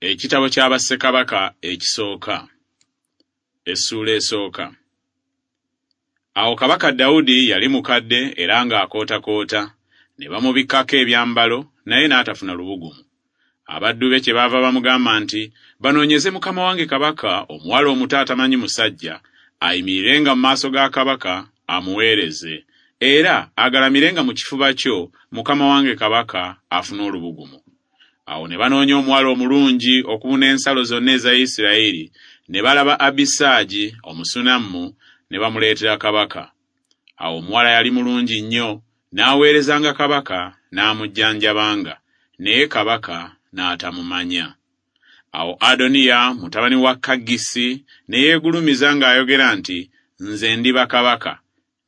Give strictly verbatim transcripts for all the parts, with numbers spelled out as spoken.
Ekitabo kya Bassekabaka ekisooka, essuula esooka. Awo Kabaka Dawudi yali mukadde era ng'akootakoota, ne bamubikkako ebyambalo, naye n'atafuna lubugumu. Abaddu be kyebaava bamugamba nti, "Banoonyeze mukama wange kabaka omuwala omuto atamanyi musajja, ayimirirenga mu maaso ga kabaka amuweereze, era agalamirenga mu kifuba kyo mukama wange kabaka afune olubugumu." Awo ne banoonya omuwala omulungi okubuna ensalo zonna eza Isirayiri, ne balaba Abisaagi Omusunammu, ne bamuleetera kabaka. Awo omuwala yali mulungi nnyo, n'aweerezanga kabaka n'amujjanjabanga, naye kabaka n'atamumanya. Awo Adoniya mutabani wa Kaggisi ne yeegulumiza ng'ayogera nti, "Nze ndiba kabaka."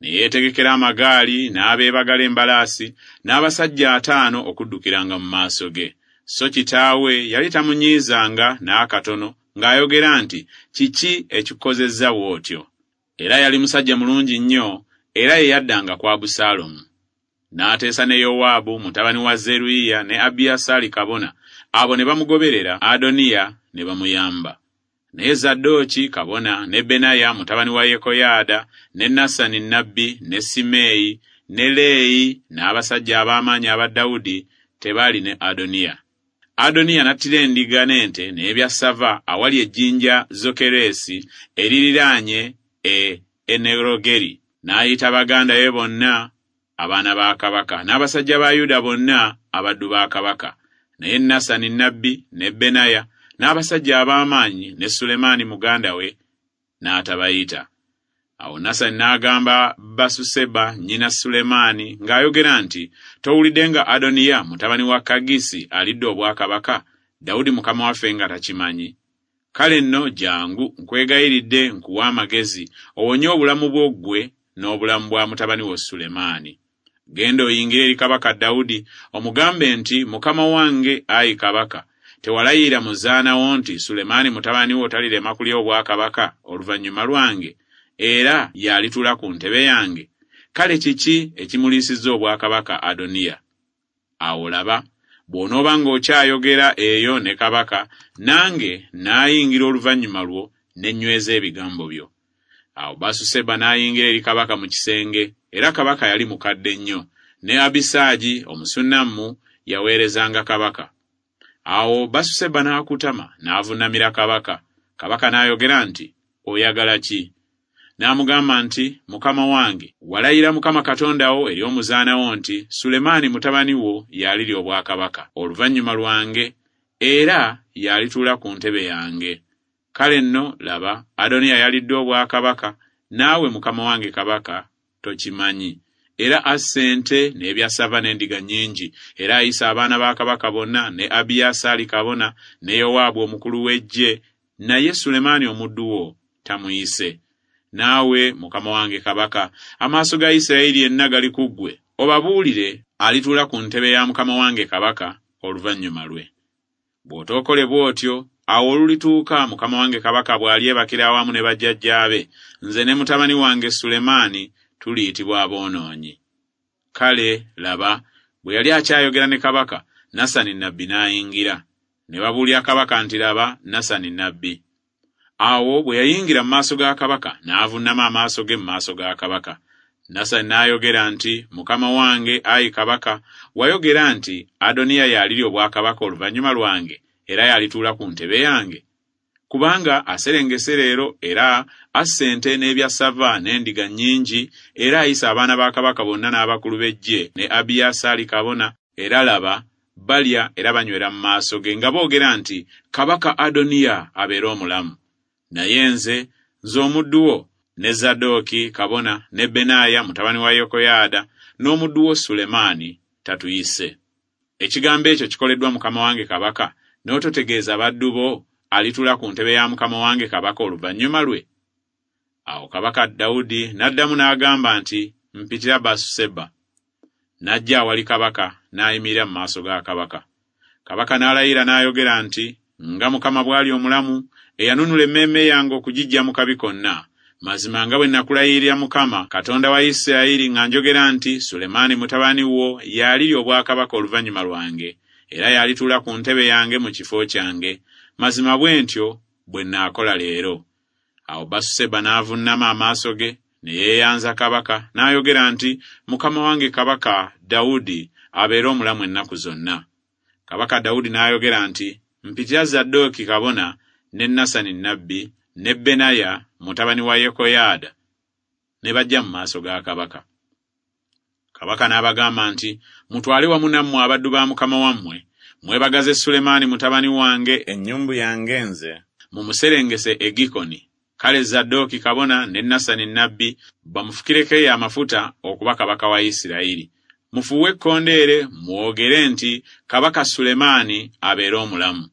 Ne yeetegekera amagaali n'abeebagala embalaasi n'abasajja ataano okuddukiranga mu maaso ge. So kitaawe yali tamunyiizanga n'akatono ng'ayogera nti, "Kiki ekikukozezza bw'otyo?" Era yali musajja mulungi nnyo, era ye yaddanga ku Abusaalomu. N'ateesa ne Yowaabu mutabani wa Zeruyiya ne Abiyasaali kabona, abo ne bamugoberera Adoniya ne bamuyamba. Naye Zadooki kabona ne Benaya mutabani wa Yekoyaada ne Nasani nnabbi ne Simeeyi ne Leeyi n'abasajja ab'amaanyi aba Dawudi tebaali ne Adoniya. Adoniya n'attira endiga n'ente n'ebyassava awali ejjinja Zokereesi eririraanye e Enerogeri. N'ayita baganda be bonna abaana ba kabaka n'abasajja ba Yuda bonna abaddu ba kabaka. Naye Nasani nnabbi ne Benaya n'abasajja ab'amaanyi ne Sulemaani muganda we n'atabayita. Awo Nasani n'agamba Basuseba nnyina Sulemaani ng'ayogera nti, "Towulidde nga Adoniya mutabani wa Kaggisi alidde obwakabaka, Dawudi mukama waffe nga takimanyi? Kale nno jjangu nkwegayiridde nkuwe amagezi, owonye obulamu bwo ggwe n'obulamu bwa mutabani wo Sulemaani. Genda oyingire eri kabaka Dawudi, omugambe nti, Mukama wange ayi kabaka, tewalayira muzaana wo nti Sulemaani mutabani wo talirema kulya obwakabaka oluvannyuma lwange, era y'alituula ku ntebe yange? Kale kiki ekimuliisizza obwakabaka Adoniya? Awo laba, bw'onooba ng'okyayogera eyo ne kabaka, nange naayingira oluvannyuma lwo ne nnyweza ebigambo byo." Awo Basuseba n'ayingira eri kabaka mu kisenge, era kabaka yali mukadde nnyo, ne Abisaagi Omusunammu yaweerezanga kabaka. Awo Basuseba n'akutama n'avunnamira kabaka. Kabaka n'ayogera nti, "Oyagala ki?" N'amugamba nti, "Mukama wange, walayira Mukama Katonda wo eri omuzaana wo nti, Sulemaani mutabani wo y'alirya obwakabaka oluvannyuma lwange, era y'alituula ku ntebe yange. Kale nno laba, Adoniya yalidde obwakabaka, naawe mukama wange kabaka tokimanyi. Era asse ente n'ebyassava n'endiga nnyingi, era ayise abaana ba kabaka bonna ne Abiyasaali kabona ne Yowaabu omukulu w'eggye, naye Sulemaani omuddu wo tamuyise. Naawe mukama wange kabaka, amaaso ga Isirayiri yenna gali ku ggwe, obabuulire alituula ku ntebe ya mukama wange kabaka oluvannyuma lwe. Bw'otookole bw'otyo, awo olulituuka mukama wange kabaka bw'alyebakira awamu ne bajjajjaabe, nze ne mutabani wange Sulemaani tuliyitibwa aboonoonyi." Kale laba, bwe yali akyayogera ne kabaka, Nasani nnabbi n'ayingira. Ne babuulira kabaka nti, "Laba, Nasani nnabbi." Awo bwe yayingira mu maaso ga kabaka, n'avunnama amaaso ge mu maaso ga kabaka. Nasani n'ayogera nti, "Mukama wange ayi kabaka, wayogera nti, Adoniya y'alirya obwakabaka oluvannyuma lwange, era y'alituula ku ntebe yange. Kubanga aserengese leero era asse ente n'ebyassava n'endiga nnyingi, era ayise abaana ba kabaka bonna n'abakulu b'eggye ne Abiyasaali kabona, era laba, balya era banywera mu maaso ge nga boogera nti, Kabaka Adoniya abeere omulamu. Naye nze, nze omuddu wo, ne Zadooki kabona ne Benaya mutabani wa Yekoyaada n'omuddu wo Sulemaani tatuyise. Ekigambo ekyo kikoleddwa mukama wange kabaka, n'ototegeeza baddu bo alituula ku ntebe ya mukama wange kabaka oluvannyuma lwe?" Awo kabaka Dawudi n'addamu n'agamba nti, "Mpitira Basuseba." N'ajja awali kabaka n'ayimirira mu maaso ga kabaka. Kabaka n'alayira n'ayogera nti, "Nga Mukama bw'ali omulamu, eyanunula emmeeme yange okugiggya mu kabi konna, mazima nga bwe nakulayirira Mukama Katonda wa Isirayiri nga njogera nti, Sulemaani mutabani wo y'alirya obwakabaka oluvannyuma lwange, era y'alituula ku ntebe yange mu kifo kyange. mazima bwe ntyo bwe nnaakola leero. Awo Basuseba n'avuunama amaaso ge, ne yeeyanza kabaka, n'ayogera nti, Mukama wange kabaka Dawudi abeere omulamu ennaku zonna. Kabaka Dawudi n'ayogera nti, Mpitira Zadooki kabona, ne Nasani nnabbi, ne Benaya mutabani wa Yekoyaada. Ne bajja mu maaso ga kabaka. Kabaka n'abagamba nti, Mutwale wamu nammwe abaddu ba mukama wammwe, mwebagaze Sulemaani mutabani wange ennyumbu yange nze, mumuserengese e Gikoni. Kale Zadooki kabona ne Nasani nnabbi bamufukireko eyo amafuta okuba kabaka wa Isirayiri. Mufuuwe ekkondeere mwogere nti, Kabaka Sulemaani abeere omulamu.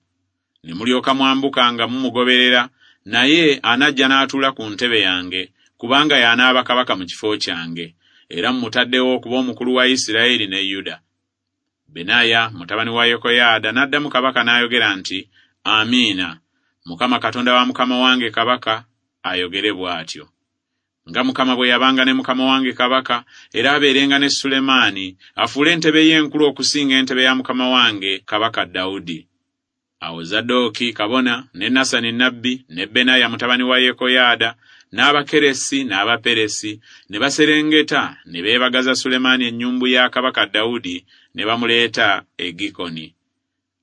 Ne mulyoka mwambuka nga mumugoberera, naye anajja n'atuula ku ntebe yange, kubanga y'anaaba kabaka mu kifo kyange, era mmutaddewo okuba omukulu wa Isirayiri ne Yuda. Benaya mutabani wa Yekoyaada n'addamu kabaka n'ayogera nti, Amiina, Mukama Katonda wa mukama wange kabaka ayogere bw'atyo. Nga Mukama bwe yabanga ne mukama wange kabaka, era abeerenga ne Sulemaani, afuule entebe ye enkulu okusinga entebe ya mukama wange kabaka Dawudi. Awo Zadooki kabona, ne Nasani nnabbi, ne Benaya mutabani wa Yekoyaada, n'Abakeresi n'Abaperesi ne baserengeta ne beebagaza Sulemaani ennyumbu ya kabaka Dawudi ne bamuleeta e Gikoni.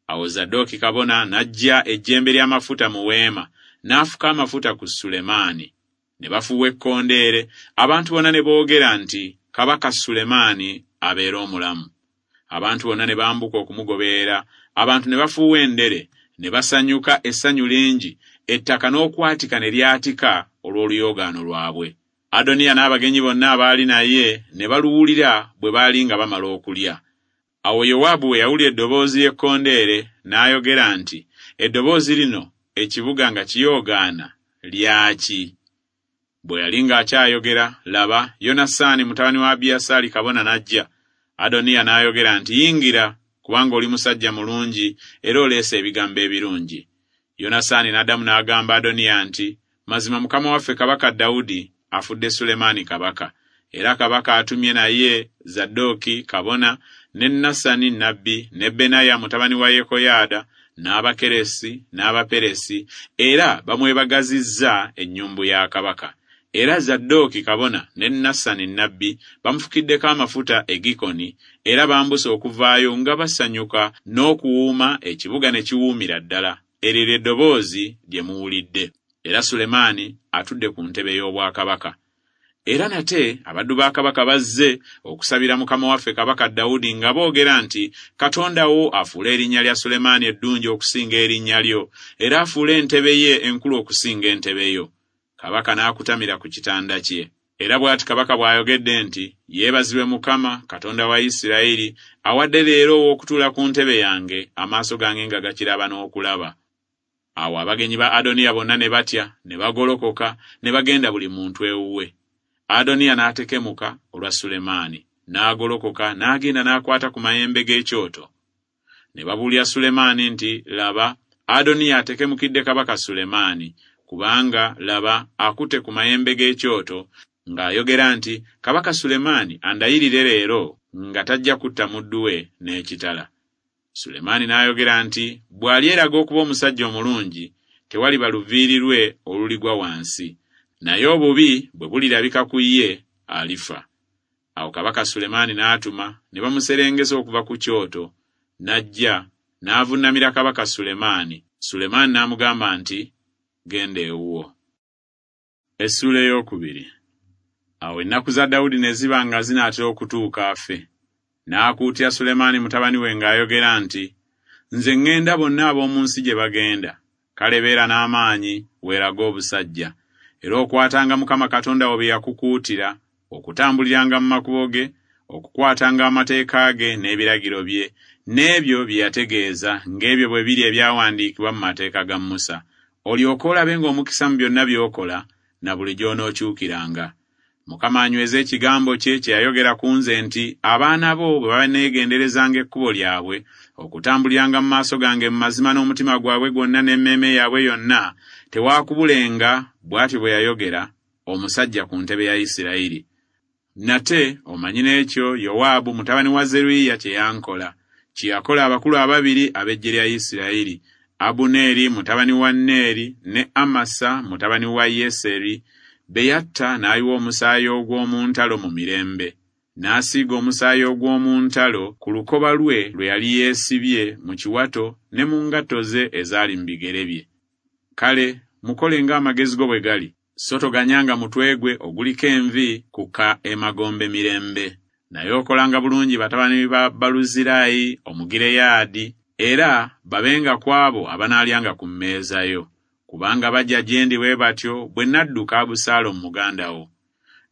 Awo Zadooki kabona n'aggya ejjembe ly'amafuta mu weema, n'afuka amafuta ku Sulemaani. Ne bafuuwa ekkondeere, abantu bonna ne boogera nti, Kabaka Sulemaani abeere omulamu. Abantu bonna ne bambuka okumugoberera, abantu ne bafuuwa endere, ne basanyuka essanyu lingi, ettaka n'okwatika ne lyatika olw'oluyoogaano lwabwe. Adoniya n'abagenyi bonna abaali naye ne baluwulira bwe baali nga bamala okulya. Awo Yowaabu bwe yawulira eddoboozi ly'ekkondeere, n'ayogera nti, Eddoboozi lino ekibuga nga kiyoogaana lyaki? Bwe yali ng'akyayogera, laba, Yonasaani mutabani wa Abiyasaali kabona n'ajja. Adoniya n'ayogera nti, Yingira, kubanga oli musajja mulungi era oleese ebigambo ebirungi. Yonasaani n'addamu n'agamba Adoniya nti, Mazima mukama waffe kabaka Dawudi afudde Sulemaani kabaka, era kabaka atumye naye Zadooki kabona, ne Nasani nnabbi, ne Benaya mutabani wa Yekoyaada, n'Abakeresi n'Abaperesi, era bamwebagazizza ennyumbu ya kabaka. Era Zadooki kabona ne Nasani nnabbi bamufukiddeko amafuta e Gikoni, era bambuse okuvaayo nga basanyuka n'okuwuuma, ekibuga ne kiwuumira ddala. Eryo lye ddoboozi lye muwulidde. Era Sulemaani atudde ku ntebe y'obwakabaka. Era nate abaddu ba kabaka bazze okusabira mukama waffe kabaka Dawudi nga boogera nti, Katonda wo afuule erinnya lya Sulemaani eddungi okusinga erinnya lyo, era afuule entebe ye enkulu okusinga entebe yo. Kabaka n'akutamira ku kitanda kye. Era bw'ati kabaka bw'ayogedde nti, Yeebazibwe Mukama, Katonda wa Isirayiri, awadde leero ow'okutuula ku ntebe yange, amaaso gange nga gakiraba n'okulaba. Awo abagenyi ba Adoniya bonna ne batya, ne bagolokoka, ne bagenda buli muntu ewuwe. Adoniya n'atekemuka olwa Sulemaani, n'agolokoka n'agenda n'akwata ku mayembe g'ekyoto. Ne babuulira Sulemaani nti, Laba, Adoniya atekemukidde kabaka Sulemaani, kubanga laba akutte ku mayembe g'ekyoto, ng'ayogera nti, Kabaka Sulemaani andayirire leero nga tajja kutta muddu we n'ekitala. Sulemaani n'ayogera nti, Bw'alyeraga okuba omusajja omulungi, tewaliba luviiri lwe oluligwa wansi, naye obubi bwe bulirabika ku ye, alifa. Awo kabaka Sulemaani n'atuma, ne bamuserengesa okuva ku kyoto, n'ajja, n'avunnamira kabaka Sulemaani. Sulemaani n'amugamba nti, Genda ewuwo. Essuula ey'okubiri. Awo ennaku za Dawudi ne ziba nga zinaatera okutuuka afe. N'akuutira Sulemaani mutabani we ng'ayogera nti, Nze ŋŋenda bonna ab'omu nsi gye bagenda. Kale beera n'amaanyi, weerage obusajja. Era okwatanga Mukama Katonda wo bye yakukuutira, okutambuliranga mu makubo ge, okukwatanga amateeka ge n'ebiragiro bye, n'ebyo bye yategeeza, ng'ebyo bwe biri ebyawandiikibwa mu mateeka ga Musa. Olyoke olabenga omukisa mu byonna by'okola, na buli gy'onookyukiranga. Mukama anyweze ekigambo kye kye yayogera ku nze nti, Abaana bo bwe baneegenderezanga ekkubo lyabwe, okutambuliranga mu maaso gange mu mazima n'omutima gwabwe gwonna n'emmeeme yaabwe yonna, tewaakubulenga, bw'atyo bwe yayogera, omusajja ku ntebe ya Isirayiri. Nate omanyi n'ekyo Yowaabu mutabani wa Zeruyiya kye yankola, kye yakola abakulu ababiri ab'eggye lya Isirayiri, Abuneeri mutabani wa Neeri ne Amasa mutabani wa Yeseri be yatta n'ayiwa omusaayi ogw'omu ntalo mu mirembe. N'asiiga omusaayi ogw'omu ntalo ku lukoba lwe lwe yali yeesibye mu kiwato ne mu ngatto ze ezaali mu bigere bye. Kale mukole ng'amagezi go bwe gali, so toganyanga mutwe gwe oguliko envi kukka emagombe mirembe. Naye okolanga bulungi batabani ba Baluzirayi Omugireyaadi, era babenga ku abo abanaalyanga ku mmeeza yo, kubanga bajja gye ndi bwe batyo bwe nadduka Abusaalomu muganda wo.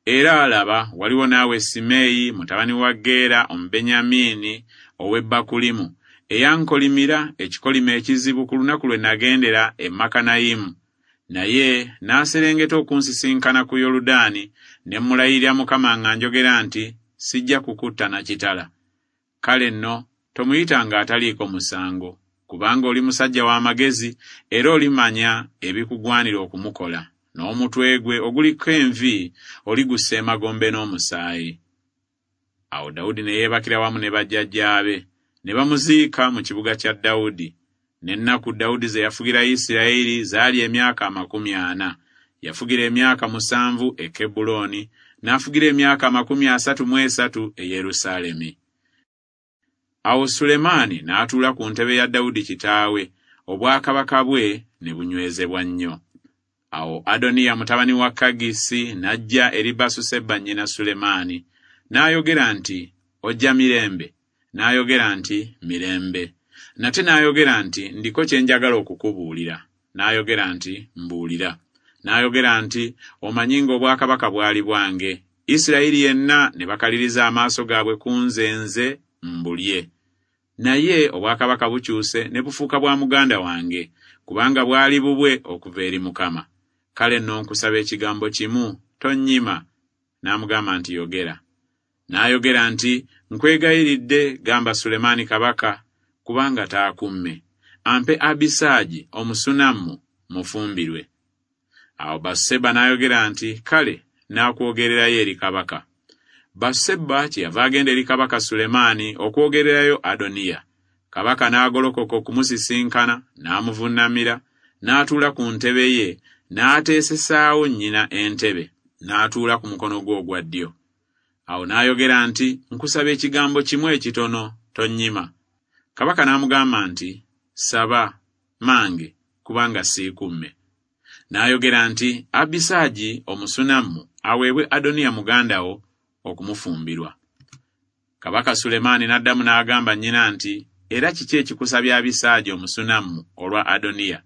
Era laba, waliwo naawe Simeeyi mutabani wa Geera Omubenyamiini ow'e Bakulimu, eyankolimira ekikolimo ekizibu ku lunaku lwe nagendera e Makanayimu. Naye n'aserengeta okunsisinkana ku Yoludaani, ne mmulayirira Mukama nga njogera nti, Sijja kukutta na kitala. Kale nno tomuyitanga ataliiko musango, kubanga oli musajja w'amagezi era olimanya ebikugwanira okumukola, n'omutwe gwe oguliko envi oligussa emagombe n'omusaayi. Awo Dawudi ne yeebakira wamu ne bajjajjaabe, ne bamuziika mu kibuga kya Dawudi. N'ennaku Dawudi ze yafugira Isirayiri zaali emyaka amakumi ana. Yafugira emyaka musanvu e Kebbulooni, n'afugira emyaka amakumi asatu mu esatu e Yerusaalemi. Awo Sulemaani n'atuula ku ntebe ya Dawudi kitaawe, obwakabaka bwe ne bunywezebwa nnyo. Awo Adoniya mutabani wa Kagisi n'ajja eri Basuseba nnyina Sulemaani, n'ayogera nti, Ojja mirembe? N'ayogera nti, Mirembe. Nate n'ayogera nti, Ndiko kye njagala okukubuulira. N'ayogera nti, Mbuulira. N'ayogera nti, Omanyi ng'obwakabaka bwali bwange, Isirayiri yenna ne bakaliriza amaaso gaabwe ku nze nze mbulye. Naye obwakabaka bukyuse ne bufuuka bwa muganda wange, kubanga bwali bubwe okuva eri Mukama. Kale nno nkusaba ekigambo kimu, tonnyima. N'amugamba nti, Yogera. N'ayogera nti, Nkwegayiridde gamba Sulemaani kabaka, kubanga taakumme, ampe Abisaagi Omusunammu mufumbirwe. Awo Basuseba n'ayogera nti, Kale naakwogererayo eri kabaka. Basuseba kyeyava agenda eri kabaka Sulemaani okwogererayo Adoniya. Kabaka n'agolokoka okumusisinkana, n'amuvunnamira, n'atuula ku ntebe ye, n'ateesesaawo nnyina entebe, n'atuula ku mukono gwe ogwa ddyo. Awo n'ayogera nti, Nkusaba ekigambo kimu ekitono, tonnyima. Kabaka n'amugamba nti, Saba, mange, kubanga siikumme. N'ayogera nti, Abisaagi Omusunammu aweebwe Adoniya muganda wo okumufumbirwa. Kabaka Sulemaani n'addamu n'agamba nnyina nti, Era kiki ekikusabya Abisaagi Omusunammu olwa Adoniya?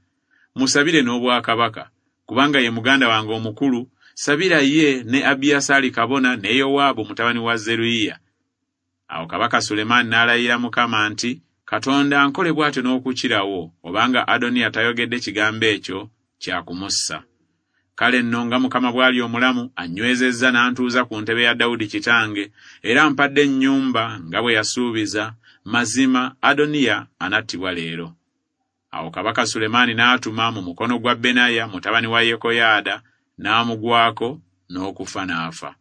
Musabire n'obwakabaka, kubanga ye muganda wange omukulu, sabira ye ne Abiyasaali kabona ne Yowaabu mutabani wa Zeruyiya. Awo kabaka Sulemaani n'alayira Mukama nti, Katonda ankole bw'atyo n'okukirawo, obanga Adoniya tayogedde kigambo ekyo kya kumussa. Kale nno nga Mukama bw'ali omulamu, anywezezza n'antuuza ku ntebe ya Dawudi kitange, era ampadde ennyumba nga bwe yasuubiza, mazima Adoniya anattibwa leero. Awo kabaka Sulemaani n'atuma mu mukono gwa Benaya mutabani wa Yekoyaada, n'amugwako n'okufa n'afa.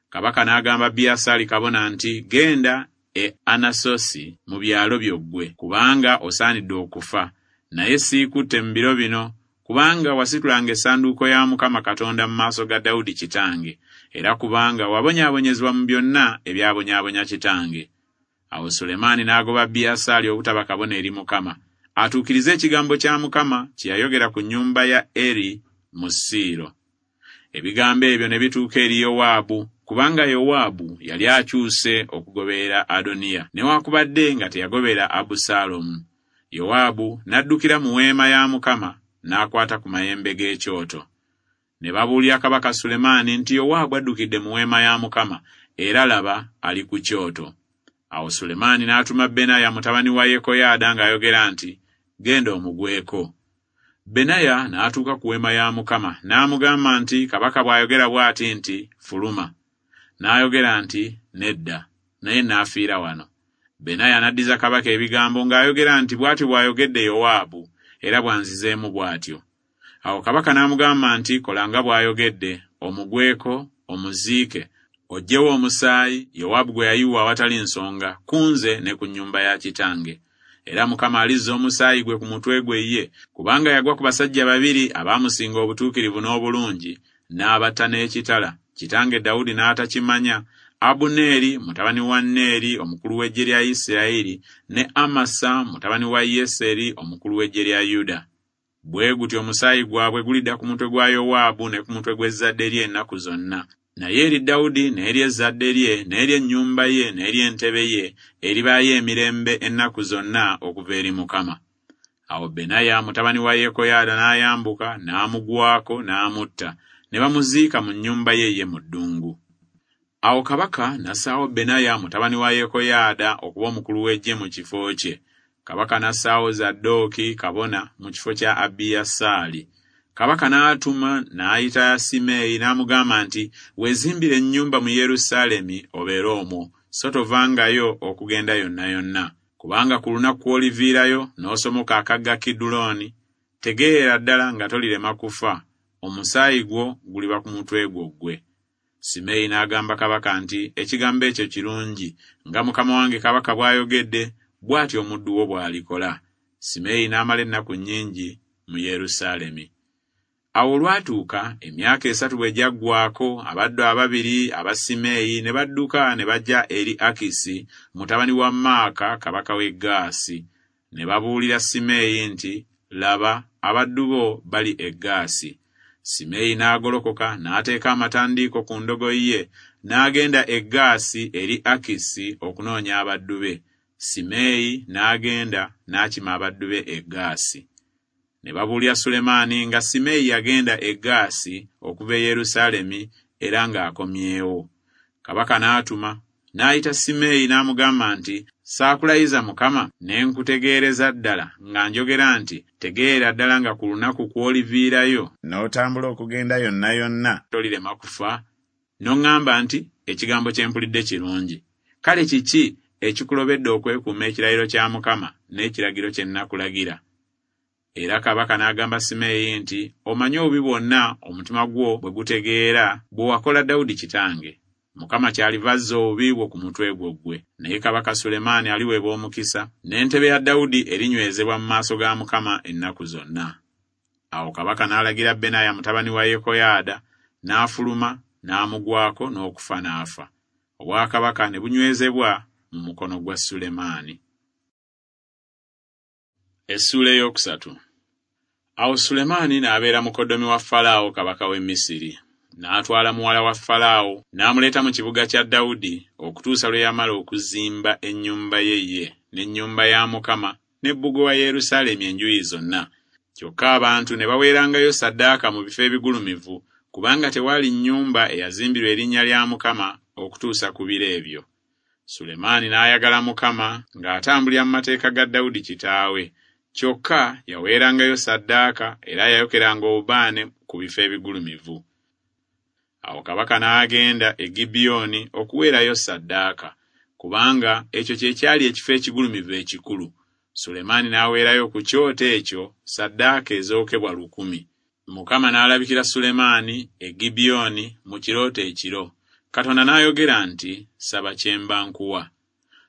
Kabaka n'agamba Abiyasaali kabona nti, Genda e Anasosi mu byalo byo ggwe, kubanga osaanidde okufa, naye siikutte mu biro bino, kubanga wasitulanga essanduuko ya Mukama Katonda mu maaso ga Dawudi kitange, era kubanga wabonyaabonyezebwa mu byonna ebyabonyaabonya kitange. Awo Sulemaani n'agoba Abiyasaali obutaba kabona eri Mukama, atuukirize ekigambo kya Mukama kye yayogera ku nnyumba ya Eri mu Siiro. Ebigambo ebyo ne bituuka eri Yowaabu, kubanga Yowaabu yali akyuse okugoberera Adoniya, newaakubadde nga teyagoberera Abusaalomu. Yowaabu n'addukira mu weema ya Mukama, n'akwata ku mayembe g'ekyoto. Ne babuulira kabaka Sulemaani nti Yowaabu addukidde mu weema ya Mukama, era laba ali ku kyoto. Awo Sulemaani n'atuma Benaya mutabani wa Yekoyaada ng'ayogera nti, Genda omugweko. Benaya n'atuuka ku weema ya Mukama, n'amugamba nti, Kabaka bw'ayogera bw'ati nti, Fuluma. N'ayogera nti, Nedda, naye n'afiira wano. Benaya n'addiza kabaka ebigambo ng'ayogera nti, Bw'atyo bw'ayogedde Yowaabu, era bw'anzizeemu bw'atyo. Awo kabaka n'amugamba nti, Kola nga bw'ayogedde, omugweko, omuziike, oggyewo omusaayi Yowaabu gwe yayiwa awatali nsonga ku nze ne ku nnyumba ya kitange. Era Mukama alizza omusaayi gwe ku mutwe gwe ye, kubanga yagwa ku basajja babiri abaamusinga obutuukirivu n'obulungi, n'abatta n'ekitala, kitange Dawudi n'atakimanya, Abuneeri mutabani wa Neeri omukulu w'eggye lya Isirayiri, ne Amasa mutabani wa Yeseri omukulu w'eggye lya Yuda. Bwe gutyo omusaayi gwabwe gulidda ku mutwe gwa Yowaabu ne ku mutwe gw'ezzadde lye ennaku zonna. Naye eri Dawudi n'eri ezzadde lye n'eri ennyumba ye n'eri entebe ye eribaayo emirembe ennaku zonna okuva eri Mukama. Awo Benaya mutabani wa Yekoyaada n'ayambuka n'amugwako n'amutta, ne bamuziika mu nnyumba ye ye mu ddungu. Awo kabaka n'assaawo Benaya mutabani wa Yekoyaada okuba omukulu w'eggye mu kifo kye. Kabaka n'assaawo Zadooki kabona mu kifo kya Abiyasaali. Kabaka n'atuma n'ayita Simeeyi n'amugamba nti, "Weezimbire ennyumba mu Yerusaalemi obeere omwo, so tovangayo okugenda yonna yonna. Kubanga ku lunaku kw'oliviirayo n'osomoka akagga Kidulooni, tegeera ddala nga tolirema kufa, omusaayi gwo guliba ku mutwe gwo ggwe." Simeeyi n'agamba kabaka nti, "Ekigambo ekyo kirungi, nga mukama wange kabaka bw'ayogedde, bw'atyo omuddu wo bw'alikola." Simeeyi n'amala ennaku nnyingi mu Yerusaalemi. Awo olwatuuka emyaka esatu bwe gyaggwaako, abaddu ababiri aba Simeeyi ne badduka ne bajja eri Akisi mutabani wa Maaka kabaka w'e Gaasi. Ne babuulira Simeeyi nti, "Laba, abaddu bo bali e Gaasi." Simeeyi n'agolokoka n'ateeka amatandiiko ku ndogoyi ye n'agenda e Gaasi eri Akisi okunoonya abaddu be. Simeeyi n'agenda n'akima abaddu be e Gaasi. Ne babuulira Sulemaani nga Simeeyi yagenda e Gaasi okuva e Yerusaalemi era ng'akomyewo. Kabaka n'atuma n'ayita Simeeyi n'amugamba nti, "Saakulayiza Mukama ne nkutegeereza ddala nga njogera nti, Tegeera ddala nga ku lunaku kw'oliviirayo n'otambula okugenda yonna yonna tolirema kufa?" N'oŋŋamba nti, "Ekigambo kye mpulidde kirungi." Kale kiki ekikulobedde okwekuuma ekirayiro kya Mukama n'ekiragiro kye nnakulagira? Era kabaka n'agamba Simeeyi nti, "Omanyi obubi bwonna omutima gwo bwe gutegeera bwe wakola Dawudi kitange. Mukama kyaliva azza obubi bwo ku mutwe gwo ggwe. Naye kabaka Sulemaani aliweebwa omukisa, n'entebe ya Dawudi erinywezebwa mu maaso ga Mukama ennaku zonna." Awo kabaka n'alagira Benaya mutabani wa Yekoyaada, n'afuluma n'amugwako n'okufa n'afa. Obwakabaka ne bunywezebwa mu mukono gwa Sulemaani. Essuula ey'okusatu. Awo Sulemaani n'abeera mukoddomi wa Falaawo kabaka w'e Misiri. N'atwala muwala wa Falaawo n'amuleeta mu kibuga kya Dawudi okutuusa lwe yamala okuzimba ennyumba ye ye n'ennyumba ya Mukama n'ebbugo wa Yerusaalemi enjuyi zonna. Kyokka abantu ne baweerangayo ssaddaaka mu bifo ebigulumivu, kubanga tewaali nnyumba eyazimbirwa erinnya lya Mukama okutuusa ku biro ebyo. Sulemaani n'ayagala Mukama ng'atambulira mu mateeka ga Dawudi kitaawe. Kyokka yaweerangayo ssaddaaka era yayokeranga obubaane ku bifo ebigulumivu. Awo kabaka n'agenda e Gibyoni okuweerayo ssaddaaka, kubanga ekyo kye kyali ekifo ekigulumivu ekikulu. Sulemaani n'aweerayo ku kyoto ekyo ssaddaaka ezookebwa lukumi. Mukama n'alabikira Sulemaani e Gibyoni mu kirooto ekiro. Katonda n'ayogera nti, "Saba kye mba nkuwa."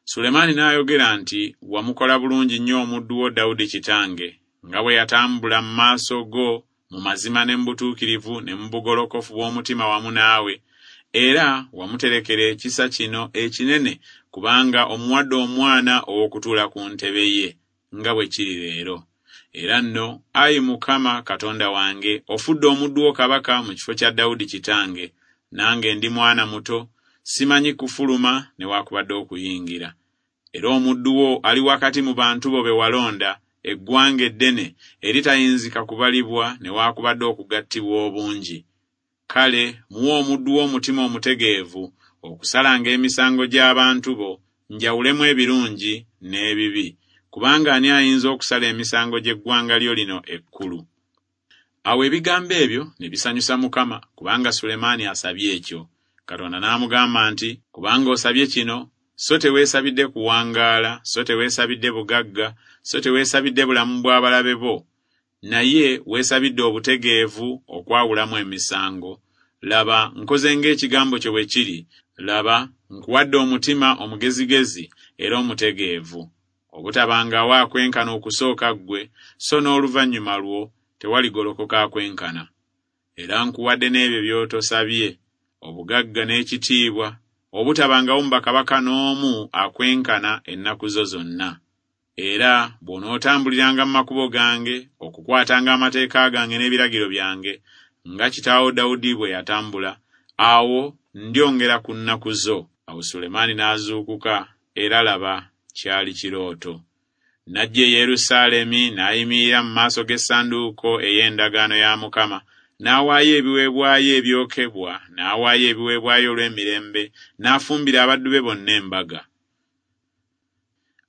Sulemaani n'ayogera nti, "Wamukola bulungi nnyo omuddu wo Dawudi kitange, nga bwe yatambula mu maaso go mu mazima ne mu butuukirivu ne mu bugolokofu bw'omutima wamu naawe, era wamuterekera ekisa kino ekinene, kubanga omuwadde omwana ow'okutuula ku ntebe ye, nga bwe kiri leero. Era nno, ayi Mukama Katonda wange, ofudde omuddu wo kabaka mu kifo kya Dawudi kitange, nange ndi mwana muto, simanyi kufuluma newaakubadde okuyingira. Era omuddu wo ali wakati mu bantu bo be walonda, eggwanga eddene eritayinzika kubalibwa newaakubadde okugattibwa obungi. Kale muwe omuddu wo omutima omutegeevu okusalanga emisango gy'abantu bo, njawulemu ebirungi n'ebibi, kubanga ani ayinza okusala emisango gy'eggwanga lyo lino ekkulu?" Awo ebigambo ebyo ne bisanyusa Mukama, kubanga Sulemaani asabye ekyo. Katonda n'amugamba nti, "Kubanga osabye kino, so teweesabidde kuwangaala, so teweesabidde bugagga, so teweesabidde bulamu bw'abalabe bo, naye weesabidde obutegeevu okwawulamu emisango. Laba, nkoze ng'ekigambo kyo bwe kiri. Laba, nkuwadde omutima omugezigezi era omutegeevu, Obutabangawo akwenkana okusooka ggwe, so n'oluvannyuma lwo tewaligolokoka akwenkana. Era nkuwadde n'ebyo by'otosabye, obugagga n'ekitiibwa, obutabangawo mu bakabaka n'omu akwenkana ennaku zo zonna. Era bw'onootambuliranga mu makubo gange, okukwatanga amateeka gange n'ebiragiro byange, nga kitaawo Dawudi bwe yatambula, awo ndyongera ku nnaku zo. Awo Sulemaani n'azuukuka, era laba, kyali kirooto. N'ajja e Yerusaalemi, n'ayimirira mu maaso g'essanduuko ey'endagaano ya Mukama, n'awaayo ebiweebwayo ebyokebwa, n'awaayo ebiweebwayo olw'emirembe, n'afumbira abaddu be bonna embaga.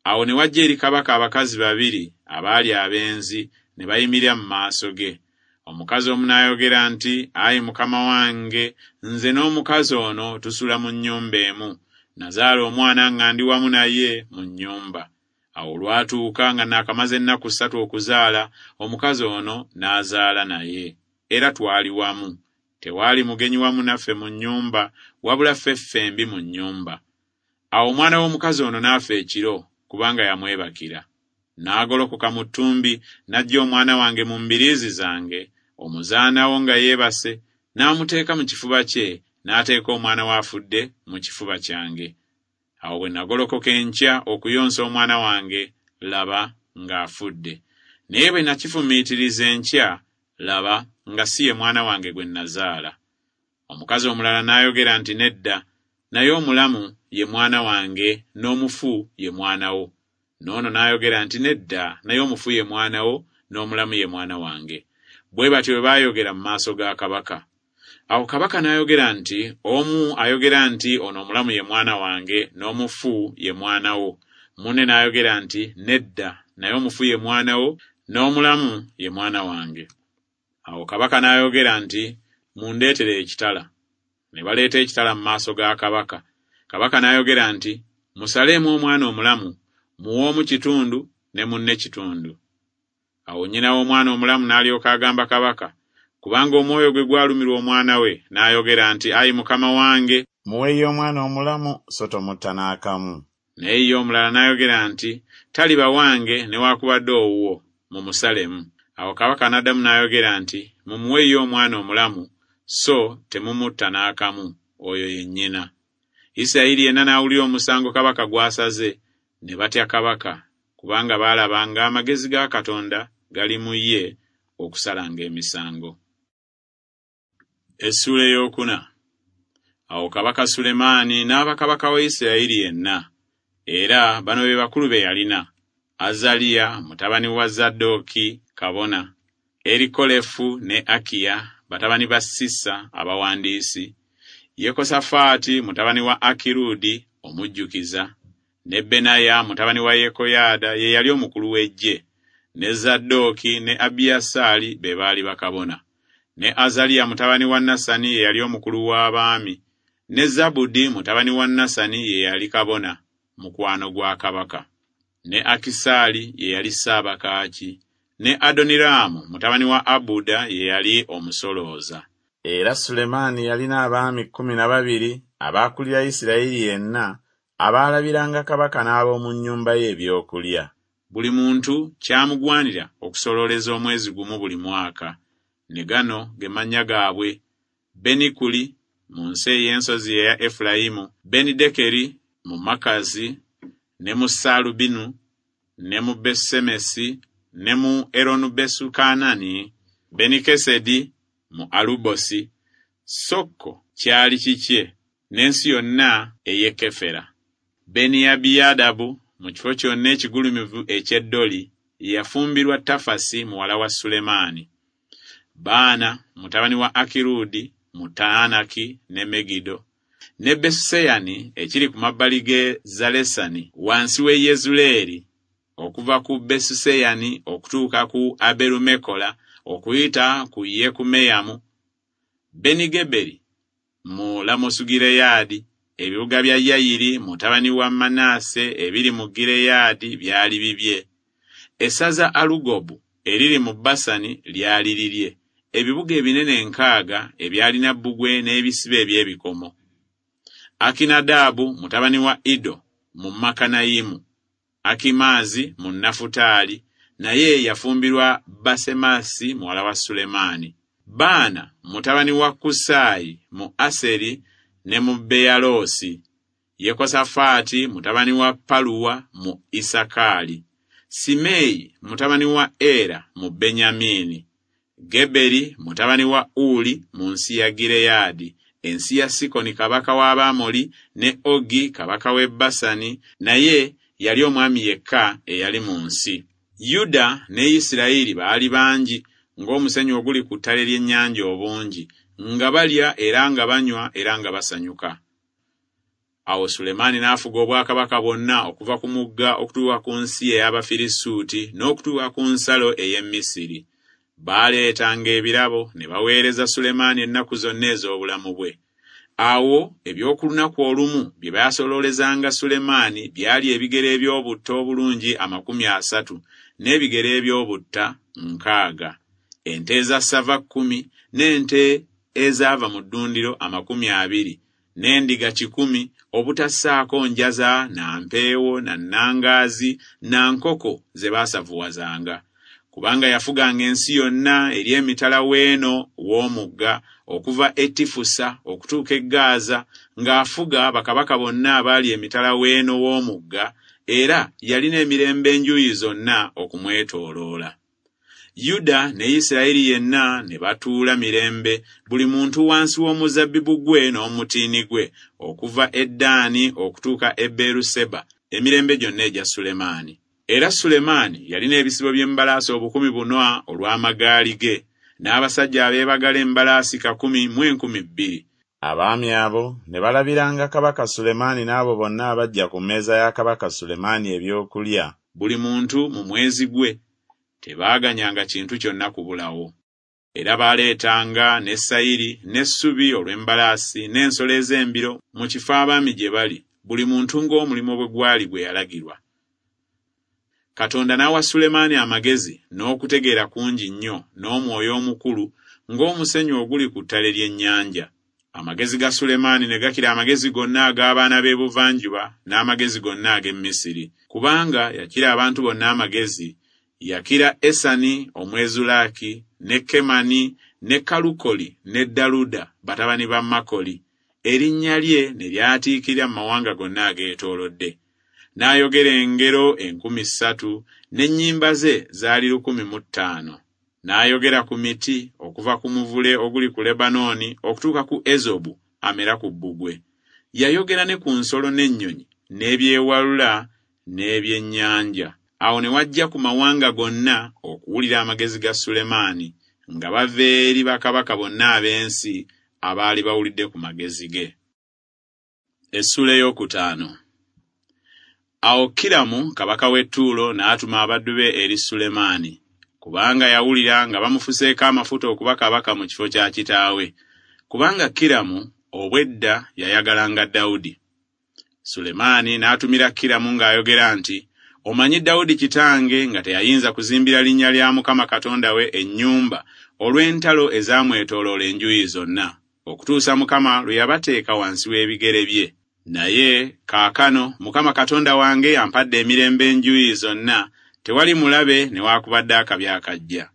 Awo ne wajja eri kabaka abakazi babiri abaali abenzi, ne bayimirira mu maaso ge. Omukazi omu n'ayogera nti, Ayi mukama wange, nze n'omukazi ono tusula mu nnyumba emu. Nazaala omwana nga ndi wamu naye mu nnyumba. Awo olwatuuka nga naakamaze ennaku ssatu okuzaala, omukazi ono n'azaala naye. Era twali wamu. Tewaali mugenyi wamu naffe mu nnyumba, wabula ffe ffembi mu nnyumba. Awo omwana w'omukazi ono n'afa ekiro, kubanga yamwebakira. N'agolokoka mu ttumbi, n'aggya omwana wange mu mbiriizi zange, omuzaana wo nga yeebase, n'amuteeka mu kifuba kye, n'ateeka omwana we afudde mu kifuba kyange. Awo bwe nagolokoka enkya okuyonsa omwana wange, laba ng'afudde. Naye bwe nakifumiitiriza enkya, laba nga si ye mwana wange gwe nazaala. Omukazi omulala n'ayogera nti, Nedda, naye omulamu ye mwana wange, n'omufu ye mwana wo. N'ono n'ayogera nti, Nedda, naye omufu ye mwana wo, n'omulamu ye mwana wange. Bwe batyo bwe baayogera mu maaso ga kabaka. Awo kabaka n'ayogera nti, Omu ayogera nti, Ono omulamu ye mwana wange, n'omufu ye mwana wo. Munne n'ayogera nti, Nedda, naye omufu ye mwana wo, n'omulamu ye mwana wange. Awo kabaka n'ayogera nti, Mundeetere ekitala. Ne baleeta ekitala mu maaso ga kabaka. Kabaka n'ayogera nti, Musaleemu omwana omulamu, muwe omu kitundu ne munne kitundu. Awo nnyina w'omwana omulamu n'alyoka agamba kabaka, kubanga omwoyo gwe gwalumirwa omwana we, n'ayogera nti, Ayi mukama wange, muweeyo omwana omulamu, so tomutta n'akamu. Naye ye omulala n'ayogera nti, Taliba wange newaakubadde owuwo, mumusalemu. Awo kabaka n'addamu n'ayogera nti, Mumuweeyo omwana omulamu, so temumutta n'akamu, oyo ye nnyina. Isirayiri yenna n'awulira omusango kabaka gw'asaze, ne batya kabaka, kubanga baalaba ng'amagezi ga Katonda gali mu ye okusalanga emisango. Essuula ey'okuna. Awo kabaka Sulemaani n'aba kabaka wa Isirayiri yenna. Era bano be bakulu be yalina: Azaliya mutabani wa Zadooki kabona, Erikolefu ne Akiya batabani ba Sisa abawandiisi, Yekosafaati mutabani wa Akirudi omujjukiza, ne Benaya mutabani wa Yekoyaada ye yali omukulu w'eggye, ne Zadooki ne Abiyasaali be baali bakabona, ne Azaliya mutabani wa Nasani ye yali omukulu w'abaami, ne Zabudi mutabani wa Nasani ye yali kabona, mukwano gwa kabaka, ne Akisaali ye yali ssaabakaaki, ne Adoniraamu mutabani wa Abuda ye yali omusolooza. Era Sulemaani yalina abaami kkumi na babiri abaakulira Isirayiri yenna, abaalabiranga kabaka n'ab'omu nnyumba ye ebyokulya. Buli muntu kyamugwanira okusolooleza omwezi gumu buli mwaka. Ne gano ge mannya gaabwe: Benikuli mu nsi ey'ensozi eya Efulayimu, Benidekeri mu Makazi, ne mu Saalubinu, ne mu Besemesi, ne mu Eronubesukanani, Benikesedi mu Alubosi, Sokko kyali kikye, n'ensi yonna ey'e Kefera. Beniyabiyadabu mu kifo kyonna ekigulumivu eky'e Doli yafumbirwa Tafasi muwala wa Sulemaani. Baana mutabani wa Akirudi mu Taanaki ne Megido, ne Besuseyani ekiri ku mabbali g'e Zalesani wansi w'e Yezuleeri, okuva ku Besuseyani okutuuka ku Aberumekola okuyita ku Yekumeyamu, Benigeberi mu Lamosugireyaadi, ebibuga bya Yayiri mutabani wa Manase ebiri mu Gireyaadi byali bibye. Essaza Alugobu eriri mu Basani lyali lirye, ebibuga ebinene enkaaga ebyalina bbugwe n'ebisiba eby'ebikomo. Akinadaabu mutabani wa Ido mu Makanayimu, Akimaazi mu Nafutaali, naye yafumbirwa Basemasi muwala wa Sulemaani. Baana mutabani wa Kusaayi mu Aseri ne mu Beyaloosi. Yekosafaati mutabani wa Paluwa mu Isakaali. Simeeyi mutabani wa Era mu Benyamini. Geberi mutabani wa Uli mu nsi ya Gireyaadi, ensi ya Sikoni kabaka w'Abamoli ne Ogi kabaka w'e Basani, naye yali omwami yekka eyali mu nsi. Yuda ne Isirayiri baali bangi ng'omusenyu oguli ku ttale ly'ennyanja obungi, nga balya era nga banywa era nga basanyuka. Awo Sulemaani n'afuga obwakabaka bwonna okuva ku mugga okutuuka ku nsi ey'Abafirisuuti n'okutuuka ku nsalo ey'e Misiri. Baaleetanga ebirabo ne baweereza Sulemaani ennaku zonna ez'obulamu bwe. Awo eby'oku lunaku olumu bye baasoloolezanga Sulemaani byali ebigere eby'obutta obulungi amakumi asatu n'ebigere eby'obutta nkaaga, ente eza ssava kkumi n'ente ezaava mu ddundiro amakumi abiri, n'endiga kikumi, obutassaako njaza na mpeewo na nnangaazi na nkoko ze baasavuwazanga. Kubanga yafuganga ensi yonna eri emitala w'eno w'omugga okuva e Tifusa okutuuka e Gaaza, ng'afuga bakabaka bonna abaali emitala w'eno w'omugga, era yalina emirembe enjuuyi zonna okumwetooloola. Yuda ne Isirayiri yenna ne batuula mirembe, buli muntu wansi w'omuzabbibu gwe n'omutiini gwe, okuva e Ddaani okutuuka e Beeruseba, emirembe gyonna egya Sulemaani. Era Sulemaani yalina ebisibo by'embalaasi obukumi buna olw'amagaali ge, n'abasajja abeebagala embalaasi kakumi mu enkumi bbiri. Abaami abo ne balabiranga kabaka Sulemaani n'abo bonna abajja ku mmeeza ya kabaka Sulemaani ebyokulya, buli muntu mu mwezi gwe. Tebaaganyanga kintu kyonna kubulawo. Era baaleetanga ne sayiri n'essubi olw'embalaasi n'ensolo ez'embiro mu kifo abaami gye bali, buli muntu ng'omulimu bwe gwali gwe yalagirwa. Katonda n'awa Sulemaani amagezi n'okutegeera kungi nnyo n'omwoyo omukulu ng'omusenyu oguli ku ttale ly'ennyanja. Amagezi ga Sulemaani ne gakira amagezi gonna ag'abaana b'ebuvanjuba n'amagezi gonna ag'e Misiri, kubanga yakira abantu bonna amagezi. Yakira Esani Omwezulaaki ne Kemani ne Kalukoli ne Daluda batabani ba Makoli, erinnya lye ne lyatiikirira mu mawanga gonna ageetoolodde. N'ayogera engero enkumi ssatu, n'ennyimba ze zaali lukumi mu ttaano. N'ayogera ku miti okuva ku muvule oguli ku Lebanooni okutuuka ku Ezobu amera ku bbugwe. Yayogera ne ku nsolo n'ennyonyi n'ebyewalula n'ebyennyanja. Awo ne wajja ku mawanga gonna okuwulira amagezi ga Sulemaani, nga bava eri bakabaka bonna ab'ensi abaali bawulidde ku magezi ge. Essuula ey'okutaano. Awo Kiramu kabaka w'e Ttuulo n'atuma abaddu be eri Sulemaani, kubanga yawulira nga bamufuseeko amafuta okuba kabaka mu kifo kya kitaawe, kubanga Kiramu obwedda yayagalanga Dawudi. Sulemaani n'atumira Kiramu ng'ayogera nti, Omanyi Dawudi kitange nga teyayinza kuzimbira linnya lya Mukama Katonda we ennyumba olw'entalo ezaamwetooloola enjuuyi zonna, okutuusa Mukama lwe yabateeka wansi w'ebigere bye. Naye kaakano Mukama Katonda wange ampadde emirembe enjuuyi zonna, tewali mulabe newaakubadde akabi akajja.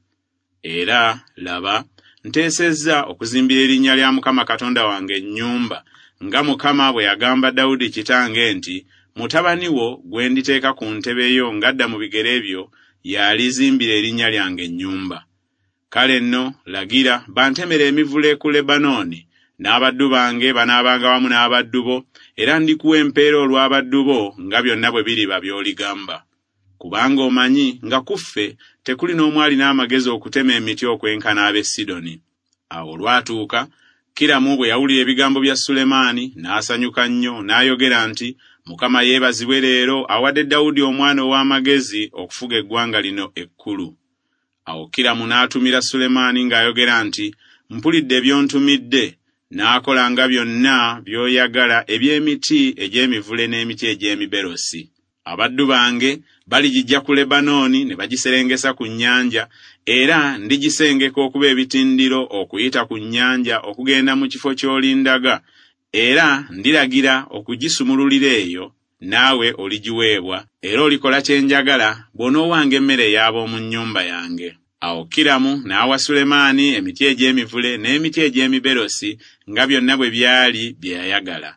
Era laba, nteesezza okuzimbira erinnya lya Mukama Katonda wange ennyumba, nga Mukama bwe yagamba Dawudi kitange nti, Mutabani wo gwe nditeeka ku ntebe yo ng'adda mu bigere byo y'alizimbira erinnya lyange ennyumba. Kale nno lagira bantemere emivule ku Lebanooni, n'abaddu bange banaabanga wamu n'abaddu bo, era ndikuwa empeera olw'abaddu bo nga byonna bwe biriba by'oligamba. Kubanga omanyi nga ku ffe tekuli n'omu alina amagezi okutema emiti okwenkana ab'e Sidoni. Awo olwatuuka Kiramu bwe yawulira ebigambo bya Sulemaani n'asanyuka nnyo, n'ayogera nti, Mukama yeebazibwe leero awadde Dawudi omwana ow'amagezi okufuga eggwanga lino ekkulu. Awo Kiramu n'atumira Sulemaani ng'ayogera nti, Mpulidde by'ontumidde, n'akola nga byonna by'oyagala eby'emiti egy'emivule n'emiti egy'emiberosi. Abaddu bange baligijja ku Lebanooni ne bagiserengesa ku nnyanja, era ndigisengeka okuba ebitindiro okuyita ku nnyanja okugenda mu kifo ky'olindaga, era ndiragira okugisumululira eyo naawe oligiweebwa, era olikola kye njagala bw'onoowanga emmere ey'ab'omu nnyumba yange. Awo Kiramu n'awa Sulemaani emiti egy'emivule n'emiti egy'emiberosi nga byonna bwe byali bye yayagala.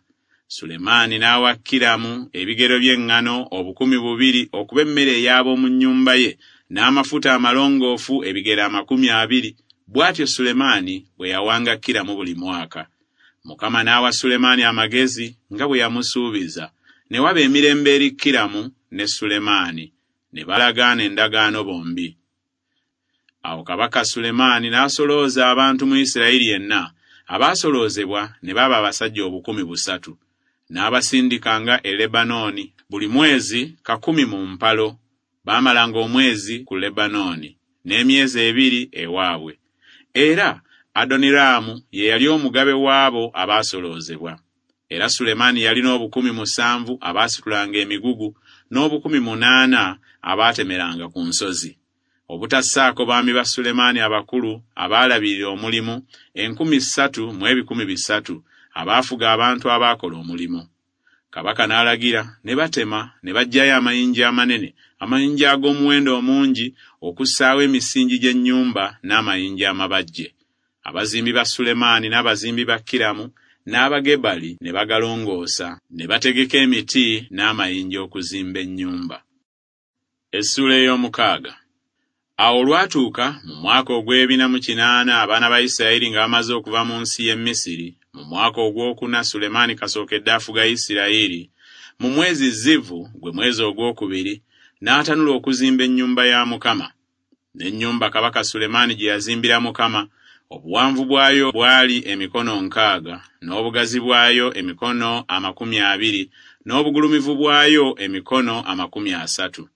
Sulemaani n'awa Kiramu ebigero by'eŋŋano obukumi bubiri okuba emmere ey'ab'omu nnyumba ye, n'amafuta amalongoofu ebigero amakumi abiri. Bw'atyo Sulemaani bwe yawanga Kiramu buli mwaka. Mukama n'awa Sulemaani amagezi nga bwe yamusuubiza. Ne waba emirembe eri Kiramu ne Sulemaani, ne balagaana endagaano bombi. Awo kabaka Sulemaani n'asolooza abantu mu Isirayiri yenna, abaasoloozebwa ne baba abasajja obukumi busatu. N'abasindikanga e Lebanooni buli mwezi kakumi mu mpalo. Baamalanga omwezi ku Lebanooni n'emyezi ebiri ewaabwe. Era Adoniraamu ye yali omugabe w'abo abaasoloozebwa. Era Sulemaani yalina obukumi musanvu abaasitulanga emigugu n'obukumi munaana abaatemeranga ku nsozi. Obutassaako baami ba Sulemaani abakulu abaalabirira omulimu enkumi ssatu mu ebikumi bisatu abaafuga abantu abaakola omulimu. Kabaka n'alagira ne batema ne baggyayo amayinja amanene, amayinja ag'omuwendo omungi, okussaawo emisingi gy'ennyumba n'amayinja amabajje. Abazimbi ba Sulemaani n'abazimbi ba Kiramu n'Abagebali ne bagalongoosa, ne bategeka emiti n'amayinja okuzimba ennyumba. Essuula ey'omukaaga. Awo olwatuuka mu mwaka ogw'ebina mu kinaana abaana ba Isirayiri nga bamaze okuva mu nsi y'e Misiri, mu mwaka ogwokuna Sulemaani kasookedde afuga Isirayiri, mu mwezi Zivu, gwe mwezi ogwokubiri, n'atanula okuzimba ennyumba ya Mukama. N'ennyumba kabaka Sulemaani gye yazimbira Mukama, obuwanvu bwayo bwali emikono nkaaga, n'obugazi bwayo emikono amakumi abiri, n'obugulumivu bwayo emikono amakumi asatu.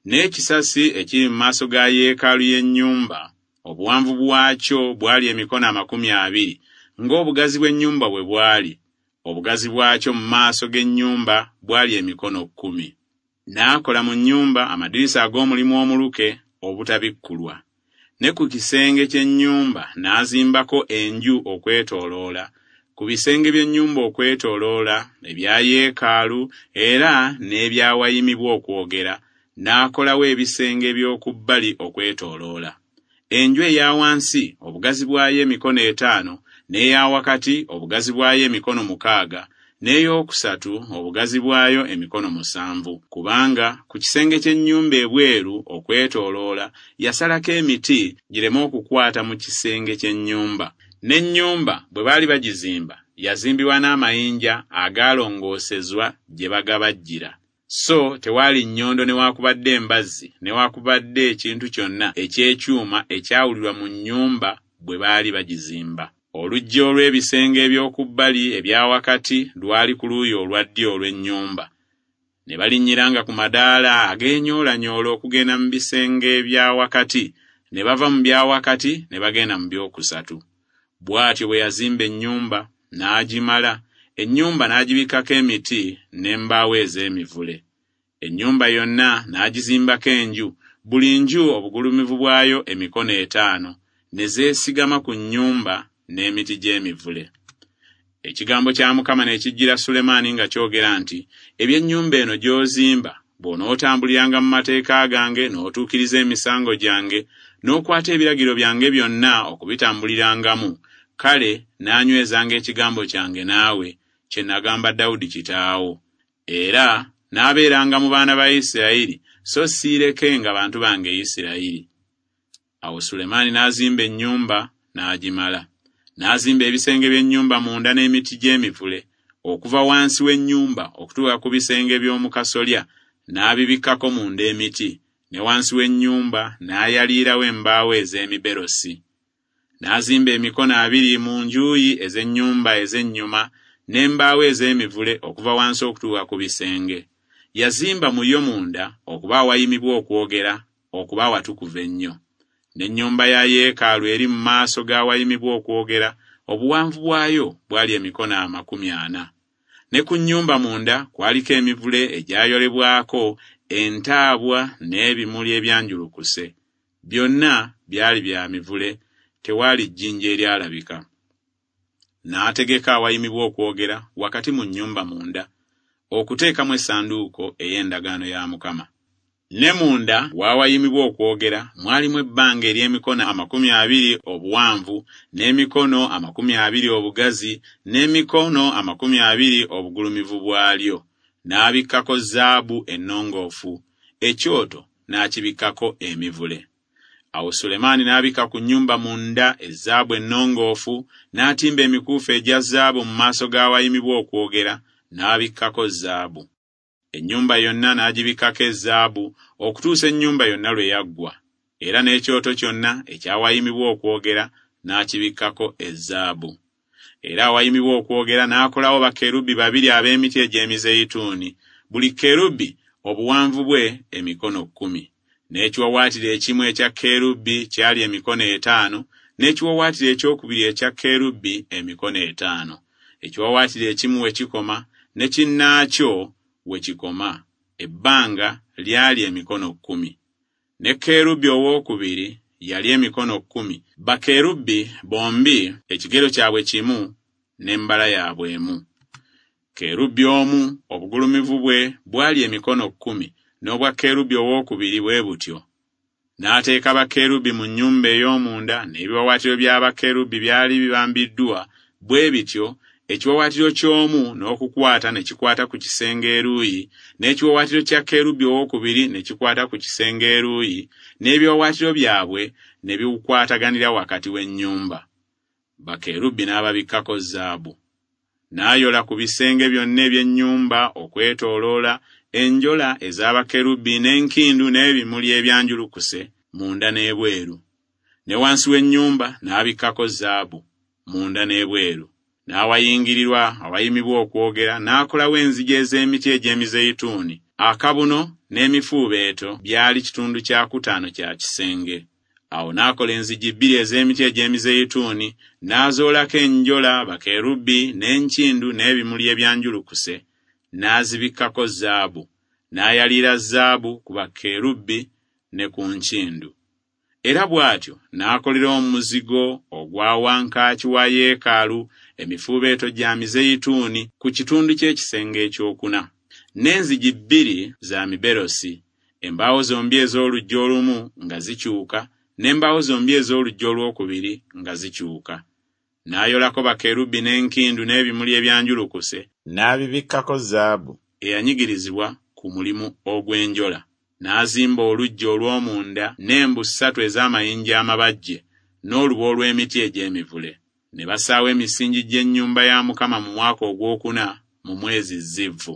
N'ekisasi ekiri mu maaso ga yeekaalu y'ennyumba, obuwanvu bwakyo bwali emikono amakumi abiri, ng'obugazi bw'ennyumba bwe bwali. Obugazi bwakyo mu maaso g'ennyumba bwali emikono kkumi. N'akola mu nnyumba amadirisa ag'omulimu omuluke obutabikkulwa. Ne ku kisenge ky'ennyumba n'azimbako enju okwetooloola, ku bisenge by'ennyumba okwetooloola, ebya yeekaalu era n'ebyawayimibwa okwogera, n'akolawo ebisenge eby'oku bbali okwetooloola. Enju eya wansi obugazi bwayo emikono etaano, n'eya wakati obugazi bwayo emikono mukaaga, n'ey'okusatu obugazi bwayo emikono musanvu, kubanga ku kisenge ky'ennyumba ebweru okwetooloola yasalako emiti gireme okukwata mu kisenge ky'ennyumba. N'ennyumba bwe baali bagizimba yazimbibwa n'amayinja agaalongoosezwa gye bagabajjira. So tewaali nnyondo newaakubadde embazzi newaakubadde ekintu kyonna eky'ekyuma ekyawulirwa mu nnyumba bwe baali bagizimba. Oluggi olw'ebisenge eby'oku bbali ebya wakati lwali ku luuyi olwa ddyo olw'ennyumba. Ne balinnyiranga ku madaala ag'enyoolanyoola okugenda mu bisenge ebya wakati, ne bava mu bya wakati ne bagenda mu byokusatu. Bw'atyo bwe yazimba ennyumba n'agimala, ennyumba n'agibikkako emiti n'embaawo ez'emivule. Ennyumba yonna n'agizimbako enju, buli nju obugulumivu bwayo emikono etaano, ne zeesigama ku nnyumba n'emiti gy'emivule. Ekigambo kya Mukama ne kijjira Sulemaani nga kyogera nti, eby'ennyumba eno gy'ozimba, bw'onootambuliranga mu mateeka gange n'otuukiriza emisango gyange, n'okwata ebiragiro byange byonna okubitambulirangamu, kale naanywezanga ekigambo kyange naawe, kye nagamba Dawudi kitaawo. Era n'abeeranga mu baana ba Isirayiri, so siirekenga bantu bange Isirayiri. Awo Sulemaani n'azimba ennyumba n'agimala. N'azimba ebisenge by'ennyumba munda n'emiti gy'emivule, okuva wansi w'ennyumba okutuuka ku bisenge by'omu kasolya, n'abibikkako munda emiti, ne wansi w'ennyumba n'ayaliirawo embaawo ez'emiberosi. N'azimba emikono abiri mu njuyi ez'ennyumba ez'ennyuma n'embaawo ez'emivule okuva wansi okutuuka ku bisenge. Yazimba mu yo munda okuba awayimibwa okwogera, okuba awatukuvu ennyo. N'ennyumba ya yeekaalu eri mu maaso g'awayimibwa okwogera, obuwanvu bwayo bwali emikono amakumi ana. Ne ku nnyumba munda kwaliko emivule egyayolebwako entaabwa n'ebimuli ebyanjulukuse. Byonna byali bya mivule, tewaali jjinja eryalabika. N'ategeka awayimibwa okwogera wakati mu nnyumba munda. okuteekamu essanduuko ey'endagaano ya Mukama. Ne munda w'awayimibwa okwogera mwalimu ebbanga ery'emikono amakumi abiri obuwanvu, n'emikono amakumi abiri obugazi, n'emikono amakumi abiri obugulumivu bwalyo. N'abikkako zaabu ennongoofu, ekyoto n'akibikkako emivule. Awo Sulemaani n'abikka ku nnyumba munda ezaabu ennongoofu, n'atimba emikuufu egya zaabu mu maaso g'awayimibwa okwogera, n'abikkako zaabu. Ennyumba yonna n'agibikkako ezaabu okutuusa ennyumba yonna lwe yaggwa, era n'ekyoto kyonna ekyawayimibwa okwogera n'akibikkako ezaabu. Era awayimibwa okwogera n'akolawo bakerubi babiri ab'emiti egy'emizeyituuni, buli kerubi obuwanvu bwe emikono kkumi. N'ekiwawaatiro ekimu ekya kerubi kyali emikono etaano, n'ekiwawaatiro ekyokubiri ekya kerubi emikono etaano. Ekiwawaatiro ekimu we kikoma ne kinnaakyo we kikoma, ebbanga lyali emikono kkumi. Ne kerubi owookubiri yali emikono kkumi. Bakerubi bombi ekigero kyabwe kimu n'embala yaabwe emu. Kerubi omu obugulumivu bwe bwali emikono kkumi, n'obwa kerubi owookubiri bwe butyo. N'ateeka bakerubi mu nnyumba ey'omunda, n'ebiwawaatiro bya bakerubi byali bibambiddwa bwe bityo, ekiwawaatiro ky'omu n'okukwata ne kikwata ku kisenge eruuyi, n'ekiwawaatiro kya kerubi owookubiri ne kikwata ku kisenge eruuyi, n'ebiwawaatiro byabwe ne bikwataganira wakati w'ennyumba. Bakerubi n'ababikkako zaabu. N'ayola ku bisenge byonna eby'ennyumba okwetooloola enjola ez'abakerubi n'enkindu n'ebimuli ebyanjulukuse munda n'ebweru. Ne wansi w'ennyumba n'abikkako zaabu munda n'ebweru. N'awayingirirwa awayimibwa okwogera n'akolawo enzigi ez'emiti egy'emizeyituuni. Akabuno n'emifuubeeto byali kitundu kya kutaano kya kisenge. Awo n'akola enzigi bbiri ez'emiti egy'emizeyituuni, n'azoolako enjola bakerubi n'enkindu n'ebimuli ebyanjulukuse, n'azibikkako zaabu, n'ayaliira zaabu ku bakerubi ne ku nkindu. Era bw'atyo n'akolera omuzigo ogwa wankaaki wa yeekaalu emifuubeeto gya mizeyituuni ku kitundu ky'ekisenge ekyokuna, n'enzigi bbiri za miberosi, embaawo zombi ez'oluggi olumu nga zikyuka, n'embaawo zombi ez'oluggi olwokubiri nga zikyuka. N'ayolako bakerubi n'enkindu n'ebimuli ebyanjulukuse, n'abibikkako zaabu eyanyigirizibwa ku mulimu ogw'enjola. N'azimba oluggya olw'omunda n'embu ssatu ez'amayinja amabajje n'olubu olw'emiti egy'emivule. Ne bassaawo emisingi gy'ennyumba ya Mukama mu mwaka ogwokuna mu mwezi Zivvu.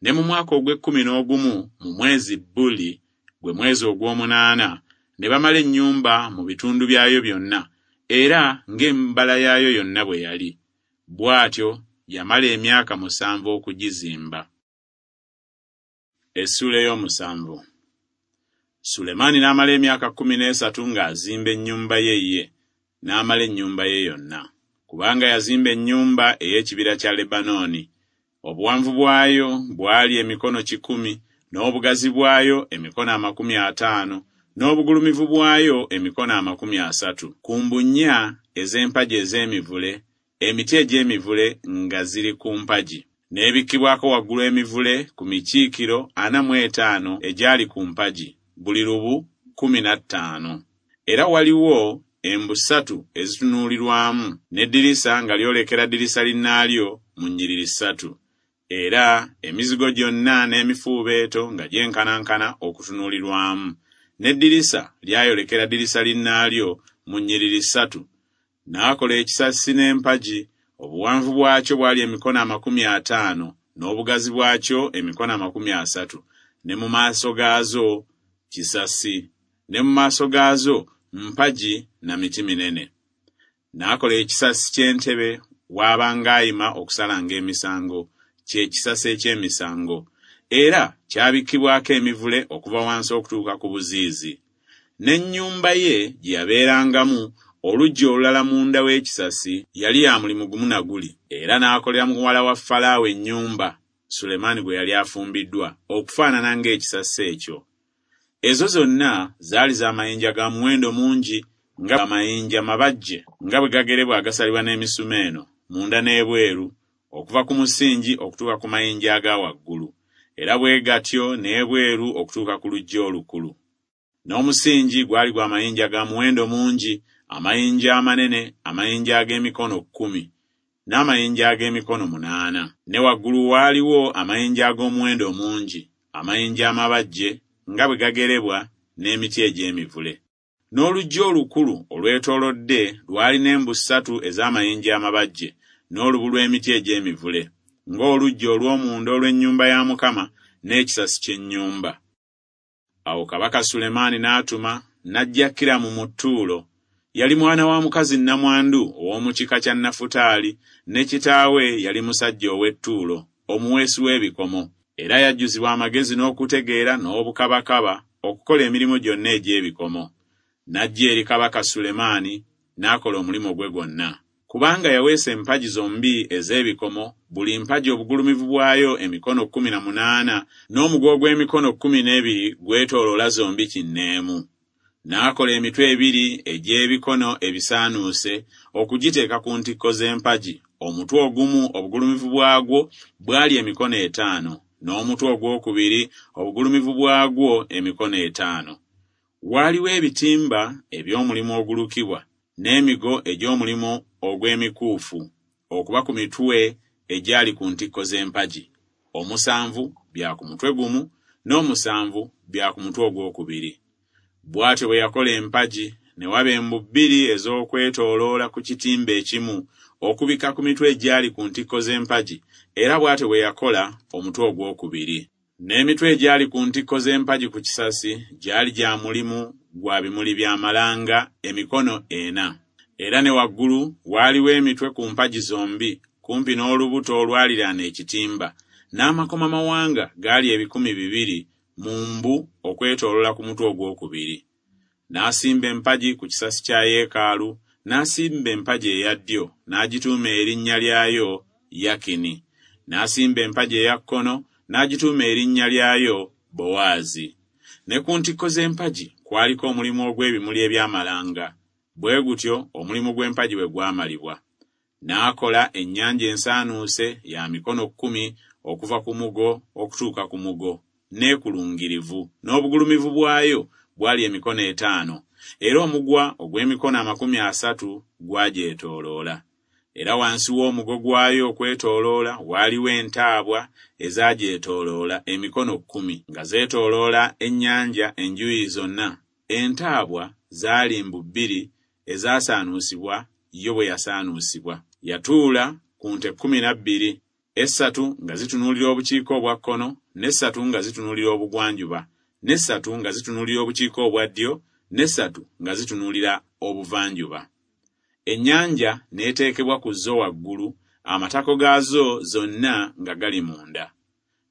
Ne mu mwaka ogw'ekkumi n'ogumu mu mwezi Buli, gwe mwezi ogw'omunaana, ne bamala ennyumba mu bitundu byayo byonna, era ng'embala yaayo yonna bwe yali. Bw'atyo yamala emyaka musanvu okugizimba. Essuula ey'omusanvu. Sulemaani n'amala emyaka kkumi n'esatu ng'azimba ennyumba ye ye, n'amala ennyumba ye yonna. Kubanga yazimba ennyumba ey'ekibira kya Lebanooni. Obuwanvu bwayo bwali emikono kikumi, n'obugazi bwayo emikono amakumi ataano, n'obugulumivu bwayo emikono amakumi asatu. Ku mbu nnya ez'empagi ez'emivule, emiti egy'emivule nga ziri ku mpagi. N'ebikkibwako waggulu emivule ku mikiikiro ana mu etaano egyali ku mpagi, buli lubu kkumi na ttaano. Era waliwo embu ssatu ezitunuulirwamu, n'eddirisa nga lyolekera ddirisa linnaalyo mu nnyiriri ssatu. Era emizigo gyonna n'emifuubeeto nga gyenkanankana okutunuulirwamu, n'eddirisa lyayolekera ddirisa linnaalyo mu nnyiriri ssatu. N'akola ekisasi n'empagi, obuwanvu bwakyo bwali emikono amakumi ataano, n'obugazi bwakyo emikono amakumi asatu, ne mu maaso gaazo kisasi, ne mu maaso gaazo mpagi na miti minene. N'akola ekisasi ky'entebe w'abanga ayima okusalanga emisango, kye kisasi eky'emisango, era kyabikkibwako emivule okuva wansi okutuuka ku buziizi. N'ennyumba ye gye yabeerangamu, oluggya olulala munda w'ekisasi, yali ya mulimu gumu na guli. Era n'akolera muwala wa Falaawo ennyumba, Sulemaani gwe yali afumbiddwa, okufaanana ng'ekisasi ekyo. Ezo zonna zaali za mayinja ga muwendo mungi, nga amayinja mabajje, nga bwe gagerebwa agasalibwa n'emisumeeno, munda n'ebweru, okuva ku musingi okutuuka ku mayinja aga waggulu, era bwe gatyo n'ebweru okutuuka ku luggya olukulu. N'omusingi gwali gwa mayinja ga muwendo mungi, amayinja amanene, amayinja ag'emikono kkumi, n'amayinja ag'emikono munaana. Ne waggulu waaliwo amayinja ag'omuwendo mungi, amayinja amabajje nga bwe gagerebwa n'emiti egy'emivule. N'oluggya olukulu olwetoolodde lwalina embu ssatu ez'amayinja amabajje n'olubu lw'emiti egy'emivule, ng'oluggya olw'omunda olw'ennyumba ya Mukama n'ekisasi ky'ennyumba. Awo Kabaka Sulemaani n'atuma n'aggya Kiramu mu Ttuulo. Yali mwana wa mukazi nnamwandu ow'omu kika kya Nafutaali, ne kitaawe yali musajja ow'e Ttuulo, omuweesi w'ebikomo. Era yajjuzibwa amagezi n'okutegeera n'obukabakaba okukola emirimu gyonna egy'ebikomo. N'ajja eri Kabaka Sulemaani n'akola omulimu gwe gwonna. Kubanga yaweesa empagi zombi ez'ebikomo, buli mpagi obugulumivu bwayo emikono kkumi na munaana, n'omugo ogw'emikono kkumi n'ebiri gwetooloola zombi kinneemu. N'akola emitwe ebiri egy'ebikono ebisaanuuse okugiteeka ku ntikko z'empagi. Omutwe ogumu obugulumivu bwagwo bwali emikono etaano, n'omutwe ogwokubiri obugulumivu bwagwo emikono etaano. Waaliwo ebitimba eby'omulimu ogulukibwa n'emigo egy'omulimu ogw'emikuufu okuba ku mitwe egyali ku ntikko z'empagi. Omusanvu bya ku mutwe gumu, n'omusanvu bya ku mutwe ogwokubiri. Bw'atyo bwe yakola empagi, ne waba embu bbiri ez'okwetooloola ku kitimba ekimu okubikka ku mitwe egyali ku ntikko z'empagi, era bw'atyo bwe yakola omutwe ogwokubiri. N'emitwe egyali ku ntikko z'empagi ku kisasi gyali gya mulimu gwa bimuli bya malanga emikono ena. Era ne waggulu waaliwo emitwe ku mpagi zombi kumpi n'olubuto olwaliraana ekitimba, n'amakomamawanga gaali ebikumi bibiri mu mbu okwetooloola ku mutwe ogwokubiri. N'asimba empagi ku kisasi kya yeekaalu, n'asimba empagi eya ddyo, n'agituuma erinnya lyayo Yakini. N'asimba empagi eya kkono, n'agituuma erinnya lyayo Bowaazi. Ne ku ntikko z'empagi kwaliko omulimu ogw'ebimuli eby'amalanga. Bwe gutyo omulimu gw'empagi bwe gwamalibwa. N'akola ennyanja ensaanuuse ya mikono kkumi okuva ku mugo okutuuka ku mugo, n'ekulungirivu, n'obugulumivu bwayo bwali emikono etaano, era omugwa ogw'emikono amakumi asatu gwagyetooloola. Era wansi w'omugo gwayo okwetooloola waaliwo entaabwa ezagyetooloola emikono kkumi, nga zeetooloola ennyanja enjuuyi zonna. Entaabwa zaali mbu bbiri ezasaanuusibwa yo bwe yasaanuusibwa. Yatuula ku nte kkumi na bbiri, essatu nga zitunuulira obukiika obwa kkono, n'essatu nga zitunuulira obugwanjuba, n'essatu nga zitunuulira obukiika obwa ddyo, n'essatu nga zitunuulira obuvanjuba. Ennyanja n'eteekebwa ku zo waggulu, amatako gaazo zonna nga gali munda.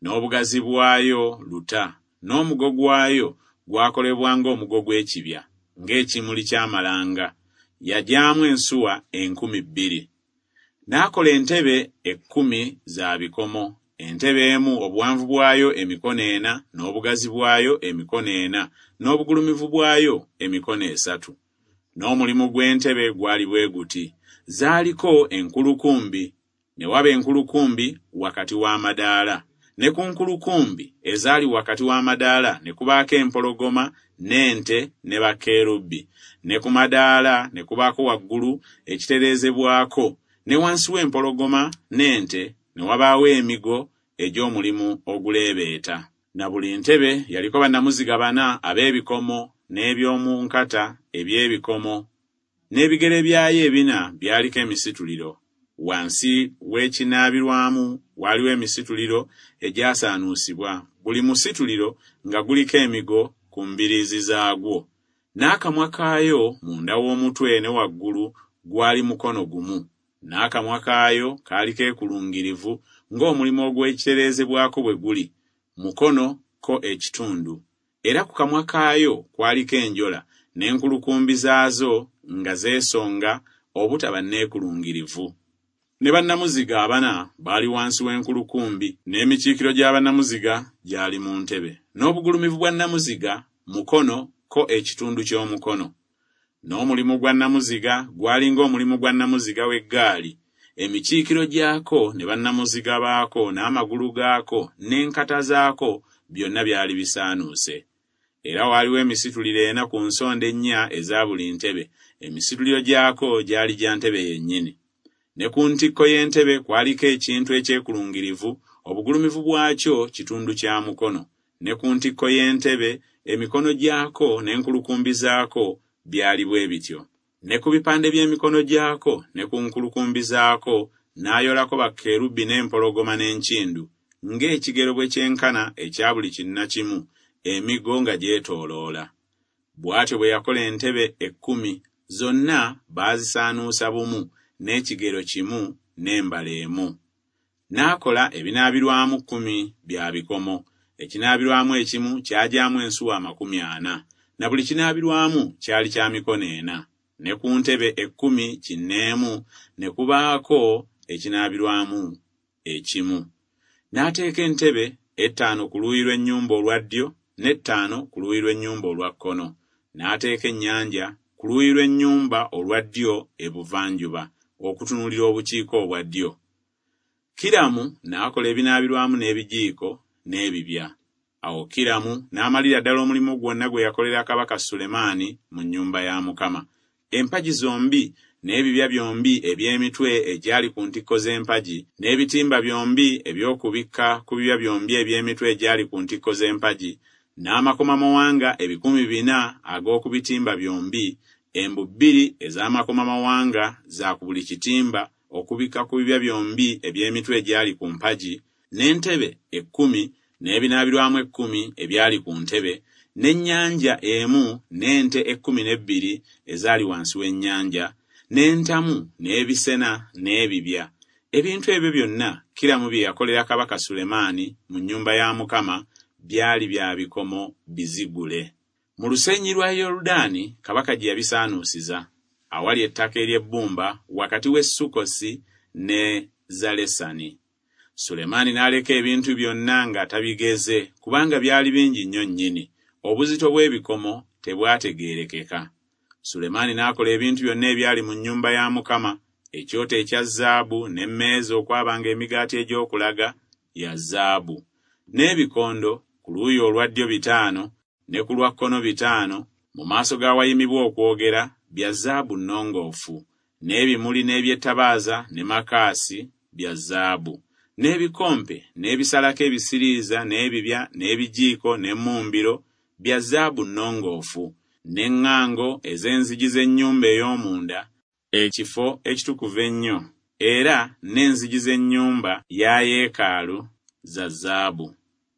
N'obugazi bwayo luta, n'omugo gwayo gwakolebwa ng'omugo gw'ekibya, ng'ekimuli ky'amalanga. Yagyamu ensuwa enkumi bbiri. N'akola entebe ekkumi za bikomo, entebe emu obuwanvu bwayo emikono ena, n'obugazi bwayo emikono ena, n'obugulumivu bwayo emikono esatu. N'omulimu gw'entebe gwali bwe guti: zaaliko enkulukumbi, ne waba enkulukumbi wakati w'amadaala, ne ku nkulukumbi ezaali wakati w'amadaala ne kubaako empologoma n'ente ne bakerubi, ne ku madaala ne kubaako waggulu ekitereezebwako, ne wansi w'empologoma n'ente ne wabaawo emigo egy'omulimu oguleebeeta. Na buli ntebe yaliko bannamuziga bana ab'ebikomo n'eby'omu nkata eby'ebikomo, n'ebigere byayo ebina byaliko emisituliro. Wansi w'ekinaabirwamu waaliwo emisituliro egyasaanuusibwa, buli musituliro nga guliko emigo ku mbiriizi zaagwo. N'akamwa kaayo munda w'omutwe ne waggulu gwali mukono gumu, n'akamwa kaayo kaali keekulungirivu ng'omulimu ogw'ekitereezebwako bwe guli, mukono ko ekitundu. Era ku kamwa kaayo kwaliko enjola, n'enkulukumbi zaazo nga zeesonga obutaba neekulungirivu. Ne bannamuziga abana baali wansi w'enkulukumbi, n'emikiikiro gya bannamuziga gyali mu ntebe, n'obugulumivu bwa nnamuziga mukono ko ekitundu ky'omukono. N'omulimu gwa nnamuziga gwali ng'omulimu gwa nnamuziga w'eggaali, Emikiikiro gyako ne bannamuziga baako n'amagulu gaako n'enkata zaako byonna byali bisaanuuse. Era waaliwo emisituliro ena ku nsonda ennya eza buli ntebe, emisituliro gyako gyali gya ntebe yennyini. Ne ku ntikko y'entebe kwaliko ekintu ekyekulungirivu, obugulumivu bwakyo kitundu kya mukono. Ne ku ntikko y'entebe emikono gyako n'enkulukumbi zaako byali bwe bityo. Ne ku bipande by'emikono gyako ne ku nkulukumbi zaako n'ayolako bakerubi n'empologoma n'enkindu, ng'ekigero bwe kyenkana ekya buli kinnakimu, emigo nga gyetooloola. Bw'atyo bwe yakola entebe ekkumi, zonna baazisaanuusa bumu, n'ekigero kimu n'embala emu. N'akola ebinaabirwamu kkumi bya bikomo, ekinaabirwamu ekimu kyagyamu ensuwa amakumi ana, na buli kinaabirwamu kyali kya mikono ena. Ne ku ntebe ekkumi kinneemu ne kubaako ekinaabirwamu ekimu. N'ateeka entebe ettaano ku luuyi lw'ennyumba olwa ddyo n'ettaano ku luuyi lw'ennyumba olwa kkono. N'ateeka ennyanja ku luuyi lw'ennyumba olwa ddyo ebuvanjuba, okutunuulira obukiika obwa ddyo. Kiramu n'akola ebinaabirwamu n'ebijiiko n'ebibya. Awo Kiramu n'amalira ddala omulimu gwonna gwe yakolera Kabaka Sulemaani mu nnyumba ya Mukama. Empagi zombi n'ebibya byombi eby'emitwe egyali ku ntikko z'empagi, n'ebitimba byombi eby'okubikka ku bibya byombi eby'emitwe egyali ku ntikko z'empagi, n'amakomamawanga ebikumi bina ag'okubitimba byombi, embu bbiri ez'amakomamawanga za ku buli kitimba okubikka ku bibya byombi eby'emitwe egyali ku mpagi, n'entebe ekkumi n'ebinaabirwamu ekkumi ebyali ku ntebe, n'ennyanja emu n'ente ekkumi n'ebbiri ezaali wansi w'ennyanja, n'entamu n'ebisena n'ebibya. Ebintu ebyo byonna Kiramu bye yakolera Kabaka Sulemaani mu nnyumba ya Mukama byali bya bikomo bizigule. Mu lusenyi lwa Yoludaani kabaka gye yabisaanuusiza, awali ettaka ery'ebbumba wakati w'e Sukkosi ne Zalesani. Sulemaani n'aleka ebintu byonna nga tabigeze, kubanga byali bingi nnyo nnyini. Obuzito bw'ebikomo tebwategeerekeka. Sulemaani n'akola ebintu byonna ebyali mu nnyumba ya Mukama, ekyoto ekya zaabu n'emmeeza okwabanga emigaati egy'okulaga ya zaabu, n'ebikondo ku luuyi olwa ddyo bitaano ne ku lwa kkono bitaano, mu maaso g'awayimibwa okwogera bya zaabu nnongoofu, n'ebimuli n'eby'ettabaaza ne makaasi bya zaabu, n'ebikompe n'ebisalako ebisiriiza n'ebibya n'ebijiiko n'emmumbiro bya zaabu nnongoofu, n'eŋŋango ez'enzigi z'ennyumba ey'omunda, ekifo ekitukuvu ennyo, era n'enzigi z'ennyumba ya yeekaalu za zaabu.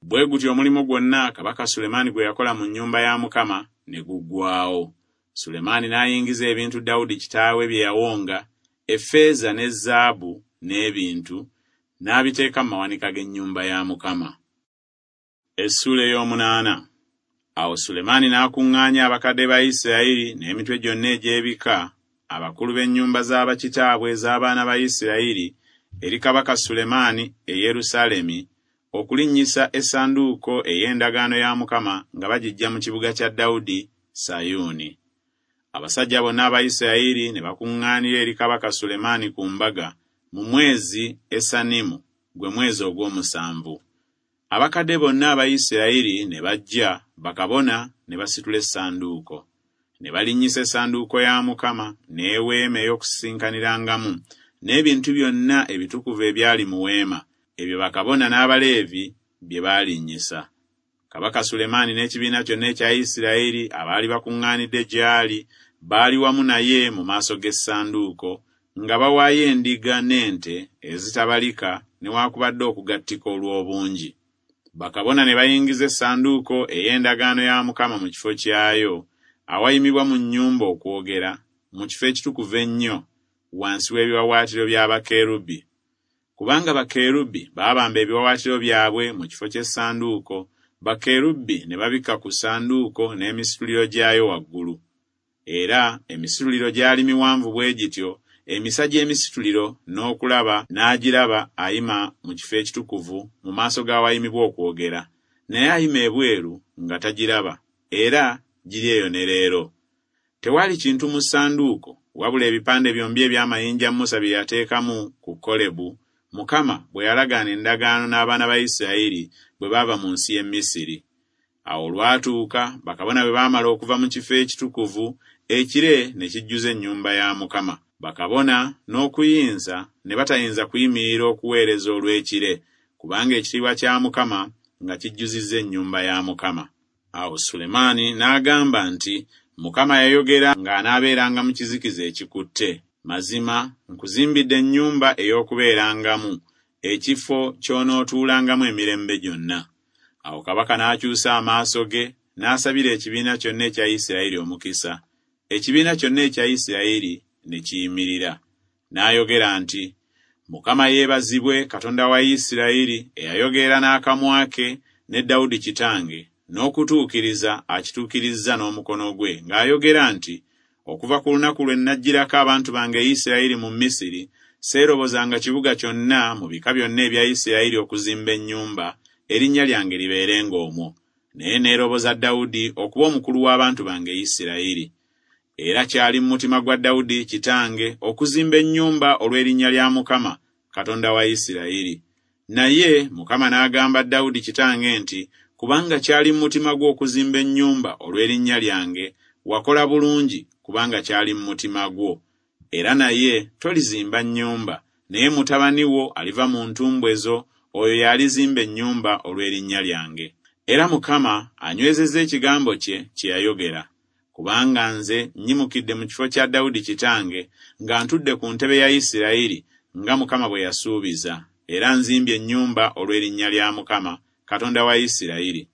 Bwe gutyo omulimu gwonna Kabaka Sulemaani gwe yakola mu nnyumba ya Mukama ne guggwaawo. Sulemaani n'ayingiza ebintu Dawudi kitaawe bye yawonga, effeeza ne zaabu n'ebintu, n'abiteeka mu mawanika g'ennyumba ya Mukama. Essuula ey'omunaana. Awo Sulemaani n'akuŋŋaanya abakadde ba Isirayiri n'emitwe gyonna egy'ebika, abakulu b'ennyumba z'abakitaabwe ez'abaana ba Isirayiri, eri Kabaka Sulemaani e Yerusaalemi, okulinnyisa essanduuko ey'endagaano ya Mukama nga bagiggya mu kibuga kya Dawudi, Sayuuni. Abasajja bonna aba Isirayiri ne bakuŋŋaanira eri Kabaka Sulemaani ku mbaga mu mwezi Esanimu, gwe mwezi ogw'omusanvu. Abakadde bonna aba Isirayiri ne bajja, bakabona ne basitula essanduuko. Ne balinnyisa essanduuko ya Mukama n'eweema ey'okusisinkanirangamu, n'ebintu byonna ebitukuvu ebyali mu weema, ebyo bakabona n'Abaleevi bye baalinnyisa. Kabaka Sulemaani n'ekibiina kyonna ekya Isirayiri abaali bakuŋŋaanidde gy'ali baali wamu naye mu maaso g'essanduuko, nga bawaayo endiga n'ente ezitabalika newaakubadde okugattika olw'obungi. Bakabona ne bayingiza essanduuko ey'endagaano ya Mukama mu kifo kyayo, awayimibwa mu nnyumba okwogera, mu kifo ekitukuvu ennyo, wansi w'ebiwaawaatiro bya bakerubi. Kubanga bakerubi baabamba ebiwaawaatiro byabwe mu kifo ky'essanduuko, bakerubi ne babikka ku ssanduuko n'emisituliro gyayo waggulu. Era emisituliro gyali miwanvu bwe gityo, emisa gy'emisituliro n'okulaba n'agiraba ayima mu kifo ekitukuvu mu maaso g'awayimibwa okwogera, naye ayima ebweru nga tagiraba, era giri eyo ne leero. Tewali kintu mu ssanduuko wabula ebipande byombi eby'amayinja Musa bye yateekamu ku Kolebu, Mukama bwe yalagaana endagaano n'abaana ba Isirayiri bwe baava mu nsi y'e Misiri. Awo olwatuuka bakabona bwe baamala okuva mu kifo ekitukuvu, ekire ne kijjuza ennyumba ya Mukama. Bakabona n'okuyinza ne batayinza kuyimirira okuweereza olw'ekire, kubanga ekitiibwa kya Mukama nga kijjuzizza ennyumba ya Mukama. Awo Sulemaani n'agamba nti, Mukama yayogera ng'anaabeeranga mu kizikiza ekikutte. Mazima nkuzimbidde ennyumba ey'okubeerangamu, ekifo ky'onootuulangamu emirembe gyonna. Awo kabaka n'akyusa amaaso ge, n'asabira ekibiina kyonna ekya Isirayiri omukisa. Ekibiina kyonna ekya Isirayiri ne kiyimirira. N'ayogera nti, Mukama yeebazibwe Katonda wa Isirayiri eyayogera n'akamwa ke ne Dawudi kitange, n'okutuukiriza akituukirizza n'omukono gwe, ng'ayogera nti, Okuva ku lunaku lwe nnaggyirako abantu bange Isirayiri mu Misiri, seerobozanga kibuga kyonna mu bika byonna ebya Isirayiri okuzimba ennyumba, erinnya lyange libeerenga omwo. Naye neeroboza Dawudi okuba omukulu w'abantu bange Isirayiri. Era kyali mu mutima gwa Dawudi kitange okuzimba ennyumba olw'erinnya lya Mukama, Katonda wa Isirayiri. Naye Mukama n'agamba Dawudi kitange nti, Kubanga kyali mu mutima gwo okuzimba ennyumba olw'erinnya lyange, wakola bulungi kubanga kyali mu mutima gwo. Era naye tolizimba nnyumba, naye mutabani wo aliva mu ntumbwe zo, oyo y'alizimba ennyumba olw'erinnya lyange. Era Mukama anywezezza ekigambo kye kye yayogera. Kubanga nze nnyimukidde mu kifo kya Dawudi kitange, nga ntudde ku ntebe ya Isirayiri, nga Mukama bwe yasuubiza, era nzimbye ennyumba olw'erinnya lya Mukama, Katonda wa Isirayiri.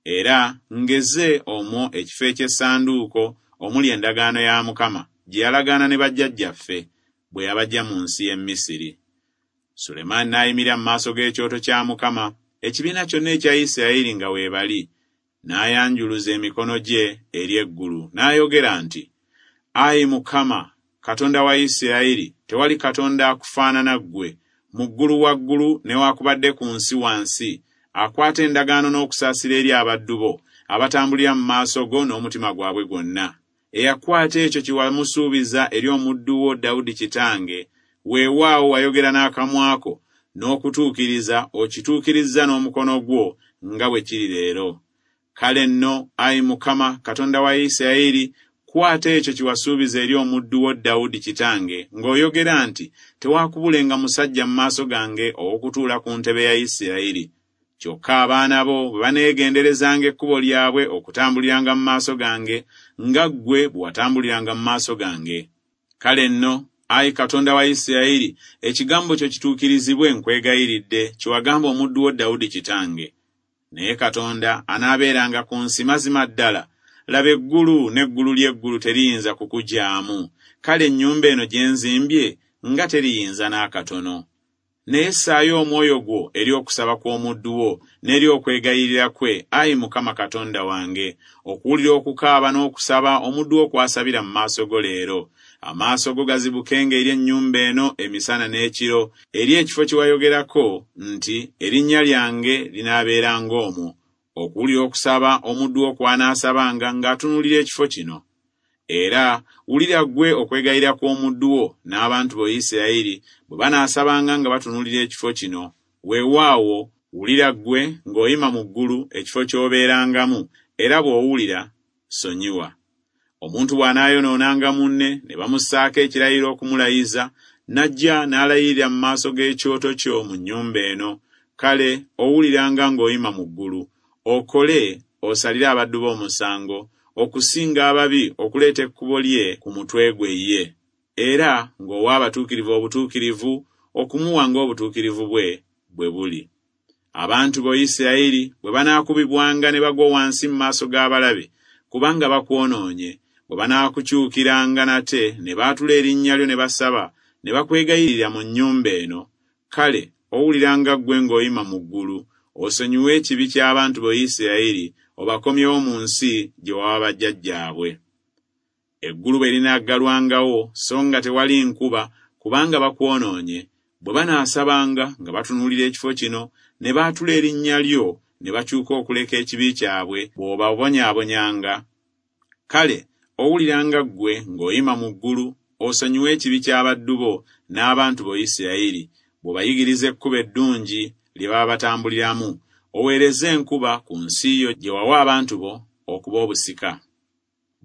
Era ngeze omwo ekifo eky'essanduuko omuli endagaano ya Mukama gye yalagaana ne bajjajjaffe bwe yabaggya mu nsi y'e Misiri. Sulemaani n'ayimirira mu maaso g'ekyoto kya Mukama, ekibiina kyonna ekya Isirayiri nga weebali, n'ayanjuluza emikono gye eri eggulu, n'ayogera nti, Ayi Mukama, Katonda wa Isirayiri, tewali Katonda akufaanana ggwe, mu ggulu waggulu newaakubadde ku nsi wansi, akwata endagaano n'okusaasira eri abaddu bo, abatambulira mu maaso go n'omutima gwabwe gwonna. Eyakwata ekyo kye wamusuubiza eri omuddu wo Dawudi kitange, weewaawo wayogera n'akamwa ko, n'okutuukiriza okituukirizza n'omukono gwo nga bwe kiri leero. Kale nno, ayi Mukama, Katonda wa Isirayiri, kwata ekyo kye wasuubiza eri omuddu wo Dawudi kitange, ng'oyogera nti, Tewaakubulenga musajja mu maaso gange ow'okutuula ku ntebe ya Isirayiri. Kyokka abaana bo bwe baneegenderezanga ekkubo lyabwe okutambuliranga mu maaso gange, nga ggwe bwe watambuliranga mu maaso gange. Kale nno, ayi Katonda wa Isirayiri, ekigambo kyo kituukirizibwe nkwegayiridde, kye wagamba omuddu wo Dawudi kitange. Naye Katonda anaabeeranga ku nsi mazima ddala. Laba eggulu n'eggulu ly'eggulu teriyinza kukugyamu. Kale ennyumba eno gye nzimbye nga teriyinza n'akatono. Naye ssaayo omwoyo gwo eri okusaba kw'omuddu wo n'eri okwegayirira kwe, ayi Mukama Katonda wange, okuwulira okukaaba n'okusaba omuddu wo kw'asabira mu maaso go leero. Amaaso go gazibukenga eri ennyumba eno emisana n'ekiro, eri ekifo kye wayogerako nti, Erinnya lyange linaabeeranga omwo, okuwulira okusaba omuddu wo kw'anaasabanga ng'atunuulira ekifo kino. Era wulira ggwe okwegayirira kw'omuddu wo n'abantu bo Isirayiri bwe banaasabanga nga batunuulira ekifo kino. Weewaawo wulira ggwe ng'oyima mu ggulu ekifo ky'obeerangamu, era bw'owulira sonyiwa. Omuntu bw'anaayonoonanga munne ne bamussaako ekirayiro okumulayiza, n'ajja n'alayirira mu maaso g'ekyoto kyo mu nnyumba eno, kale owuliranga ng'oyima mu ggulu, okole osalire abaddu bo omusango, okusinga ababi okuleeta ekkubo lye ku mutwe gwe ye, era ng'owa abatuukirivu obutuukirivu, okumuwa ng'obutuukirivu bwe bwe buli. Abantu bo Isirayiri bwe banaakubibwanga ne bagwa wansi mu maaso g'abalabe, kubanga bakwonoonye, bwe banaakukyukiranga nate ne baatula erinnya lyo ne basaba, ne bakwegayirira mu nnyumba eno, kale owuliranga ggwe ng'oyima mu ggulu, osonyiwe ekibi ky'abantu bo Isirayiri, obakomyewo mu nsi gye wawa bajjajjaabwe. Eggulu bwe linaggalwangawo so nga tewali nkuba, kubanga bakwonoonye, bwe banaasabanga nga batunuulira ekifo kino, ne baatula erinnya lyo, ne bakyuka okuleka ekibi kyabwe, bw'obabonyaabonyanga. Kale owuliranga ggwe ng'oyima mu ggulu, osonyiwe ekibi ky'abaddu bo n'abantu bo Isirayiri, bw'obayigiriza ekkubo eddungi lye baba batambuliramu, oweereze enkuba ku nsi yo gye wawa abantu bo okuba obusika.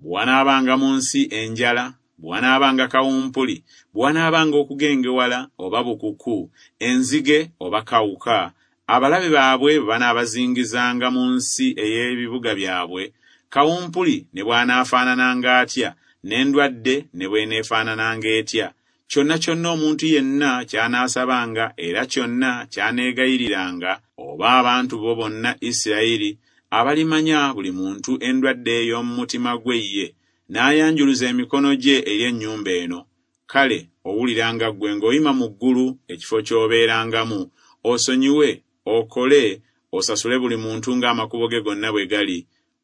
Bwe wanaabanga mu nsi enjala, bwe wanaabanga kawumpuli, bwe wanaabanga okugengewala oba bukuku, enzige oba kawuka, abalabe baabwe bwe banaabazingizanga mu nsi ey'ebibuga byabwe, kawumpuli ne bw'anaafaanananga atya, n'endwadde ne bw'eneefaanananga etya, kyonna kyonna omuntu yenna ky'anaasabanga era kyonna ky'aneegayiriranga, oba abantu bo bonna Isirayiri abalimanya buli muntu endwadde ey'omu mutima gwe ye, n'ayanjuluza emikono gye eri ennyumba eno, kale owuliranga ggwe ng'oyima mu ggulu ekifo ky'obeerangamu, osonyiwe, okole, osasule buli muntu ng'amakubo ge gonna bwe gali,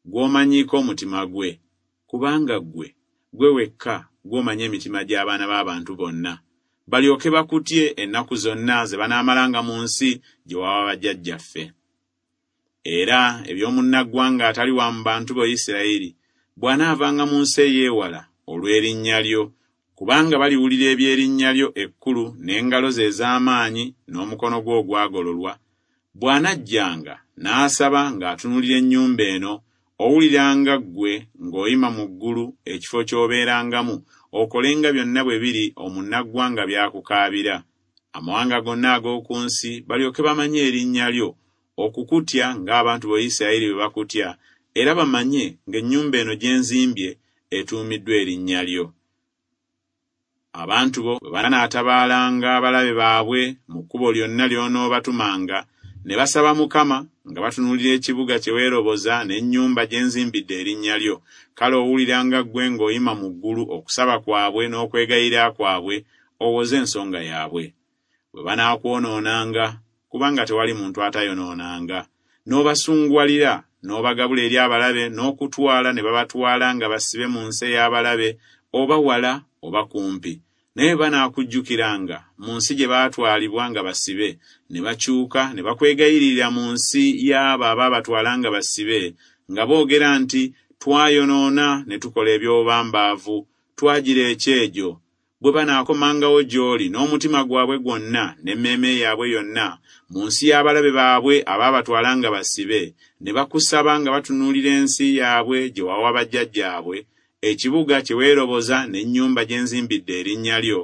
gw'omanyiiko omutima gwe. Kubanga ggwe, ggwe wekka gw'omanyi emitima gy'abaana b'abantu bonna, balyoke bakutye ennaku zonna ze banaamalanga mu nsi gye wawa bajjajjaffe. Era eby'omunnaggwanga atali wa mu bantu bo Isirayiri, bw'anaavanga mu nsi ey'ewala olw'erinnya lyo, kubanga baliwulira eby'erinnya lyo ekkulu n'engalo ze ez'amaanyi n'omukono gwo ogwagololwa, bw'anajjanga n'asaba ng'atunuulira ennyumba eno, owuliranga ggwe ng'oyima mu ggulu ekifo ky'obeerangamu, okolenga byonna bwe biri omunnaggwanga by'akukaabira. Amawanga gonna ag'oku nsi balyoke bamanye erinnya lyo, okukutya ng'abantu bo Isirayiri bwe bakutya, era bamanye ng'ennyumba eno gye nzimbye etuumiddwa erinnya lyo. Abantu bo bwe banaatabaalanga abalabe baabwe mu kkubo lyonna ly'onoobatumanga, ne basaba Mukama nga batunuulira ekibuga kye weeroboza n'ennyumba gye nzimbidde erinnya lyo, kale owuliranga ggwe ng'oyima mu ggulu okusaba kwabwe n'okwegayirira kwabwe, owoze ensonga yaabwe. Bwe banaakwonoonanga, kubanga tewali muntu atayonoonanga, n'obasunguwalira, n'obagabula eri abalabe n'okutwala ne babatwala nga basibe mu nsi ey'abalabe, oba wala oba kumpi. Naye banaakujjukiranga mu nsi gye baatwalibwa nga basibe, ne bakyuka ne bakwegayirira mu nsi y'abo abaabatwala nga basibe, nga boogera nti, Twayonoona ne tukola eby'obubambaavu, twagira ekyejo. Bwe banaakomangawo gy'oli n'omutima gwabwe gwonna n'emmeeme yaabwe yonna, mu nsi y'abalabe baabwe abaabatwala nga basibe, ne bakusaba nga batunuulira ensi yaabwe gye wawa bajjajjaabwe, ekibuga kye weeroboza n'ennyumba gye nzimbidde erinnya lyo,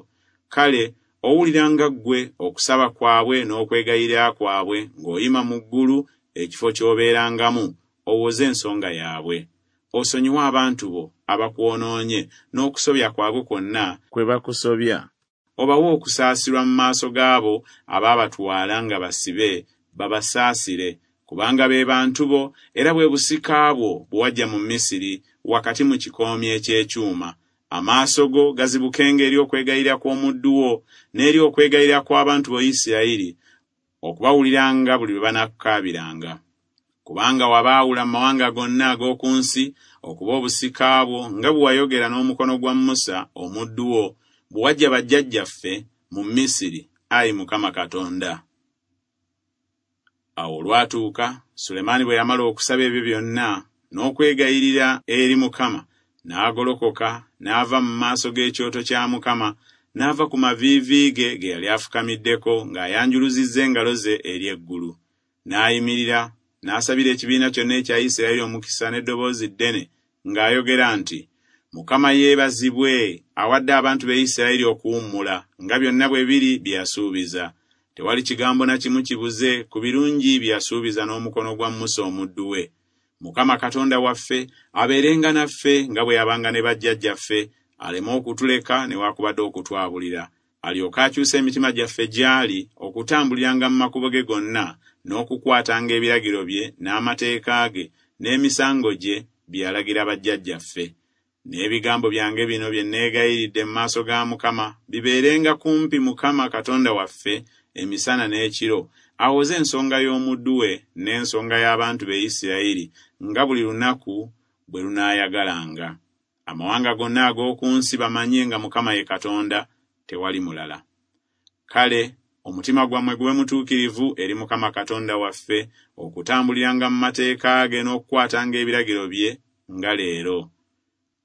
kale owuliranga ggwe okusaba kwabwe n'okwegayirira kwabwe ng'oyima mu ggulu ekifo ky'obeerangamu, owoze ensonga yaabwe. Osonyiwe abantu bo abakwonoonye n'okusobya kwabwe kwonna kwe bakusobya, obawe okusaasirwa mu maaso gaabo abaabatwala nga basibe, babasaasire, kubanga be bantu bo era bwe busika bwo bwe wajja mu Misiri wakati mu kikoomi eky'ekyuma. Amaaso go gazibukenga eri okwegayirira kw'omuddu wo n'eri okwegayirira kw'abantu bo Isirayiri, okubawuliranga buli lwe banaakukaabiranga. Kubanga wabaawula mu mawanga gonna ag'oku nsi okuba obusika bwo, nga bwe wayogera n'omukono gwa Musa omuddu wo, bwe wajja bajjajjaffe mu Misiri, ayi Mukama Katonda. Awo olwatuuka, Sulemaani bwe yamala okusaba ebyo byonna n'okwegayirira eri Mukama, n'agolokoka n'ava mu maaso g'ekyoto kya Mukama, n'ava ku maviivi ge ge yali afukamiddeko ng'ayanjuluzizza engalo ze eri eggulu. N'ayimirira n'asabira ekibiina kyonna ekya Isirayiri omukisa n'eddoboozi ddene ng'ayogera nti, Mukama yeebazibwe awadde abantu be Isirayiri okuwummula nga byonna bwe biri bye yasuubiza. Tewali kigambo na kimu kibuze ku birungi bye yasuubiza n'omukono gwa Musa omuddu we. Mukama Katonda waffe abeerenga naffe nga bwe yabanga ne bajjajjaffe, aleme okutuleka newaakubadde okutwabulira. Alyoke akyuse emitima gyaffe gy'ali okutambuliranga mu makubo ge gonna n'okukwatanga ebiragiro bye n'amateeka ge n'emisango gye bye yalagira bajjajjaffe. N'ebigambo byange bino bye neegayiridde mu maaso ga Mukama bibeerenga kumpi Mukama Katonda waffe emisana n'ekiro, awoze ensonga y'omuddu we n'ensonga y'abantu be Isirayiri nga buli lunaku bwe lunaayagalanga. Amawanga gonna ag'oku nsi bamanye nga Mukama ye Katonda, tewali mulala. Kale omutima gwammwe gube mutuukirivu eri Mukama Katonda waffe, okutambuliranga mu mateeka ge n'okukwatanga ebiragiro bye nga leero.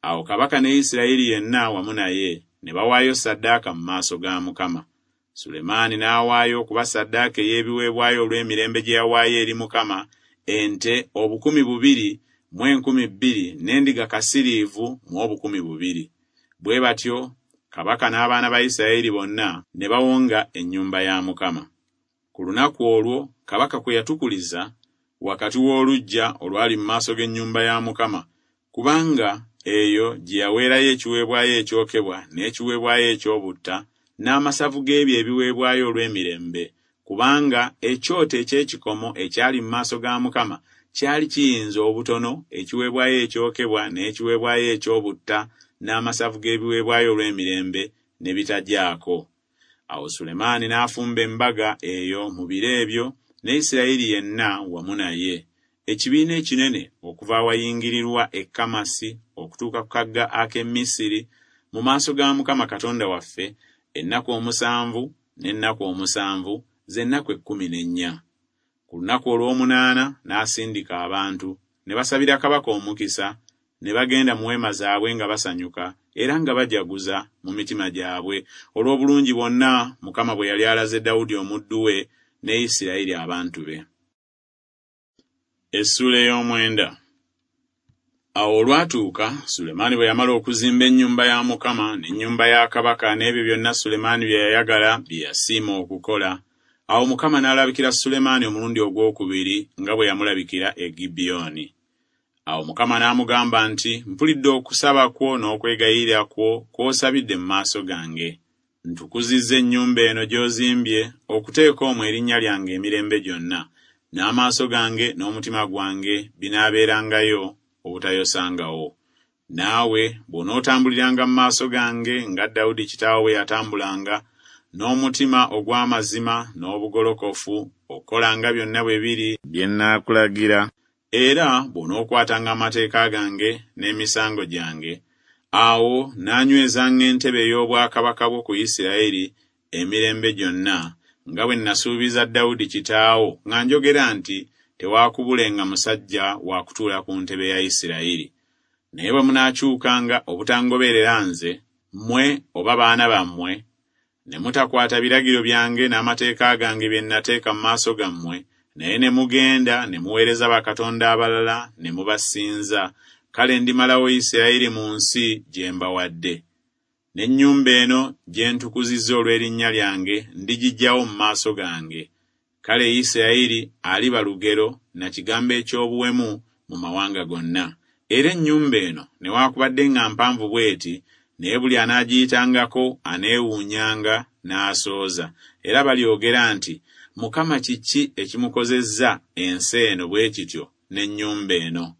Awo kabaka ne Isirayiri yenna wamu naye ne bawaayo ssaddaaka mu maaso ga Mukama. Sulemaani n'awaayo okuba ssaddaaka ey'ebiweebwayo olw'emirembe gye yawaayo eri Mukama ente obukumi bubiri mu enkumi bbiri n'endiga kasiriivu mu obukumi bubiri. Bwe batyo kabaka n'abaana ba Isirayiri bonna ne bawonga ennyumba ya Mukama. Ku lunaku olwo kabaka kwe yatukuliza wakati w'oluggya olwali mu maaso g'ennyumba ya Mukama, kubanga eyo gye yaweerayo ekiweebwayo ekyokebwa n'ekiweebwayo eky'obutta n'amasavu g'ebyo ebiweebwayo olw'emirembe, kubanga ekyoto eky'ekikomo ekyali mu maaso ga Mukama kyali kiyinza obutono ekiweebwayo ekyokebwa n'ekiweebwayo eky'obutta n'amasavu g'ebiweebwayo olw'emirembe ne bitagyako. Awo Sulemaani n'afumba embaga eyo mu biro ebyo ne Isirayiri yenna wamu naye, ekibiina ekinene okuva awayingirirwa e Kamasi okutuuka ku kagga ak'e Misiri mu maaso ga Mukama Katonda waffe ennaku omusanvu n'ennaku omusanvu z'ennaku ekkumi n'ennya. Ku lunaku olw'omunaana n'asindika abantu ne basabira kabaka omukisa, ne bagenda mu weema zaabwe nga basanyuka era nga bajaguza mu mitima gyabwe olw'obulungi bwonna Mukama bwe yali alaze Dawudi omuddu we ne Isirayiri abantu be. Essuula ey'omwenda. Awo olwatuuka Sulemaani bwe yamala okuzimba ennyumba ya Mukama n'ennyumba ya kabaka n'ebyo byonna Sulemaani bye yayagala bye yasiima okukola, awo Mukama n'alabikira Sulemaani omulundi ogwokubiri nga bwe yamulabikira e Gibyoni. Awo Mukama n'amugamba nti, mpulidde okusaba kwo n'okwegayirira kwo kw'osabidde mu maaso gange. Ntukuzizza ennyumba eno gy'ozimbye okuteeka omwo erinnya lyange emirembe gyonna, n'amaaso gange n'omutima gwange binaabeerangayo obutayosangawo. Naawe bw'onootambuliranga mu maaso gange nga Dawudi kitaawo bwe yatambulanga, n'omutima ogw'amazima n'obugolokofu, okukolanga byonna bwe biri bye nnaakulagira, era bw'onookwatanga amateeka gange n'emisango gyange, awo naanywezanga entebe ey'obwakabaka bwo ku Isirayiri emirembe gyonna, nga bwe nasuubiza Dawudi kitaawo nga njogera nti tewaakubulenga musajja wa kutuula ku ntebe ya Isirayiri. Naye bwe munaakyukanga obutangoberera nze, mmwe oba baana bammwe, ne mutakwata biragiro byange n'amateeka gange bye nnateeka mu maaso gammwe, naye ne mugenda ne muweereza bakatonda abalala ne mubasinza, kale ndimalawo Isirayiri mu nsi gye mbawadde. N'ennyumba eno gye ntukuzizza olw'erinnya lyange ndigiggyawo mu maaso gange. Kale Isirayiri aliba lugero na kigambo eky'obuwemu mu mawanga gonna. Era ennyumba eno newaakubadde nga mpanvu bw'eti, naye buli anaagiyitangako aneewuunyanga n'asooza, era balyogera nti, Mukama kiki ekimukozezza ensi eno bwe kityo n'ennyumba eno?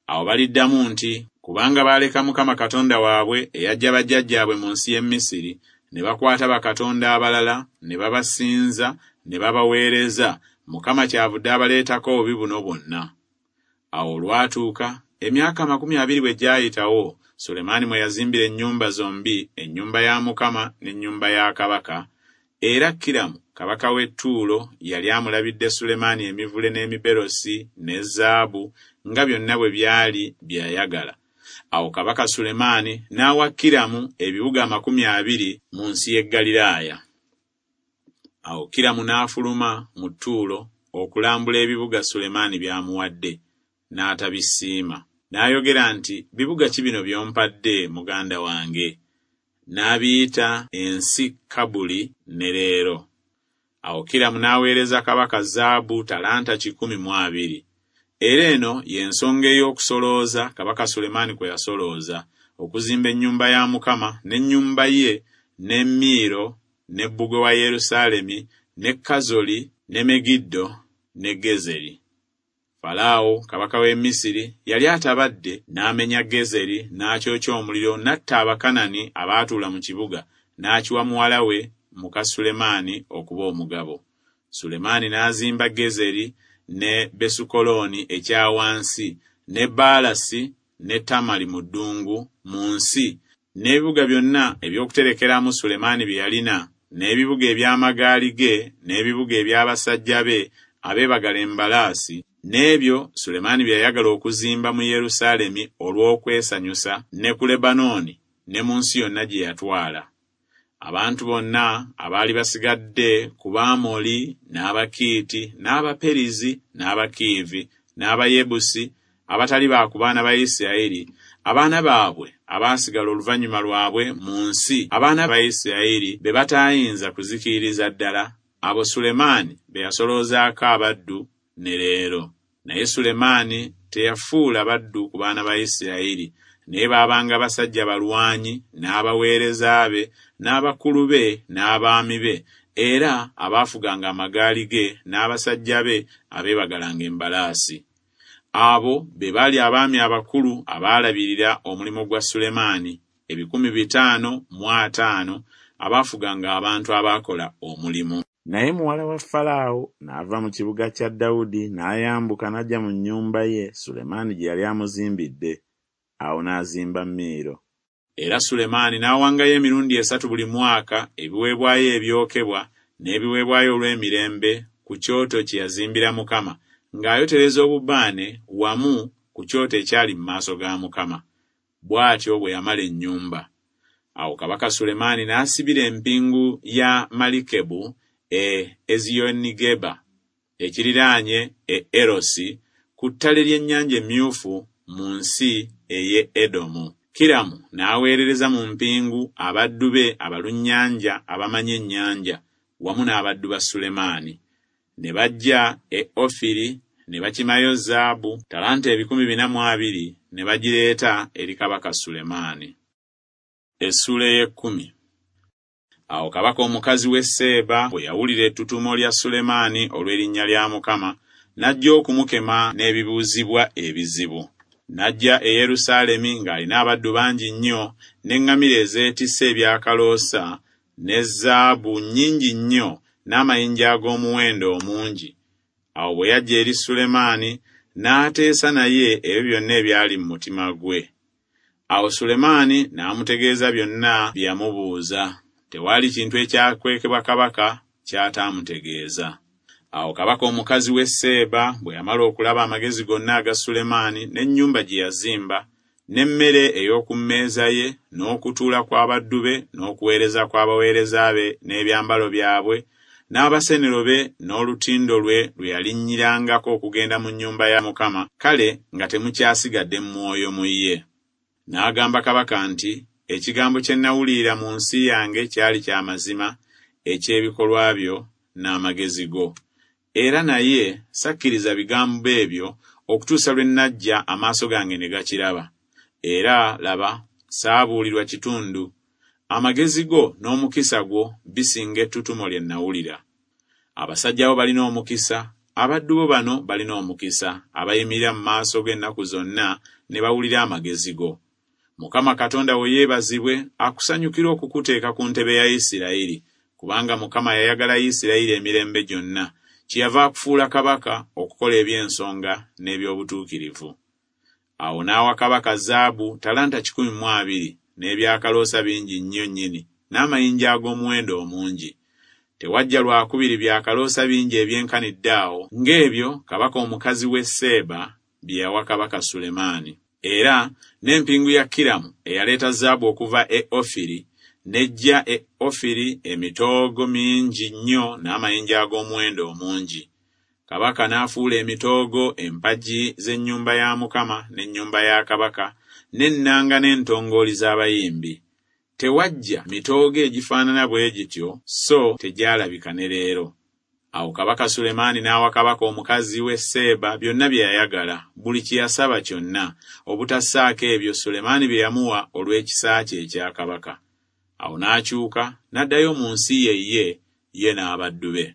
Awo baliddamu nti, kubanga baaleka Mukama Katonda waabwe eyaggya bajjajjaabwe mu nsi y'e Misiri, ne bakwata bakatonda abalala ne babasinza ne babaweereza, Mukama kyavudde abaleetako obubi buno bwonna. Awo olwatuuka emyaka amakumi abiri bwe gyayitawo, Sulemaani mwe yazimbira ennyumba zombi, ennyumba ya Mukama n'ennyumba ya kabaka, era Kiramu kabaka w'e Ttuulo yali amulabidde Sulemaani emivule n'emiberosi ne zaabu nga byonna bwe byali bye yayagala. Awo kabaka Sulemaani n'awa Kiramu ebibuga amakumi abiri mu nsi y'e Ggaliraaya. Awo Kiramu n'afuluma mu Ttuulo okulambula ebibuga Sulemaani by'amuwadde, n'atabisiima. N'ayogera nti, bibuga ki bino by'ompadde muganda wange? N'abiyita ensi Kabuli ne leero. Awo Kiramu n'aweereza kabaka zaabu talanta kikumi mu abiri. Era eno y'ensonga ey'okusolooza kabaka Sulemaani kwe yasolooza, okuzimba ennyumba ya Mukama n'ennyumba ye, ne Miiro, ne bbugwe wa Yerusaalemi, ne Kazoli, ne Megiddo, ne Gezeri. Falaawo kabaka w'e Misiri yali atabadde n'amenya Gezeri n'akyokya omuliro n'atta Abakanani abaatuula mu kibuga, n'akiwa muwala we muka Sulemaani okuba omugabo. Sulemaani n'azimba Gezeri ne Besukolooni ekya wansi, ne Baalasi ne Tamali mu ddungu mu nsi, n'ebibuga byonna eby'okuterekeramu Sulemaani bye yalina, n'ebibuga eby'amagaali ge, n'ebibuga eby'abasajja be abeebagala embalaasi, n'ebyo Sulemaani bye yayagala okuzimba mu Yerusaalemi olw'okwesanyusa, ne ku Lebanooni, ne mu nsi yonna gye yatwala. Abantu bonna abaali basigadde ku Baamoli, n'Abakiiti, n'Abaperizi, n'Abakiivi, n'Abayebusi, abatali ba ku baana ba Isirayiri, abaana baabwe abaasigala oluvannyuma lwabwe mu nsi abaana ba Isirayiri be bataayinza kuzikiririza ddala, abo Sulemaani be yasoloozaako abaddu ne leero. Naye Sulemaani teyafuula baddu ku baana ba Isirayiri, naye baabanga basajja balwanyi, n'abaweereza be, n'abakulu be, n'abaami be, era abaafuganga amagaali ge n'abasajja be abeebagalanga embalaasi. Abo be baali abaami abakulu abaalabirira omulimu gwa Sulemaani, ebikumi bitaano mu ataano abaafuganga abantu abaakola omulimu. Naye muwala wa Falaawo n'ava mu kibuga kya Dawudi n'ayambuka n'ajja mu nnyumba ye Sulemaani gye yali amuzimbidde. Awo n'azimba Miiro. Era Sulemaani n'awangayo emirundi esatu buli mwaka ebiweebwayo ebyokebwa n'ebiweebwayo olw'emirembe ku kyoto kye yazimbira Mukama, ng'ayotereza obubaane wamu ku kyoto ekyali mu maaso ga Mukama. Bw'atyo bwe yamala ennyumba. Awo kabaka Sulemaani n'asibira empingu ya Malikebu e Eziyonigeba, ekiriraanye e Erosi, ku ttale ly'ennyanja Emyufu mu nsi ey'e Edomu. Kiramu n'aweerereza mu mpingu abaddu be abalunnyanja abamanyi ennyanja, wamu n'abaddu ba Sulemaani. Ne bajja e Ofiri ne bakimayo zaabu talanta ebikumi bina mu abiri ne bagireeta eri kabaka Sulemaani. Essuula ey'ekkumi. Awo kabaka omukazi w'e Seeba bwe yawulira ettutumo lya Sulemaani olw'erinnya lya Mukama, n'ajja okumukema n'ebibuuzibwa ebizibu. N'ajja e Yerusaalemi ng'alina abaddu bangi nnyo, n'eŋŋamira ezeetisse ebyakaloosa, ne zaabu nnyingi nnyo, n'amayinja ag'omuwendo omungi. Awo bwe yajja eri Sulemaani, n'ateesa naye ebyo byonna ebyali mu mutima gwe. Awo Sulemaani n'amutegeeza byonna bye yamubuuza. Tewaali kintu ekyakwekebwa kabaka ky'ataamutegeeza. Awo kabaka omukazi w'e Seeba bwe yamala okulaba amagezi gonna aga Sulemaani n'ennyumba gye yazimba, n'emmere ey'oku mmeeza ye, n'okutuula kw'abaddu be, n'okuweereza kw'abaweereza be, n'ebyambalo byabwe, n'abasenero be, n'olutindo lwe lwe yalinnyirangako okugenda mu nnyumba ya Mukama, kale nga temukyasigadde mwoyo mu ye. N'agamba kabaka nti, ekigambo kye nnawulirira mu nsi yange kyali kya mazima, eky'ebikolwa byo n'amagezi go. Era naye sakkiriza bigambo ebyo okutuusa lwe nnajja amaaso gange ne gakiraba. Era laba, saabuulirwa kitundu. Amagezi go n'omukisa gwo bisinga ettutumo lye nnawulira. Abasajja bo balina omukisa, abaddu bo bano balina omukisa, abayimirira mu maaso g'ennaku zonna ne bawulira amagezi go. Mukama Katonda wo yeebazibwe akusanyukira okukuteeka ku ntebe ya Isirayiri, kubanga Mukama yayagala Isirayiri emirembe gyonna, kyeyava akufuula kabaka okukola eby'ensonga n'eby'obutuukirivu. Awo n'awa kabaka zaabu talanta kikumi mu abiri, n'ebyakaloosa bingi nnyo nnyini, n'amayinja ag'omuwendo omungi. Tewajja lwakubiri byakaloosa bingi ebyenkanidde awo ng'ebyo kabaka omukazi w'e Seeba bye yawa kabaka Sulemaani. Era n'empingu ya Kiramu eyaleeta zaabu okuva e Ofiri, n'ejja e Ofiri emitoogo mingi nnyo n'amayinja ag'omuwendo omungi. Kabaka n'afuula emitoogo empagi z'ennyumba ya Mukama n'ennyumba ya kabaka, n'ennanga n'entongooli z'abayimbi. Tewajja mitoogo egifaanana bwe gityo, so tegyalabika ne leero. Awo kabaka Sulemaani n'awa kabaka omukazi w'e Seeba byonna bye yayagala, buli kye yasaba kyonna, obutassaako ebyo Sulemaani bye yamuwa olw'ekisa kye ekya kabaka. Awo n'akyuka n'addayo mu nsi ye ye, ye n'abaddu be.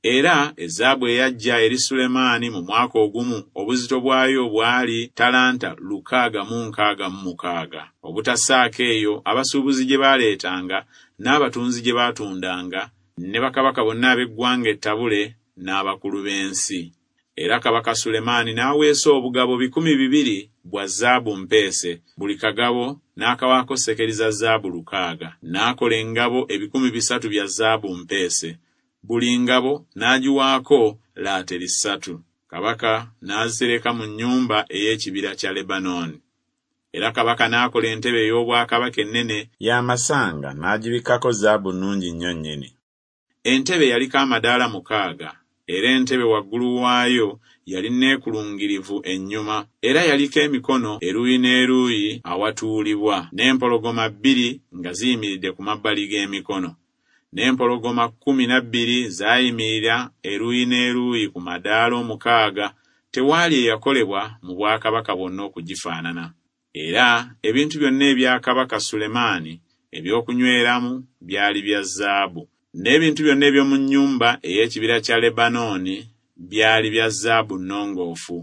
Era ezaabu eyajja eri Sulemaani mu mwaka ogumu obuzito bwayo bwali talanta lukaaga mu nkaaga mu mukaaga. Obutassaako eyo abasuubuzi gye baaleetanga n'abatunzi gye baatundanga, ne bakabaka bonna ab'eggwanga ettabule n'abakulu b'ensi. Era kabaka Sulemaani n'aweesa obugabo bikumi bibiri bwa zaabu mpeese, buli kagabo n'akawaako sekeri za zaabu lukaaga. N'akola engabo ebikumi bisatu bya zaabu mpeese, buli ngabo n'agiwaako laateri ssatu. Kabaka n'azitereka mu nnyumba ey'ekibira kya Lebanooni. Era kabaka n'akola entebe ey'obwakabaka ennene y'amasanga n'agibikkako zaabu nnungi nnyo nnyini. Entebe yaliko amadaala mukaaga, era entebe waggulu waayo yali neekulungirivu ennyuma, era yaliko emikono eruuyi n'eruuyi awatuulibwa, n'empologoma bbiri nga ziyimiridde ku mabbali g'emikono. N'empologoma kkumi na bbiri zaayimirira eruuyi n'eruuyi ku madaala omukaaga, tewaali eyakolebwa mu bwakabaka bwonna okugifaanana. Era ebintu byonna ebya kabaka Sulemaani eby'okunyweramu byali bya zaabu, n'ebintu byonna eby'omu nnyumba ey'ekibira kya Lebanooni byali bya zaabu nnongoofu,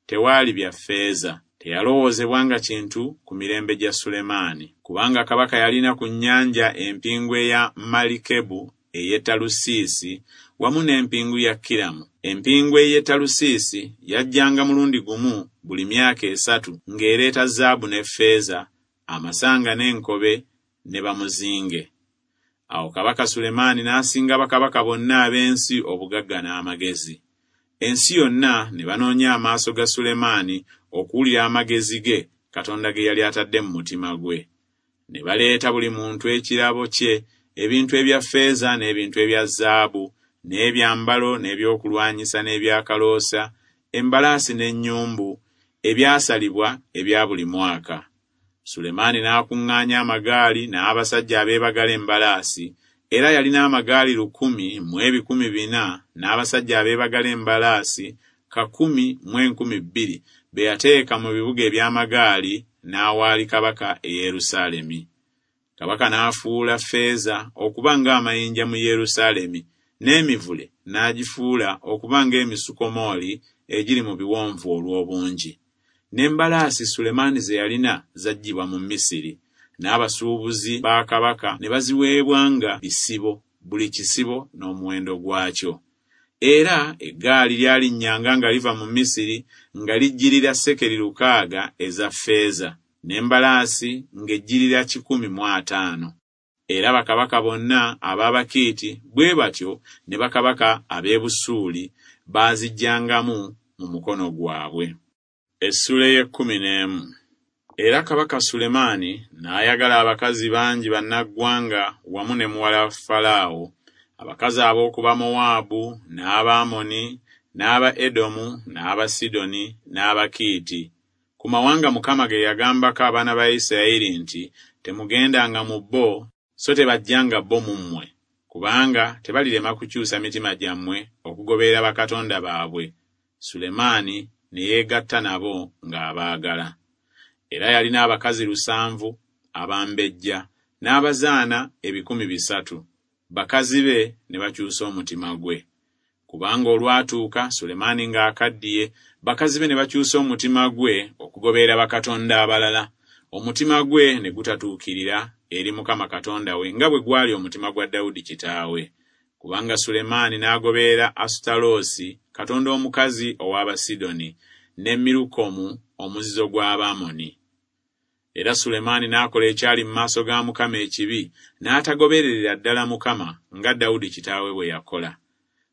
tewaali bya ffeeza. Teyalowoozebwanga kintu ku mirembe gya Sulemaani, kubanga kabaka yalina ku nnyanja empingu eya Malikebu ey'e Talusiisi wamu n'empingu ya Kiramu. Empingu ey'e Talusiisi yajjanga mulundi gumu buli myaka esatu ng'ereeta zaabu ne ffeeza, amasanga n'enkobe ne bamuzinge. Awo kabaka Sulemaani n'asinga bakabaka bonna ab'ensi obugagga n'amagezi. Ensi yonna ne banoonya amaaso ga Sulemaani okuwulira amagezi ge Katonda ge yali atadde mu mutima gwe. Ne baleeta buli muntu ekirabo kye, ebintu ebya ffeeza n'ebintu ebya zaabu, n'ebyambalo n'ebyokulwanyisa n'ebyakaloosa, embalaasi n'ennyumbu, ebyasalibwa ebya buli mwaka. Sulemaani n'akuŋŋaanya amagaali n'abasajja abeebagala embalaasi, era yalina amagaali lukumi mu ebikumi bina n'abasajja abeebagala embalaasi kakumi mu enkumi bbiri be yateeka mu bibuga eby'amagaali n'awaali kabaka e Yerusaalemi. Kabaka n'afuula ffeeza okuba ng'amayinja mu Yerusaalemi, n'emivule n'agifuula okuba ng'emisukomooli egiri mu biwonvu olw'obungi. N'embalaasi Sulemaani ze yalina zaggyibwa mu Misiri, n'abasuubuzi ba kabaka ne baziweebwanga bisibo, buli kisibo n'omuwendo gwakyo. Era eggaali lyalinnyanga nga liva mu Misiri nga lijjirira sekeri lukaaga eza ffeeza, n'embalaasi ng'ejjirira kikumi mu ataano. Era bakabaka bonna ab'Abakiiti bwe batyo ne bakabaka ab'e Busuuli baazigyangamu mu mukono gwabwe. Essuula ey'ekkumi n'emu. Era kabaka Sulemaani n'ayagala abakazi bangi bannaggwanga wamu ne muwala wa Falaawo, abakazi ab'oku Bamowaabu, n'Abaamoni, n'aba Edomu, n'Abasidoni, n'Abakiiti. Ku mawanga Mukama ge yagambako abaana ba Isirayiri nti, Temugendanga mu bo, so tebajjanga bo mu mmwe, kubanga tebalirema kukyusa mitima gyammwe okugoberera bakatonda baabwe. Sulemaani ne yeegatta nabo ng'abaagala. Era yalina abakazi lusanvu abambejja n'abazaana ebikumi bisatu. Bakazi be ne bakyusa omutima gwe. Kubanga olwatuuka Sulemaani ng'akaddiye, bakazi be ne bakyusa omutima gwe okugoberera bakatonda abalala. Omutima gwe ne gutatuukirira eri Mukama Katonda we nga bwe gwali omutima gwa Dawudi kitaawe. Kubanga Sulemaani n'agoberera Asutaloosi, katonda omukazi ow'Abasidoni, ne Mirukomu omuzizo gw'Abaamoni. Era Sulemaani n'akola ekyali mu maaso ga Mukama ekibi, n'atagobererera ddala Mukama nga Dawudi kitaawe bwe yakola.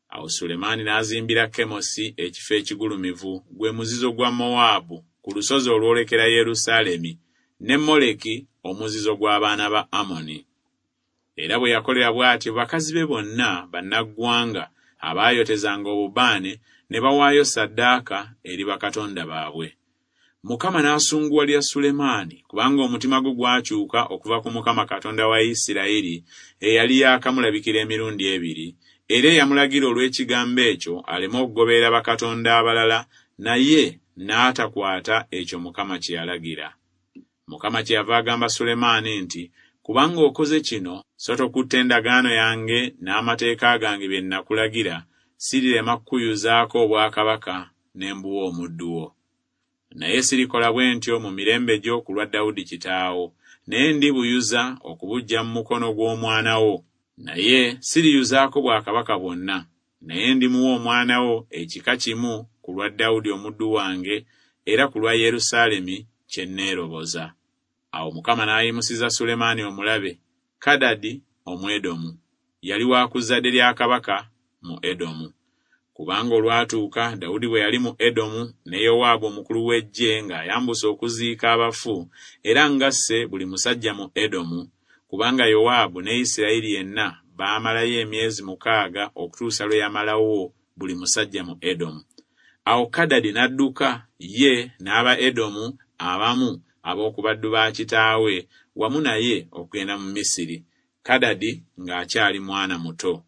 Awo Sulemaani n'azimbira Kemosi ekifo ekigulumivu, gwe muzizo gwa Mowaabu, ku lusozi olwolekera Yerusaalemi, ne Moleki omuzizo gw'abaana ba Amoni. Era bwe yakolera bw'atyo bakazi be bonna bannaggwanga abaayotezanga obubaane ne bawaayo ssaddaaka eri bakatonda baabwe. Mukama n'asunguwalira Sulemaani, kubanga omutima gwe gwakyuka okuva ku Mukama Katonda wa Isirayiri eyali yaakamulabikira emirundi ebiri, era eyamulagira olw'ekigambo ekyo aleme okugoberera bakatonda abalala, naye n'atakwata ekyo Mukama kye yalagira. Mukama kyeyava agamba Sulemaani nti, Kubanga okoze kino, so tokutte endagaano yange n'amateeka gange bye nakulagira, sirirema kukuyuzaako obwakabaka ne mbuwa omuddu wo. Naye sirikola bwe ntyo mu mirembe gyo ku lwa Dawudi kitaawo, naye ndibuyuza okubuggya mu mukono gw'omwana wo. Naye siriyuzaako bwakabaka bwonna, naye ndimuwa omwana wo ekika kimu ku lwa Dawudi omuddu wange era ku lwa Yerusaalemi kye nneeroboza. Awo Mukama n'ayimusiza Sulemaani omulabe, Kadadi Omwedomu, yali wa ku zzadde lya kabaka mu Edomu. Kubanga olwatuuka Dawudi bwe yali mu Edomu ne Yowaabu omukulu w'eggye ng'ayambuse okuziika abafu, era ng'asse buli musajja mu Edomu, kubanga Yowaabu ne Isirayiri yenna baamalayo emyezi mukaaga okutuusa lwe yamalawo buli musajja mu Edomu. Awo Kadadi n'adduka ye n'aba Edomu abamu ab'oku baddu ba kitaawe wamu naye okugenda mu Misiri, Kadadi ng'akyali mwana muto.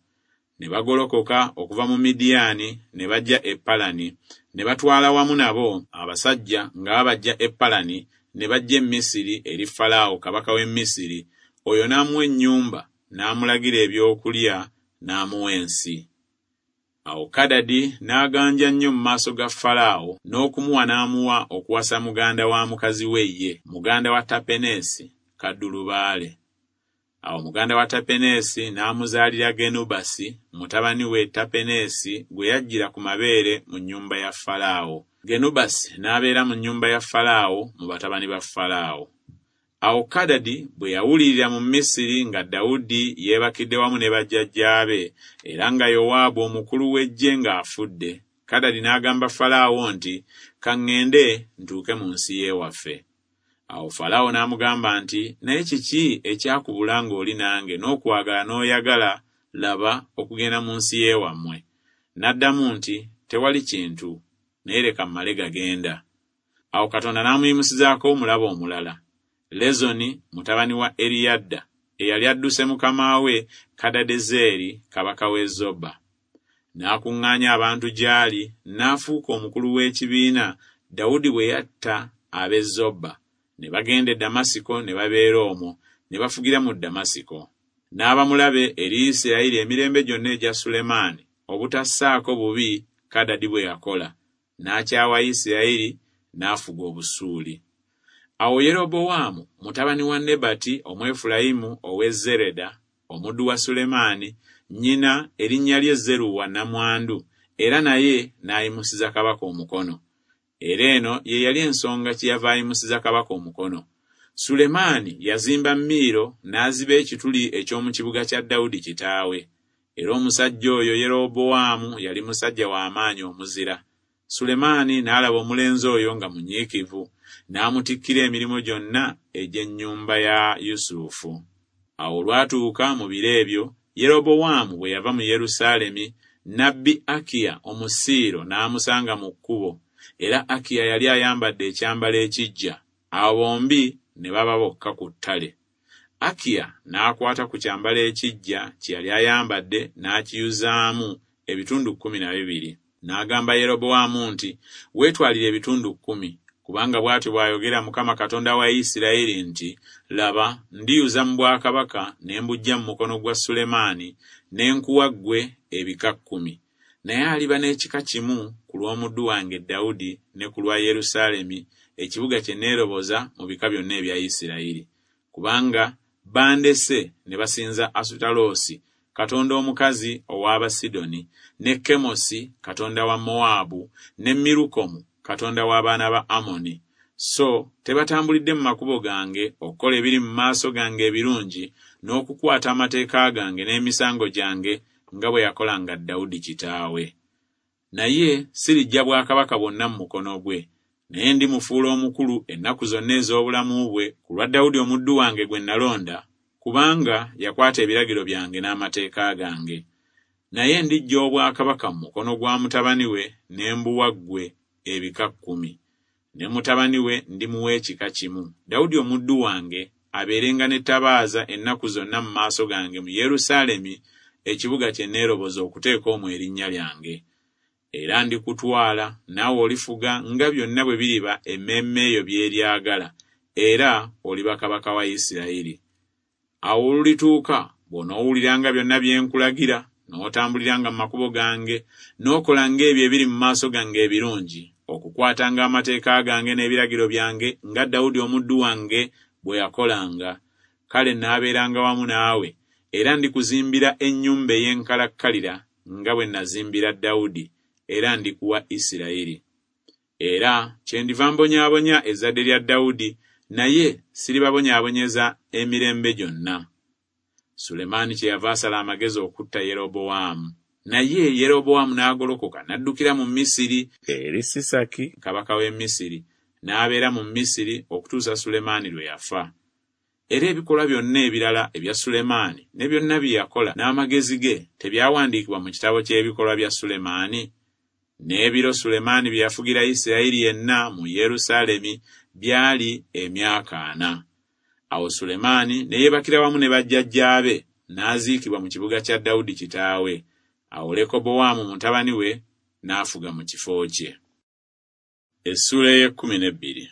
Ne bagolokoka okuva mu Midiyaani ne bajja e Palani, ne batwala wamu nabo abasajja nga babajja e Palani ne bajja e Misiri eri Falaawo kabaka w'e Misiri, oyo n'amuwa ennyumba, n'amulagira ebyokulya, n'amuwa ensi. Awo Kadadi n'aganja nnyo mu maaso ga Falaawo, n'okumuwa n'amuwa okuwasa muganda wa mukazi we ye, muganda wa Tapeneesi, kaddulubaale. Awo muganda wa Tapeneesi n'amuzaalira Genubasi, mutabani we Tapeneesi gwe yajjira ku mabeere mu nnyumba ya Falaawo. Genubasi n'abeera mu nnyumba ya Falaawo mu batabani ba Falaawo. Awo Kadadi bwe yawulirira mu Misiri nga Dawudi yeebakidde wamu ne bajjajjaabe, era nga Yowaabu omukulu w'eggye ng'afudde, Kadadi n'agamba Falaawo nti, Ka ŋŋende ntuuke mu nsi y'ewaffe. Awo Falaawo n'amugamba nti, Naye kiki ekyakubula ng'oli nange n'okwagala n'oyagala, laba, okugenda mu nsi y'ewammwe? N'addamu nti, Tewali kintu, naye leka mmale gagenda. Awo Katonda n'amuyimusizaako omulabe omulala, Lezoni mutabani wa Eriyadda, eyali adduse mukama we Kadadezeeri kabaka w'e Zoba. N'akuŋŋaanya abantu gy'ali, n'afuuka omukulu w'ekibiina Dawudi bwe yatta ab'e Zoba. Ne bagenda e Damasiko ne babeera omwo, ne bafugira mu Damasiko. N'aba mulabe eri Isirayiri emirembe gyonna egya Sulemaani, obutassaako bubi Kadadi bwe yakola, n'akyawa Isirayiri, n'afuga Obusuuli. Awo Yerobowaamu mutabani wa Nebati Omwefulayimu ow'e Zereda, omuddu wa Sulemaani, nnyina erinnya lye Zeruwa nnamwandu, era naye n'ayimusiza kabaka omukono. Era eno ye yali ensonga kyeyava ayimusiza kabaka omukono. Sulemaani yazimba Miiro n'aziba ekituli eky'omu kibuga kya Dawudi kitaawe. Era omusajja oyo Yerobowaamu yali musajja wa maanyi omuzira. Sulemaani n'alaba omulenzi oyo nga munyiikivu, n'amutikkira emirimu gyonna egy'ennyumba ya Yusufu. Awo olwatuuka mu biro ebyo, Yerobowaamu bwe yava mu Yerusaalemi, nnabbi Akiya Omusiiro n'amusanga mu kkubo, era Akiya yali ayambadde ekyambalo ekiggya. Awo bombi ne baba bokka ku ttale. Akiya n'akwata ku kyambalo ekiggya kye yali ayambadde n'akiyuzaamu ebitundu kkumi na bibiri. N'agamba Yerobowaamu nti, Weetwalire ebitundu kkumi, kubanga bw'atyo bw'ayogera Mukama Katonda wa Isirayiri nti, Laba, ndiyuza mu bwakabaka ne mbuggya mu mukono gwa Sulemaani, ne nkuwa ggwe ebika kkumi. Naye aliba n'ekika kimu ku lw'omuddu wange Dawudi ne ku lwa Yerusaalemi, ekibuga kye neeroboza mu bika byonna ebya Isirayiri. Kubanga bandese ne basinza Asutaloosi, katonda omukazi ow'Abasidoni, ne Kemosi, katonda wa Mowaabu, ne Mirukomu, katonda w'abaana ba Amoni. So tebatambulidde mu makubo gange okukola ebiri mu maaso gange ebirungi, n'okukwata amateeka gange n'emisango gyange nga bwe yakolanga Dawudi kitaawe. Naye siriggya bwakabaka bwonna mu mukono gwe, naye ndimufuula omukulu ennaku zonna ez'obulamu bwe ku lwa Dawudi omuddu wange gwe nalonda, kubanga yakwata ebiragiro byange n'amateeka gange. Naye ndiggya obwakabaka mu mukono gwa mutabani we ne mbuwa ggwe ebika kkumi. Ne mutabani we ndimuwa ekika kimu, Dawudi omuddu wange abeerenga n'ettabaaza ennaku zonna mu maaso gange mu Yerusaalemi, ekibuga kye neeroboza okuteeka omwo erinnya lyange. Era ndikutwala, naawe olifuga nga byonna bwe biriba emmeeme eyo by'eryagala, era oliba kabaka wa Isirayiri. Awo olulituuka bw'onoowuliranga byonna bye nkulagira, n'otambuliranga mu makubo gange, n'okolanga ebyo ebiri mu maaso gange ebirungi, okukwatanga amateeka gange n'ebiragiro byange nga Dawudi omuddu wange bwe yakolanga, kale naabeeranga wamu naawe, era ndikuzimbira ennyumba ey'enkalakkalira nga bwe nazimbira Dawudi, era ndikuwa Isirayiri. Era kyendiva mbonyaabonya ezzadde lya Dawudi, naye siribabonyaabonyeza emirembe gyonna. Sulemaani kyeyava asala amagezi okutta Yerobowaamu. Naye Yerobowaamu n'agolokoka n'addukira mu Misiri eri Sisaki kabaka w'e Misiri, n'abeera mu Misiri okutuusa Sulemaani lwe yafa. Era ebikolwa byonna ebirala ebya Sulemaani ne byonna bye yakola n'amagezi ge tebyawandiikibwa mu kitabo ky'ebikolwa bya Sulemaani? N'ebiro Sulemaani bye yafugira Isirayiri yenna mu Yerusaalemi byali emyaka ana. Awo Sulemaani ne yeebakira wamu ne bajjajjaabe, n'aziikibwa mu kibuga kya Dawudi kitaawe. Awo Lekobowaamu mutabani we n'afuga mu kifo kye. Essuula ey'ekkumi n'ebbiri.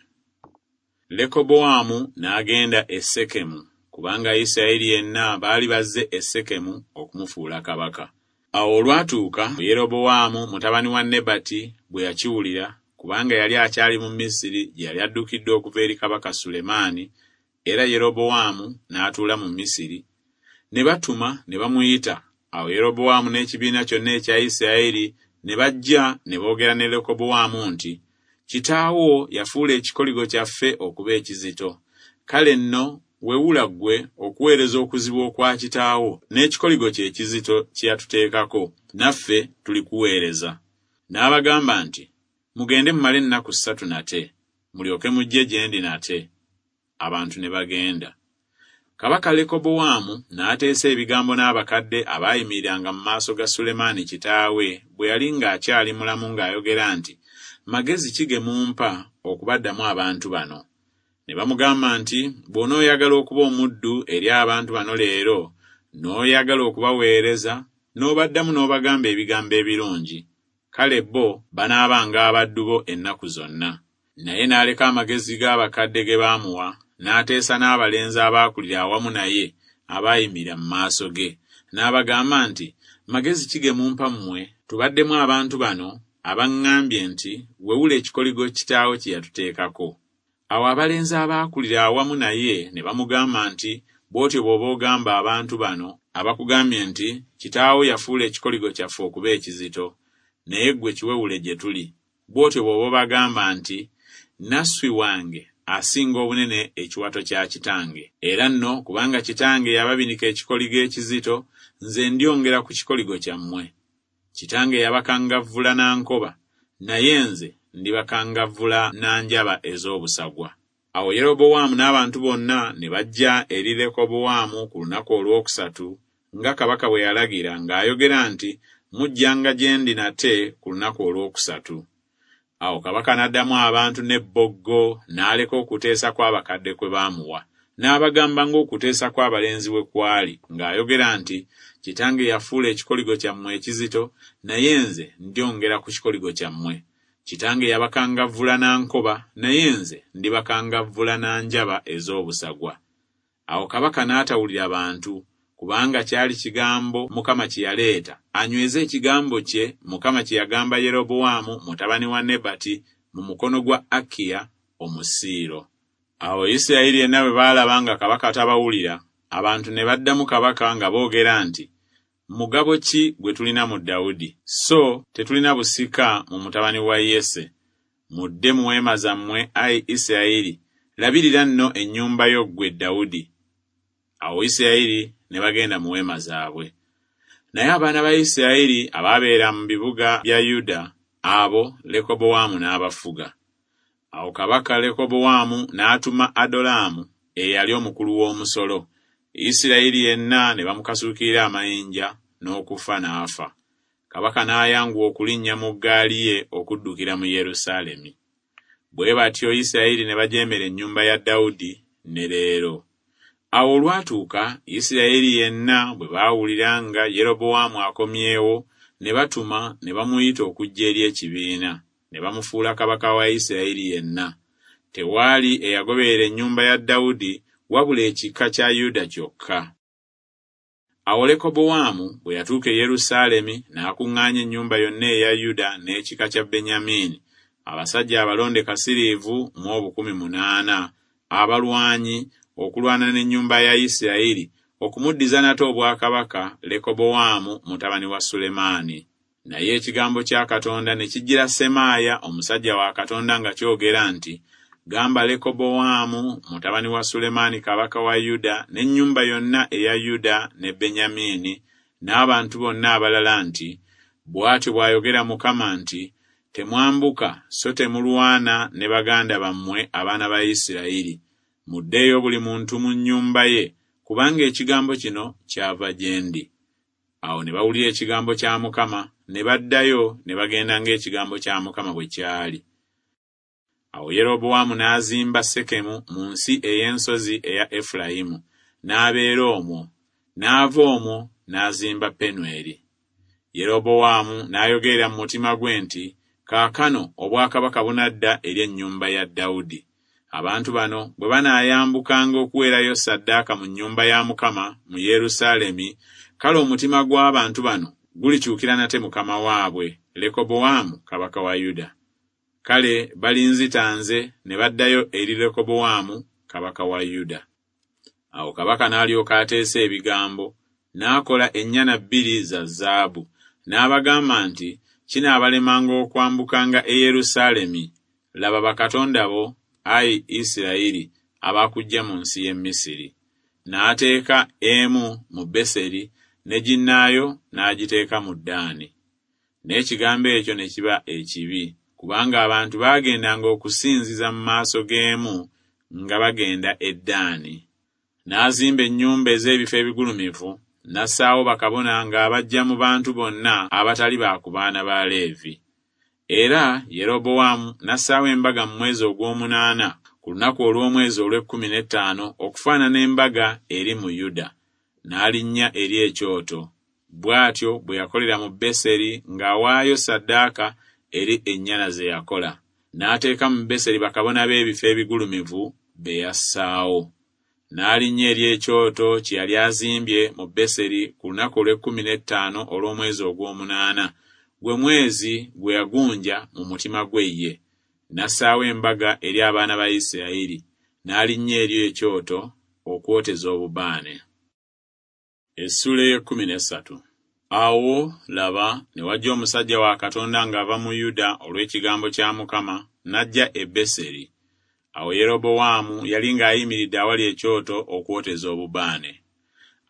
Lekobowaamu n'agenda e Sekemu, kubanga Isirayiri yenna baali bazze e Sekemu okumufuula kabaka. Awo olwatuuka Yerobowaamu mutabani wa Nebati bwe yakiwulira, kubanga yali akyali mu Misiri gye yali addukidde okuva eri kabaka Sulemaani, era Yerobowaamu n'atuula mu Misiri, ne batuma ne bamuyita. Awo Yerobowaamu n'ekibiina kyonna ekya Isirayiri ne bajja ne boogera ne Lekobowaamu nti, Kitaawo yafuula ekikoligo kyaffe okuba ekizito. Kale nno wewula ggwe okuweereza okuzibu okwa kitaawo n'ekikoligo kye ekizito kye yatuteekako, naffe tulikuweereza. N'abagamba nti, Mugende mumale ennaku ssatu nate, mulyoke mujje gye ndi nate. Abantu ne bagenda. Kabaka Lekobowaamu n'ateesa ebigambo n'abakadde abaayimiriranga mu maaso ga Sulemaani kitaawe bwe yali ng'akyali mulamu ng'ayogera nti, Magezi ki ge mumpa okubaddamu abantu bano? Ne bamugamba nti, Bw'onooyagala okuba omuddu eri abantu bano leero, n'oyagala okubaweereza, n'obaddamu n'obagamba ebigambo ebirungi, kale bo banaabanga abaddu bo ennaku zonna. Naye n'aleka amagezi g'abakadde ge baamuwa, n'ateesa n'abalenzi abaakulira awamu naye abaayimirira mu maaso ge. N'abagamba nti, Magezi ki ge mumpa mmwe tubaddemu abantu bano abaŋŋambye nti, Wewula ekikoligo kitaawo kye yatuteekako? Awo abalenzi abaakulira awamu naye ne bamugamba nti, Bw'otyo bw'oba ogamba abantu bano abakugambye nti, Kitaawo yafuula ekikoligo kyaffe okuba ekizito, naye ggwe kiwewule gye tuli. Bw'otyo bw'oba obagamba nti, Nasswi wange asinga obunene ekiwato kya kitange. Era nno kubanga kitange yababinika ekikoligo ekizito, nze ndyongera ku kikoligo kyammwe. Kitange yabakangavvula na nkoba, naye nze ndibakangavvula na njaba ez'obusagwa. Awo Yerobowaamu n'abantu bonna ne bajja eri Lekobowaamu ku lunaku olwokusatu, nga kabaka bwe yalagira ng'ayogera nti, Mujjanga gye ndi nate ku lunaku olwokusatu. Awo kabaka n'addamu abantu n'ebboggo, n'aleka okuteesa kw'abakadde kwe baamuwa. N'abagamba ng'okuteesa kw'abalenzi bwe kwali, ng'ayogera nti, Kitange yafuula ekikoligo kyammwe ekizito, naye nze ndyongera ku kikoligo kyammwe. Kitange yabakangavvula na nkoba, naye nze ndibakangavvula na njaba ez'obusagwa. Awo kabaka n'atawulira bantu, kubanga kyali kigambo Mukama kye yaleeta, anyweze ekigambo kye Mukama kye yagamba Yerobowaamu mutabani wa Nebati mu mukono gwa Akiya Omusiiro. Awo Isirayiri yenna bwe baalaba nga kabaka tabawulira, abantu ne baddamu kabaka nga boogera nti, Mugabo ki gwe tulina mu Dawudi? So tetulina busika mu mutabani wa Yese. Mudde mu weema zammwe, ayi Isirayiri, labirira nno ennyumba yo ggwe Dawudi. Awo Isirayiri ne bagenda mu weema zaabwe. Naye abaana ba Isirayiri abaabeera mu bibuga bya Yuda, abo Lekobowaamu n'abafuga. Awo kabaka Lekobowaamu n'atuma Adolaamu eyali omukulu w'omusolo. Isirayiri yenna ne bamukasuukirira amayinja, n'okufa n'afa. Kabaka n'ayanguwa okulinnya mu ggaali ye okuddukira mu Yerusaalemi. Bwe batyo Isirayiri ne bajeemera ennyumba ya Dawudi ne leero. Awo olwatuuka Isirayiri yenna bwe baawulira nga Yerobowaamu akomyewo, ne batuma ne bamuyita okujja eri ekibiina, ne bamufuula kabaka wa Isirayiri yenna. Tewaali eyagoberera ennyumba ya Dawudi wabula ekika kya Yuda kyokka. Awo Lekobowaamu bwe yatuuka e Yerusaalemi, n'akuŋŋaanya ennyumba yonna eya Yuda n'ekika kya Benyamiini, abasajja abalonde kasiriivu mu obukumi munaana, abalwanyi okulwana n'ennyumba ya Isirayiri, okumuddiza nate obwakabaka Lekobowaamu mutabani wa Sulemaani. Naye ekigambo kya Katonda ne kijjira Semaaya omusajja wa Katonda nga kyogera nti, Gamba Lekobowaamu mutabani wa Sulemaani kabaka wa Yuda n'ennyumba yonna eya Yuda ne Benyamiini n'abantu bonna abalala nti, Bw'atyo bw'ayogera Mukama nti, Temwambuka so temulwana ne baganda bammwe abaana ba Isirayiri. Muddeeyo buli muntu mu nnyumba ye, kubanga ekigambo kino kyava gye ndi. Awo ne bawulira ekigambo kya Mukama, ne baddayo ne bagenda ng'ekigambo kya Mukama bwe kyali. Awo Yerobowaamu n'azimba Sekemu mu nsi ey'ensozi eya Efulayimu, n'abeera omwo, n'ava omwo n'azimba Penueri. Yerobowaamu n'ayogerera mu mutima gwe nti, Kaakano obwakabaka bunadda eri ennyumba ya Dawudi. Abantu bano bwe banaayambukanga okuweerayo ssaddaaka mu nnyumba ya Mukama mu Yerusaalemi, kale omutima gw'abantu bano gulikyukira nate mukama waabwe, Lekobowaamu kabaka wa Yuda. Kale balinzita nze ne baddayo eri Lekobowaamu kabaka wa Yuda. Awo kabaka n'alyoka ateesa ebigambo, n'akola ennyana bbiri za zaabu, n'abagamba nti, Kinaabalemanga okwambukanga e Yerusaalemi. Laba bakatonda bo, ayi Isirayiri, abakuggya mu nsi y'e Misiri. N'ateeka emu mu Beseri, ne ginnaayo n'agiteeka mu Ddaani. N'ekigambo ekyo ne kiba ekibi, kubanga abantu baagendanga okusinziza mu maaso g'emu nga bagenda e Ddaani. N'azimba ennyumba ez'ebifo ebigulumivu, n'assaawo bakabona ng'abaggya mu bantu bonna abatali ba ku baana ba Leevi. Era Yerobowaamu n'assaawo embaga mu mwezi ogw'omunaana ku lunaku olw'omwezi olw'ekkumi n'ettaano okufaanana embaga eri mu Yuda, n'alinnya eri ekyoto. Bw'atyo bwe yakolera mu Beseri ng'awaayo ssaddaaka eri ennyana ze yakola. N'ateeka mu Beseri bakabona b'ebifo ebigulumivu be yassaawo. N'alinnya eri ekyoto kye yali azimbye mu Beseri ku lunaku olw'ekkumi n'ettaano olw'omwezi ogw'omunaana, gwe mwezi gwe yagunja mu mutima gwe ye. N'assaawo embaga eri abaana ba Isirayiri, n'alinnya eri ekyoto okwoteza obubaane. Essuula ey'ekkumi n'essatu. Awo laba, ne wajja omusajja wa Katonda ng'ava mu Yuda olw'ekigambo kya Mukama, n'ajja e Beseri. Awo Yerobowaamu yali ng'ayimiridde awali ekyoto okwoteza obubaane.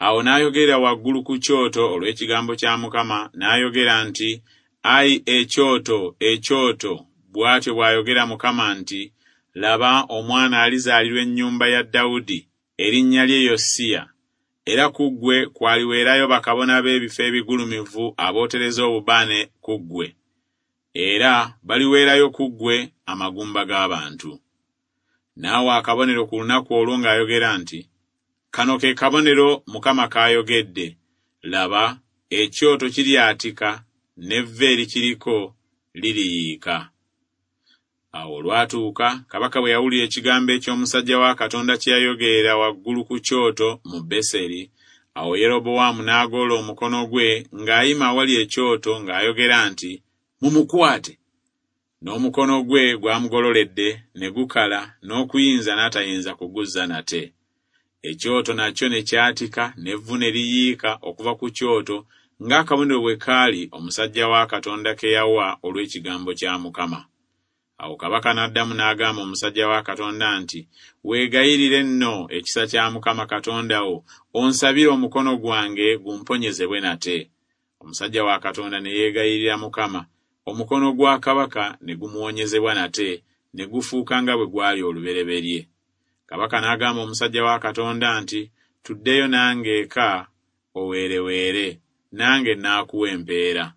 Awo n'ayogera waggulu ku kyoto olw'ekigambo kya Mukama, n'ayogera nti, Ayi ekyoto, ekyoto, bw'atyo bw'ayogera Mukama nti, Laba omwana alizaalirwa ennyumba ya Dawudi, erinnya lye Yosiya. Era ku ggwe kwaliweerayo bakabona b'ebifo ebigulumivu abootereza obubaane ku ggwe. Era baliweerayo ku ggwe amagumba g'abantu. N'awa akabonero ku lunaku olwo ng'ayogera nti, Kano ke kabonero Mukama k'ayogedde. Laba, ekyoto kiryatika, n'evvu erikiriko liriyiika. Awo olwatuuka, kabaka bwe yawulira ekigambo eky'omusajja wa Katonda kye yayogerera waggulu ku kyoto mu Beseri, awo Yerobowaamu n'agoola omukono gwe ng'ayima awali ekyoto ng'ayogera nti, Mumukwate! N'omukono gwe gwamugololedde ne gukala, n'okuyinza n'atayinza kuguzza nate. Ekyoto nakyo ne kyatika, n'evvu ne liyiika okuva ku kyoto ng'akabonero bwe kaali omusajja wa Katonda ke yawa olw'ekigambo kya Mukama. Awo kabaka n'addamu n'agamba omusajja wa Katonda nti, Weegayirire nno ekisa kya Mukama Katonda wo, onsabire omukono gwange gumponyezebwe nate. Omusajja wa Katonda ne yeegayirira Mukama, omukono gwa kabaka ne gumuwonyezebwa nate, ne gufuuka nga bwe gwali olubereberye. Kabaka n'agamba omusajja wa Katonda nti, Tuddeyo nange eka oweereweere, nange naakuwa empeera.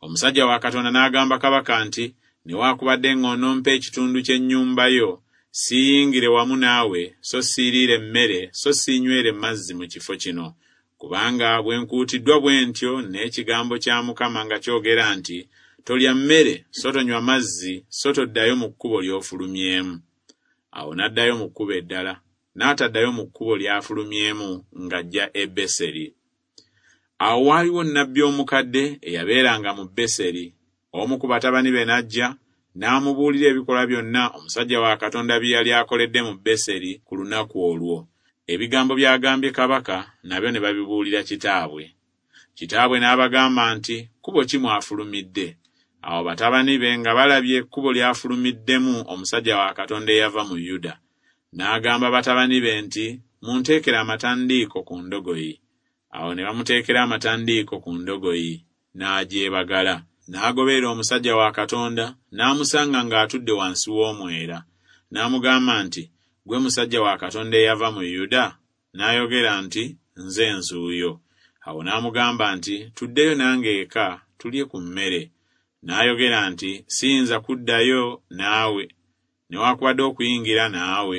Omusajja wa Katonda n'agamba kabaka nti, Newaakubadde ng'onompa ekitundu ky'ennyumba yo, siiyingire wamu naawe, so siiriire mmere, so siinywere mazzi mu kifo kino. Kubanga bwe nkuutiddwa bwe ntyo n'ekigambo kya Mukama nga kyogera nti, Tolya mmere, so tonywa mazzi, so toddayo mu kkubo ly'ofulumyemu. Awo n'addayo mu kkubo eddala, n'ataddayo mu kkubo ly'afulumyemu ng'ajja e Beseri. Awo waaliwo nnabbi omukadde eyabeeranga mu Beseri. Omu ku batabani be n'ajja, n'amubuulira ebikolwa byonna omusajja wa Katonda bye yali akoledde mu Beseri ku lunaku olwo. Ebigambo by'agambye kabaka nabyo ne babibuulira kitaabwe. Kitaabwe n'abagamba nti, Kkubo ki mwafulumidde? Awo batabani be nga balabye ekkubo ly'afulumiddemu omusajja wa Katonda eyava mu Yuda. N'agamba batabani be nti, Munteekere amatandiiko ku ndogoyi. Awo ne bamuteekera amatandiiko ku ndogoyi, n'agyebagala. N'agoberera omusajja wa Katonda, n'amusanga ng'atudde wansi w'omwera. N'amugamba nti, Ggwe musajja wa Katonda eyava mu Yuda? N'ayogera nti, Nze nzuuyo. Awo n'amugamba nti, Tuddeyo nange eka, tulye ku mmere. N'ayogera nti, Siyinza kuddayo naawe, newaakubadde okuyingira naawe.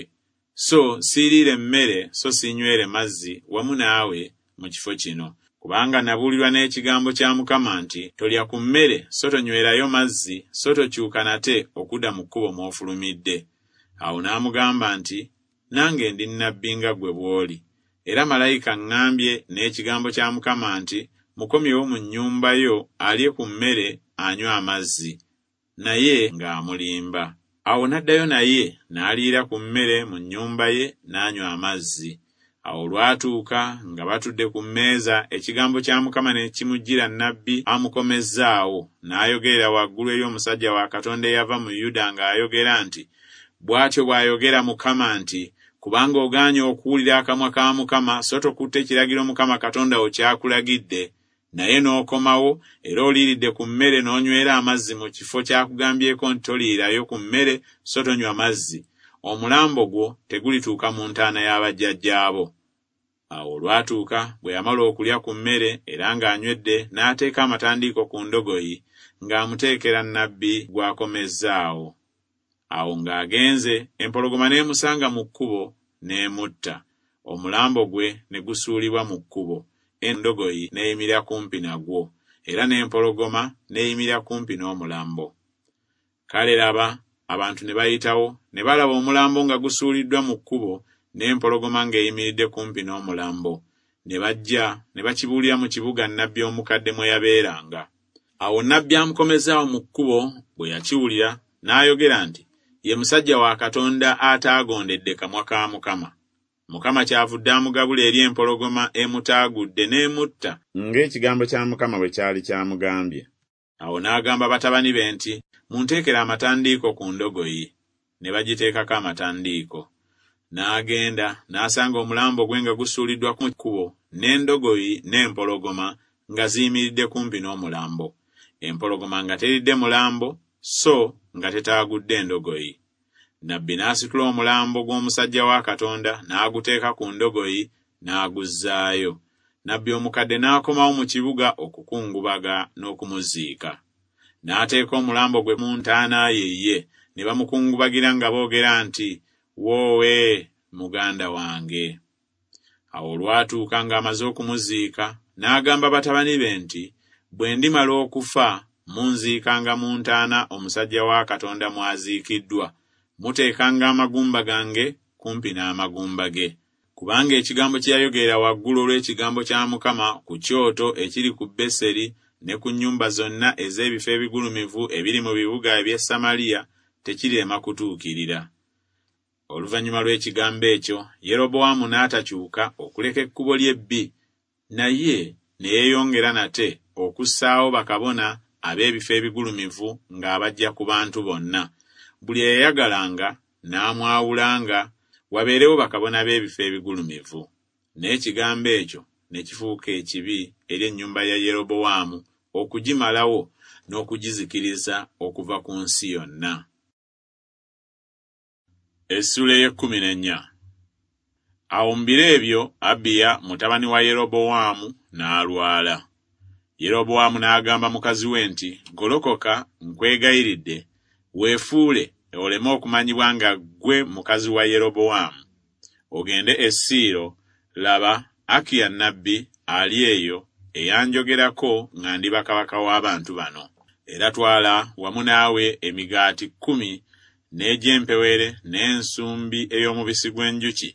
So siiriire mmere, so siinywere mazzi wamu naawe mu kifo kino. Kubanga nabuulirwa n'ekigambo kya Mukama nti, Tolya ku mmere, so tonywerayo mazzi, so tokyuka nate okudda mu kkubo mw'ofulumidde. Awo n'amugamba nti, Nange ndi nnabbi nga ggwe bw'oli. Era malayika aŋŋambye n'ekigambo kya Mukama nti, Mukomyewo mu nnyumba yo alye ku mmere anywe amazzi. Naye ng'amulimba. Awo n'addayo naye n'aliira ku mmere mu nnyumba ye n'anywa amazzi. Awo olwatuuka nga batudde ku mmeeza, ekigambo kya Mukama ne kimujjira nnabbi amukomezzaawo, n'ayogerera waggulu eri omusajja wa Katonda eyava mu Yuda ng'ayogera nti, Bw'atyo bw'ayogera Mukama nti, Kubanga ogaanye okuwulira akamwa ka Mukama, so tokutte ekiragiro Mukama Katonda wo ky'akulagidde, naye n'okomawo, era oliiridde ku mmere n'onywera amazzi mu kifo ky'akugambyeko nti toliirayo ku mmere so tonywa mazzi, omulambo gwo tegulituuka mu ntaana y'abajjajjaabo. Awo olwatuuka bwe yamala okulya ku mmere era ng'anywedde, n'ateeka amatandiiko ku ndogoyi, ng'amuteekera nnabbi gw'akomezzaawo. Awo ng'agenze, empologoma n'emusanga mu kkubo n'emutta, omulambo gwe ne gusuulibwa mu kkubo, endogoyi n'eyimirira kumpi nagwo, era n'empologoma n'eyimirira kumpi n'omulambo. Kale laba, abantu ne bayitawo, ne balaba omulambo nga gusuuliddwa mu kkubo, n'empologoma ng'eyimiridde kumpi n'omulambo. Ne bajja ne bakibuulira mu kibuga nnabbi omukadde mwe yabeeranga. Awo nnabbi amukomezzaawo mu kkubo bwe yakiwulira, n'ayogera nti, Ye musajja wa Katonda ataagondedde kamwa ka Mukama. Mukama kyavudde amugabula eri empologoma emutaagudde n'emutta, ng'ekigambo kya Mukama bwe kyali kyamugambye. Awo n'agamba batabani be nti, Munteekere amatandiiko ku ndogoyi. Ne bagiteekako amatandiiko. N'agenda n'asanga omulambo gwe nga gusuuliddwa ku kkubo, n'endogoyi n'empologoma nga ziyimiridde kumpi n'omulambo. Empologoma nga teridde mulambo, so nga tetaagudde endogoyi. Nabbi n'asitula omulambo gw'omusajja wa Katonda n'aguteeka ku ndogoyi n'aguzzaayo. Nabbi omukadde n'akomawo mu kibuga okukungubaga n'okumuziika. N'ateeka omulambo gwe mu ntaana ye ye, ne bamukungubagira nga boogera nti, Woowe, muganda wange. Awo olwatuuka ng'amaze okumuziika, n'agamba batabani be nti, Bwe ndimala okufa, munziikanga mu ntaana omusajja wa Katonda mw'aziikiddwa, muteekanga amagumba gange kumpi n'amagumba ge. Kubanga ekigambo kye yayogerera waggulu olw'ekigambo kya Mukama ku kyoto ekiri ku Beseri ne ku nnyumba zonna ez'ebifo ebigulumivu ebiri mu bibuga eby'e Samaliya tekirema kutuukirira. Oluvannyuma lw'ekigambo ekyo, Yerobowaamu n'atakyuka okuleka ekkubo lye ebbi, naye ne yeeyongera nate okussaawo bakabona ab'ebifo ebigulumivu ng'abaggya ku bantu bonna. Buli eyayagalanga n'amwawulanga, wabeerewo bakabona b'ebifo ebigulumivu. N'ekigambo ekyo ne kifuuka ekibi eri ennyumba ya Yerobowaamu okugimalawo n'okugizikiriza okuva ku nsi yonna. Essuula ey'ekkumi n'ennya. Awo mu biro ebyo Abiya mutabani wa Yerobowaamu n'alwala. Yerobowaamu n'agamba mukazi we nti, Golokoka, nkwegayiridde, weefuule oleme okumanyibwa nga ggwe mukazi wa Yerobowaamu. Ogende e Siiro, laba, Akiya nnabbi ali eyo eyanjogerako nga ndiba kabaka w'abantu bano. Era twala wamu naawe emigaati kkumi n'egy'empewere n'ensumbi ey'omubisi gw'enjuki,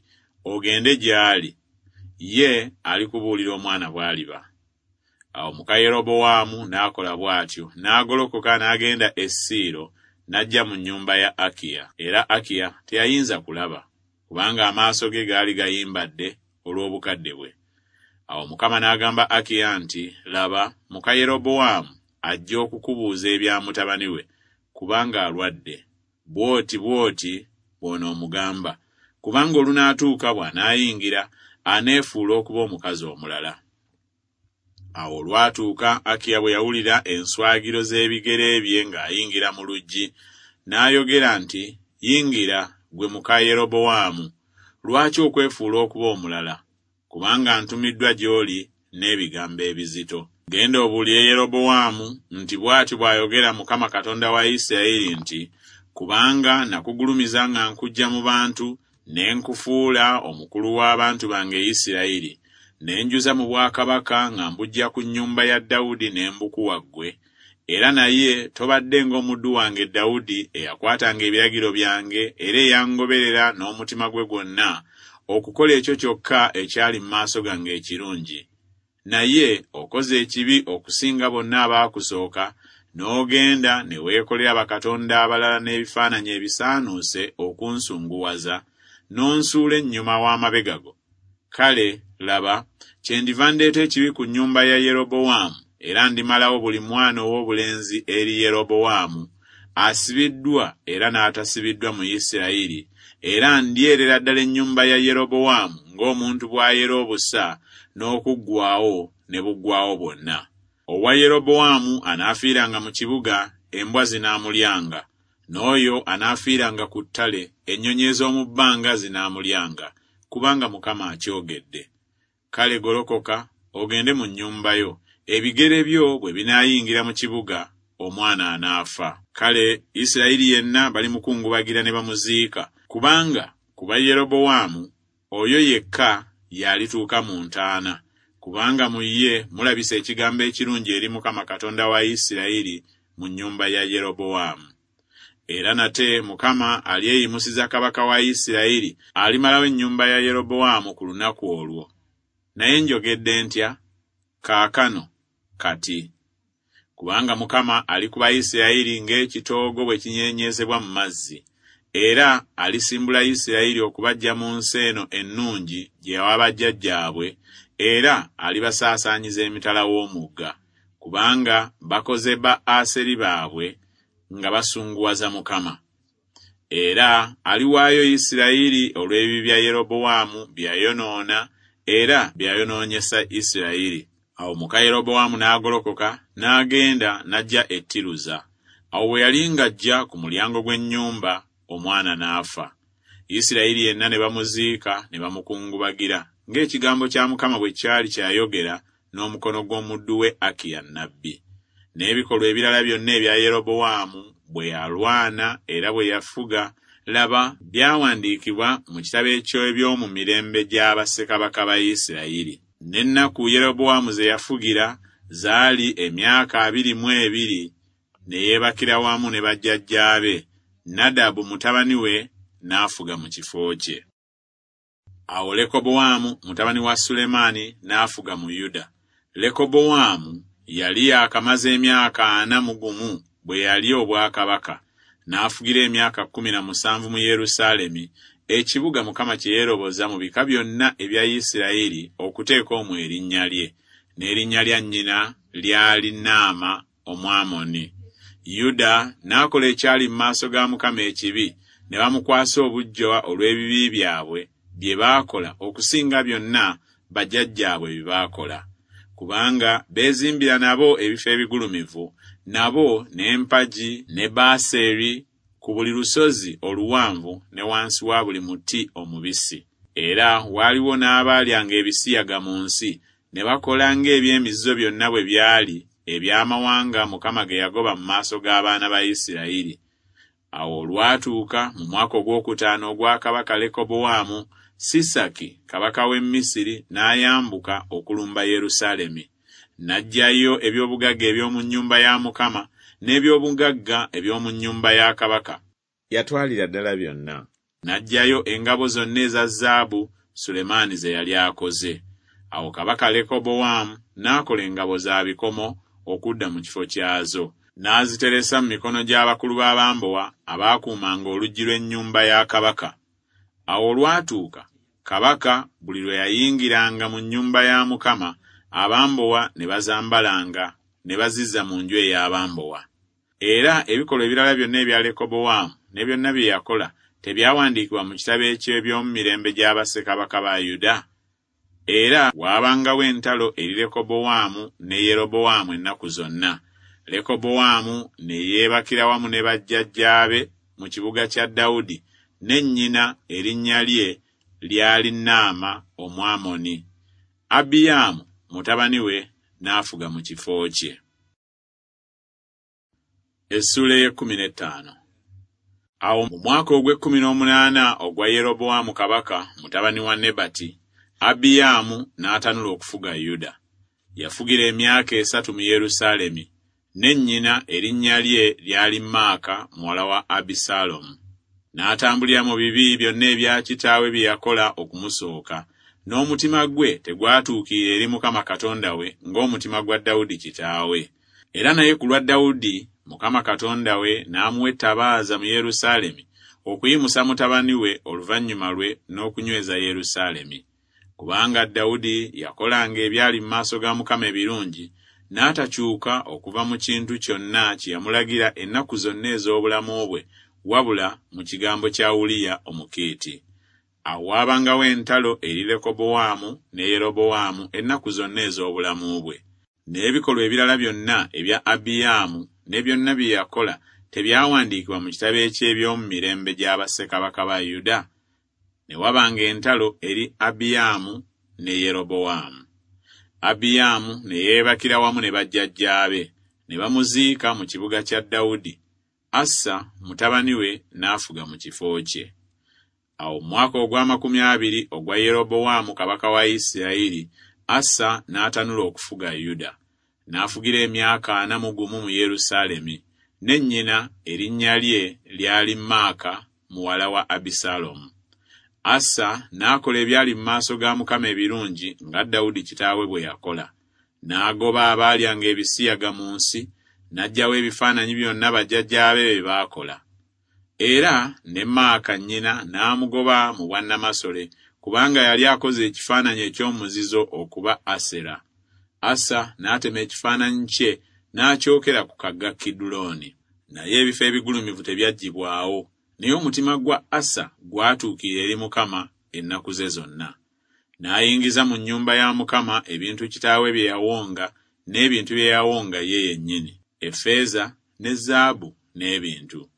ogende gy'ali, ye alikubuulira omwana bw'aliba. Awo muka Yerobowaamu n'akola bw'atyo, n'agolokoka n'agenda e Siiro, n'ajja mu nnyumba ya Akiya. Era Akiya teyayinza kulaba, kubanga amaaso ge gaali gayimbadde olw'obukadde bwe. Awo Mukama n'agamba Akiya nti, Laba, muka Yerobowaamu ajja okukubuuza ebya mutabani we, kubanga alwadde. Bw'oti bw'oti bw'onoomugamba, kubanga olunaatuuka bw'anaayingira, aneefuula okuba omukazi omulala. Awo olwatuuka Akiya bwe yawulira enswagiro z'ebigere bye ng'ayingira mu luggi, n'ayogera nti, Yingira, ggwe muka Yerobowaamu, lwaki okwefuula okuba omulala? Kubanga ntumiddwa gy'oli n'ebigambo ebizito. Genda obuulire Yerobowaamu nti bw'ati bw'ayogera Mukama Katonda wa Isirayiri nti, Kubanga nakugulumiza nga nkuggya mu bantu, ne nkufuula omukulu w'abantu bange Isirayiri, ne njuza mu bwakabaka nga mbuggya ku nnyumba ya Dawudi ne mbukuwa ggwe, era naye tobadde ng'omuddu wange Dawudi eyakwatanga ebiragiro byange era eyangoberera n'omutima gwe gwonna okukola ekyo kyokka ekyali mu maaso gange ekirungi. Naye okoze ekibi okusinga bonna abaakusooka, n'ogenda ne weekolera bakatonda abalala n'ebifaananyi ebisaanuuse okunsunguwaza, n'onsuula ennyuma w'amabega go. Kale laba, kyendiva ndeeta ekibi ku nnyumba ya Yerobowaamu, era ndimalawo buli mwana ow'obulenzi eri Yerobowaamu, asibiddwa era n'atasibiddwa mu Isirayiri, era ndyerera ddala ennyumba ya Yerobowaamu ng'omuntu bw'ayera obusa n'okuggwaawo ne buggwaawo bwonna. Owa Yerobowaamu anaafiiranga mu kibuga, embwa zinaamulyanga, n'oyo anaafiiranga ku ttale, ennyonyi ez'omu bbanga zinaamulyanga, kubanga Mukama akyogedde. Kale golokoka, ogende mu nnyumba yo, ebigere byo bwe binaayingira mu kibuga, omwana anaafa. Kale Isirayiri yenna balimukungubagira ne bamuziika, kubanga ku ba Yerobowaamu oyo yekka y'alituuka mu ntaana, kubanga mu ye mulabisa ekigambo ekirungi eri Mukama Katonda wa Isirayiri mu nnyumba ya Yerobowaamu. Era nate Mukama alyeyimusiza kabaka wa Isirayiri, alimalawo ennyumba ya Yerobowaamu ku lunaku olwo. Naye njogedde ntya? Kaakano, kati. Kubanga Mukama alikuba Isirayiri ng'ekitoogo bwe kinyeenyezebwa mu mazzi, era alisimbula Isirayiri okubaggya mu nsi eno ennungi gye yawa bajjajjaabwe, era alibasaasaanyiza emitala w'omugga, kubanga bakoze ba Aseri baabwe nga basunguwaza Mukama. Era aliwaayo Isirayiri olw'ebibi bya Yerobowaamu bye yayonoona era bye yayonoonyesa Isirayiri. Awo muka Yerobowaamu n'agolokoka n'agenda n'ajja e Tiruza. Awo bwe yali ng'ajja ku mulyango gw'ennyumba, omwana n'afa. Isirayiri yenna ne bamuziika ne bamukungubagira, ng'ekigambo kya Mukama bwe kyali kyayogera n'omukono gw'omuddu we Akiya nnabbi. N'ebikolwa ebirala byonna ebya Yerobowaamu bwe yalwana era bwe yafuga, laba, byawandiikibwa mu kitabo eky'eby'omu mirembe gya bassekabaka ba Isirayiri. N'ennaku Yerobowaamu ze yafugira zaali emyaka abiri mu ebiri, ne yeebakira wamu ne bajjajjaabe, Nadabu mutabani we n'afuga mu kifo kye. Awo Lekobowaamu mutabani wa Sulemaani n'afuga mu Yuda. Lekobowaamu yali yaakamaze emyaka ana mu gumu bwe yali obwakabaka, n'afugira emyaka kkumi na musanvu mu Yerusaalemi, ekibuga Mukama kye yeeroboza mu bika byonna ebya Isirayiri okuteeka omwo erinnya lye, n'erinnya lya nnyina lyali Naama Omwamoni. Yuda n'akola ekyali mu maaso ga Mukama ekibi, ne bamukwasa obuggya olw'ebibi byabwe bye baakola okusinga byonna bajjajjaabwe bye baakola. Kubanga beezimbira nabo ebifo ebigulumivu, nabo n'empagi ne Baaseri ku buli lusozi oluwanvu ne wansi wa buli muti omubisi. Era waaliwo n'abaalyanga ebisiyaga mu nsi, ne bakola ng'eby'emizizo byonna bwe byali eby'amawanga Mukama ge yagoba mu maaso g'abaana ba Isirayiri. Awo olwatuuka mu mwaka ogwokutaano ogwa kabaka Lekobowaamu, Sisaki kabaka w'e Misiri n'ayambuka okulumba Yerusaalemi. N'aggyayo eby'obugagga eby'omu nnyumba ya Mukama n'eby'obugagga eby'omu nnyumba ya kabaka. Yatwalira ddala byonna. N'aggyayo engabo zonna eza zaabu Sulemaani ze yali akoze. Awo kabaka Lekobowaamu n'akola engabo za bikomo okudda mu kifo kyazo, n'aziteresa mu mikono gy'abakulu b'abambowa abaakuumanga oluggi lw'ennyumba ya kabaka. Awo olwatuuka kabaka buli lwe yayingiranga mu nnyumba ya Mukama, abambowa ne bazambalanga ne bazizza mu nju ey'abambowa. Era ebikolwa ebirala byonna ebya Lekobowaamu ne byonna bye yakola tebyawandiikibwa mu kitabo eky'eby'omu mirembe gya bassekabaka ba Yuda? Era waabangawo entalo eri Lekobowaamu ne Yerobowaamu ennaku zonna. Lekobowaamu ne yeebakira wamu ne bajjajjaabe mu kibuga kya Dawudi, ne nnyina erinnya lye lyali Naama Omwamoni. Abiyaamu mutabani we n'afuga mu kifo kye. Essuula ey'ekkumi n'ettaano. Awo mu mwaka ogw'ekkumi n'omunaana ogwa Yerobowaamu kabaka mutabani wa Nebati, Abiyaamu n'atanula okufuga Yuda. Yafugira emyaka esatu mu Yerusaalemi, ne nnyina erinnya lye lyali Maaka muwala wa Abisalomu. N'atambulira mu bibi byonna ebya kitaawe bye yakola okumusooka, n'omutima gwe tegwatuukirira eri Mukama Katonda we ng'omutima gwa Dawudi kitaawe. Era naye ku lwa Dawudi Mukama Katonda we n'amuwa ettabaaza mu Yerusaalemi okuyimusa mutabani we oluvannyuma lwe n'okunyweza Yerusaalemi. Kubanga Dawudi yakolanga ebyali mu maaso ga Mukama ebirungi, n'atakyuka okuva mu kintu kyonna kye yamulagira ennaku zonna ez'obulamu bwe, wabula mu kigambo kya Uliya Omukiiti. Awo waabangawo entalo eri Lekobowaamu ne Yerobowaamu ennaku zonna ez'obulamu bwe. N'ebikolwa ebirala byonna ebya Abiyaamu ne byonna bye yakola tebyawandiikibwa mu kitabo eky'eby'omu mirembe gya bassekabaka ba Yuda? Ne wabanga entalo eri Abiyaamu ne Yerobowaamu. Abiyaamu ne yeebakira wamu ne bajjajjaabe, ne bamuziika mu kibuga kya Dawudi. Asa mutabani we n'afuga mu kifo kye. Awo mu mwaka ogw'amakumi abiri ogwa Yerobowaamu kabaka wa Isirayiri, Asa n'atanula okufuga Yuda. N'afugira emyaka ana mu gumu mu Yerusaalemi, ne nnyina erinnya lye lyali Maaka muwala wa Abisalomu. Asa n'akola ebyali mu maaso ga Mukama ebirungi nga Dawudi kitaawe bwe yakola. N'agoba abaalyanga ebisiyaga mu nsi, n'aggyawo ebifaananyi byonna bajjajjaabe bye baakola. Era ne Maaka nnyina n'amugoba mu bwannamasole, kubanga yali akoze ekifaananyi eky'omuzizo okuba Asera. Asa n'atema ekifaananyi kye n'akyokera ku kagga Kidulooni. Naye ebifo ebigulumivu tebyaggyibwawo, naye omutima gwa Asa gwatuukirira eri Mukama ennaku ze zonna. N'ayingiza mu nnyumba ya Mukama ebintu kitaawe bye yawonga n'ebintu bye yawonga ye yennyini, effeeza ne zaabu n'ebintu.